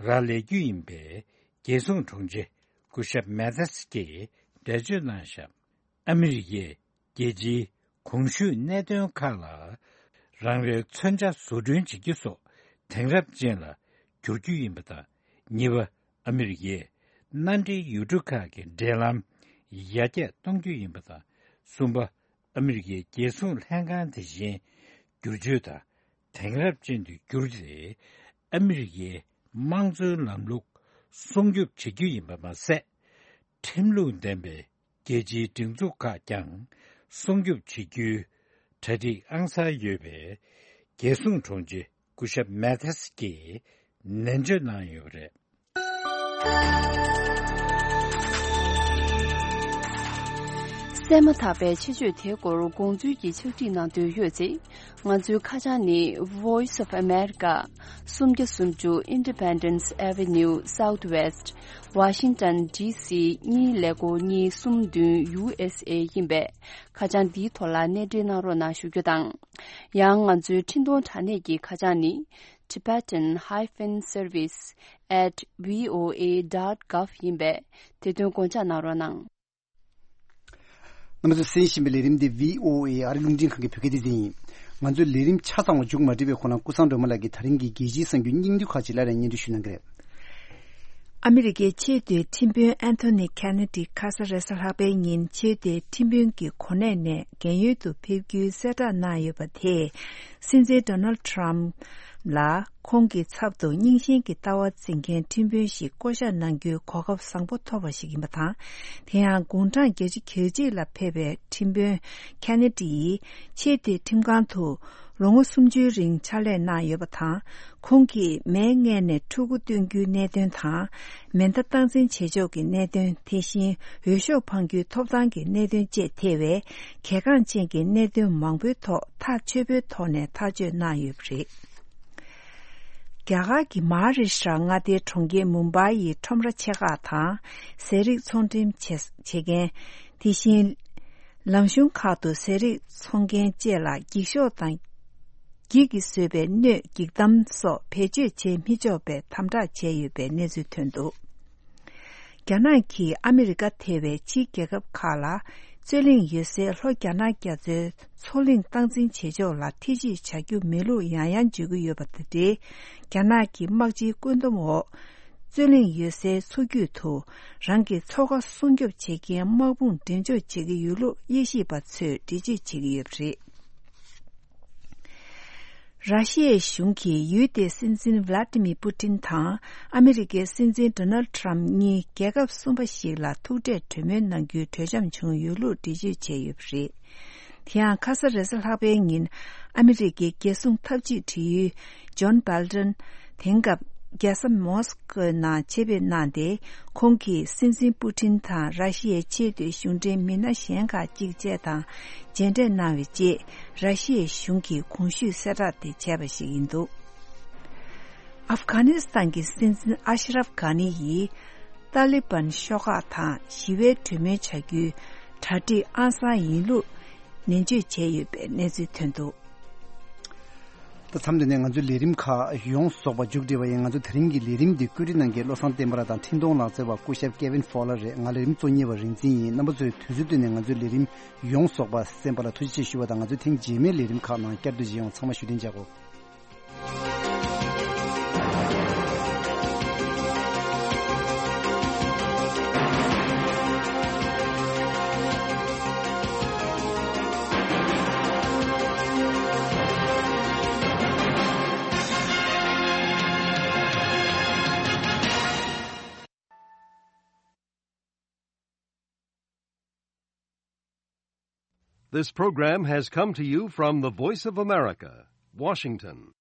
རག་ལས་རྒྱུ་ཡིན་པའི་རྒྱལ་སྲུང་དྲུང་ཆེ་སྐུ་ཞབས་མེ་ཐེས་ཀྱིས་འགྲེལ་བརྗོད་གནང་བཞག་ཨ་མི་རི་ཀས་རྒྱལ་སྤྱིའི་གོང་ཞུས་གནད་དོན་ཁག་ལ་རང་རེའི་མཚོན་ཆ་བཟོ་སྐྲུན་བྱེད་རྒྱུ་སོགས་དེང་རབས་ཅན་ལ་བསྒྱུར་རྒྱུ་ཡིན་པ་དང་། གཉིས་པ། ཨ་མི་རི་ཀས་མནའ་འབྲེལ་ཡུལ་གྲུ་ཁག་གི་འབྲེལ་ལམ་ཡར་རྒྱས་གཏོང་རྒྱུ་ཡིན་པ་དང་། གསུམ་པ། ཨ་མི་རི་ཀའི་རྒྱལ་སྲུང་ལྷན་ཁང་དེ་བཞིན་བསྒྱུར་བཅོས་དང་དེང་རབས་ཅན་དུ་བསྒྱུར་ཏེ། ཨ་མི་རི་ཀའི་དམངས་གཙོའི་ལམ་ལུགས་སྲུང་སྐྱོབ་བྱེད་རྒྱུ་ཡིན་པ་མ་ཟད། ཁྲིམས་ལུགས་ལྡན་པའི་རྒྱལ་སྤྱིའི་སྒྲིག་འཛུགས་ཁག་ཀྱང་སྲུང་སྐྱོབ་བྱེད་རྒྱུའི་གྲ་སྒྲིག་ཨང་གསར་ཡོད་པའི་རྒྱལ་སྲུང་དྲུང་ཆེ་སྐུ་ཞབས་མེ་ཐེས་ཀྱིས་ནན་བརྗོད་གནང་ཡོད་པ་རེད། གསན་མ་ཐག་པའི་ཆེད་བརྗོད་དེའི་སྐོར་དགོངས་ཚུལ་གྱི་ཕྱག་བྲིས་གནང་འདོད་ཡོད་ཚེ། ང་ཚོའི་ཁ་བྱང་ནི། Voice of America། སུམ་བརྒྱ་སུམ་ཅུ་Independence Avenue Southwest། Washington D C གཉིས་ཀླད་ཀོར་གཉིས་གསུམ་བདུན་U S A ཡིན་པས། ཁ་བྱང་འདིའི་ཐོག་ལ་གནས་འབྲེལ་གནང་རོགས་གནང་ཞུ་རྒྱུ་དང་། ཡང་ང་ཚོའི་འཕྲིན་གཏོང་དྲ་གནས་ཀྱི་ཁ་བྱང་ནི། Tibetan hyphen service at V O A dot gov ཡིན་པས། དེ་དོན་དགོངས་འཇགས་གནང་རོགས་གནང་། རྣམ་པ་ཚོས་གསན་བཞིན་པའི་ལས་རིམ་འདི་V O A ཨ་རིའི་རླུང་འཕྲིན་ཁང་གི་བོད་སྐད་སྡེ་ཚན་ཡིན། ང་ཚོའི་ལས་རིམ་ཆ་ཚང་བ་མཇུག་མ་སྒྲིལ་བའི་ཁོ་ན་ཀུན་བཟང་སྒྲོལ་མ་ལགས་ཀྱིས་ད་རིང་གི་རྒྱལ་སྤྱིའི་གསར་འགྱུར་སྙིང་བསྡུས་ཁག་ཅིག་སླར་ཡང་སྙན་སྒྲོན་ཞུ་གནང་གི་རེད། ཨ་མི་རི་ཀའི་ཆེས་མཐོའི་ཁྲིམས་དཔོན་ཨན་ཐོ་ནི་ཁེ་ནེ་ཌི་ཁ་ས་རེས་གཟའ་ལྷག་པའི་ཉིན་ཆེས་མཐོའི་ཁྲིམས་དཔོན་གྱི་གོ་གནས་ནས་རྒན་ཡོལ་དུ་ཕེབས་རྒྱུའི་གསལ་བསྒྲགས་གནང་ཡོད་པ་དེས། སྲིད་འཛིན་ཌོ་ནལ་ཌི་ཊརམ་ཕི་ལ་ཁོང་གི་ཚབ་ཏུ་རྙིང་ཞེན་གྱི་ལྟ་བ་འཛིན་མཁན་ཁྲིམས་དཔོན་ཞིག་བསྐོ་གཞག་གནང་རྒྱུའི་གོ་སྐབས་བཟང་པོ་ཐོབ་པ་ཞིག་ཡིན་པ་དང་། དེ་ཡང་དགུང་གྲངས་བརྒྱད་ཅུ་གྱ་གཅིག་ལ་ཕེབས་པའི་ཁྲིམས་དཔོན་ཁེ་ནེ་ཌི་ཡིས་ཆེས་མཐོའི་ཁྲིམས་ཁང་དུ་ལོ་ངོ་སུམ་ཅུའི་རིང་ཕྱག་ལས་གནང་ཡོད་པ་དང་། ཁོང་གིས་མའི་མངལ་ནས་ཕྲུ་གུ་སྟོན་རྒྱུའི་གནད་དོན་དང་། མེ་མདའ་སྟངས་འཛིན་བྱེད་ཕྱོགས་ཀྱི་གནད་དོན། དེ་བཞིན་འོས་ཤོག་འཕང་རྒྱུའི་ཐོབ་ཐང་གི་གནད་དོན་བཅས་ཐེ་བའི་གལ་འགངས་ཅན་གྱི་གནད་དོན་མང་པོའི་ཐོག་ཐག་ཆོད་པོའི་ཐོག་ནས་ཐག་གཅོད་གནང་ཡོད་པ་རེད། རྒྱ་གར་གྱི་མ་ཧཱ་རི་ཤྲ་མངའ་སྡེའི་གྲོང་ཁྱེར་མུམ་བྷའི་ཡི་ཁྲོམ་ར་ཆེ་ཁག་དང་། ཟས་རིགས་ཚོང་འགྲེམས་བྱེད་བྱེད་མཁན། དེ་བཞིན། ལམ་གཞུང་ཁག་ཏུ་ཟས་རིགས་འཚོང་མཁན་བཅས་ལ་འགྱིག་ཤོག་དང་། འགྱིག་གིས་བཟོས་པའི་སྣོད་འགྱིག་དམ་སོགས་བེད་སྤྱོད་བྱེད་མི་ཆོག་པའི་དམ་དྲག་བྱས་ཡོད་པའི་གནས་ཚུལ་ཐོན་འདུག་རྒྱ་ནག་གིས་ཨ་མི་རི་ཀ་ཐེ་བའི་ཕྱིའི་རྒྱལ་ཁབ་ཁག་ལ་རྩོད་གླེང་ཡོད་སའི་ལྷོ་རྒྱ་ནག་རྒྱ་མཚོའི་མཚོ་གླིང་སྟངས་འཛིན་བྱེད་ཕྱོགས་ལ་ཐེ་ཇུས་བྱ་རྒྱུ་མེད་ལུགས་ཡང་ཡང་བརྗོད་ཀྱི་ཡོད་པ་དང་འབྲེལ། རྒྱ་ནག་གི་དམག་སྤྱིའི་བཀོད་འདོམས་འོག་རྩོད་གླེང་ཡོད་སའི་མཚོ་རྒྱུད་དུ་རང་གི་མཚོ་ཁ་སྲུང་སྐྱོབ་བྱེད་མཁན་དམག་དཔུང་འགྲེམས་འཇོག་བྱེད་ཀྱི་ཡོད་ལུགས་དབྱེ་ཞིབ་པ་ཚོས་འགྲེལ་བརྗོད་བྱེད་ཀྱི་ཡོད་པ་རེད། ར་ཤི་ཡའི་གཞུང་གིས་ཡུལ་དེའི་སྲིད་འཛིན་ཝ་ལ་ཏི་མི་པུ་ཏིན་དང་ཨ་མི་རི་ཀའི་སྲིད་འཛིན་ཌོ་ནལ་ཊམ་གཉིས་རྒྱལ་ཁབ་གསུམ་པ་ཞིག་ལ་ཐུག་འཕྲད་གྲོས་མོལ་གནང་རྒྱུའི་གྲོས་འཆམ་བྱུང་ཡོད་ལུགས་འགྲེལ་བརྗོད་བྱས་ཡོད་པ་རེད། དེ་ཡང་ཁ་ས་རེས་གཟའ་ལྷག་པའི་ཉིན་ཨ་མི་རི་ཀའི་རྒྱལ་སྲུང་འཐབ་ཇུས་དྲི་ཡུལ་ཇོན་སྦལ་ཏན་དེང་སྐབས་རྒྱལ་ས་མོ་སི་ཀོའི་ནང་ཆེད་ཕེབས་གནང་སྟེ། ཁོང་གིས་སྲིད་འཛིན་པུ་ཏིན་དང་ར་ཤི་ཡའི་ཆེས་མཐོའི་གཞུང་འབྲེལ་མི་སྣ་གཞན་ཁག་ཅིག་བཅས་དང་མཇལ་འཕྲད་གནང་བའི་རྗེས། ར་ཤི་ཡའི་གཞུང་གིས་གོང་ཞུས་གསལ་བསྒྲགས་དེ་བྱས་པ་ཞིག་ཡིན་འདུག་ཨབ་གྷ་ནི་སི་ཐན་གྱི་སྲིད་འཛིན་ཨ་ཤ་རབ་གྷ་ནི་ཡིས། ཏཱ་ལི་བན་ཤོག་ཁག་དང་ཞི་བའི་གྲོས་མོལ་བྱ་རྒྱུའི་གྲ་སྒྲིག་ཨང་གསར་ཡིན་ལུགས་ནན་བརྗོད་བྱས་ཡོད་པའི་གནས་ཚུལ་ཐོན་འདུག་ད་མཚམས་འདི་ནས་ང་ཚོའི་ལས་རིམ་ཁག་ཡོངས་རྫོགས་པ་མཇུག་སྒྲིལ་བ་ཡིན། ང་ཚོ་དེ་རིང་གི་ལས་རིམ་འདི་བཀོད་སྒྲིག་གནང་མཁན་བློ་བཟང་བསྟན་པ་ལགས་དང་འཕྲིན་གཏོང་ལག་རྩལ་བ་སྐུ་ཞབས་Kevin Fowler་རེད། ང་ལས་རིམ་གཙོ་གཉེར་བ་རིག་འཛིན་ཡིན། རྣམ་པ་ཚོས་དུས་ཚོད་བཏོན་ནས་ང་ཚོའི་ལས་རིམ་ཡོངས་རྫོགས་པ་གསན་པ་ལ་ཐུགས་རྗེ་ཆེ་ཞུ་བ་དང་། ང་ཚོས་ཐེངས་རྗེས་མའི་ལས་རིམ་ཁག་ནང་བསྐྱར་དུ་མཇལ་ཡོང་། ཚང་མ་བཞུགས་གདན་འཇགས་གོ། This program has come to you from the Voice of America, Washington.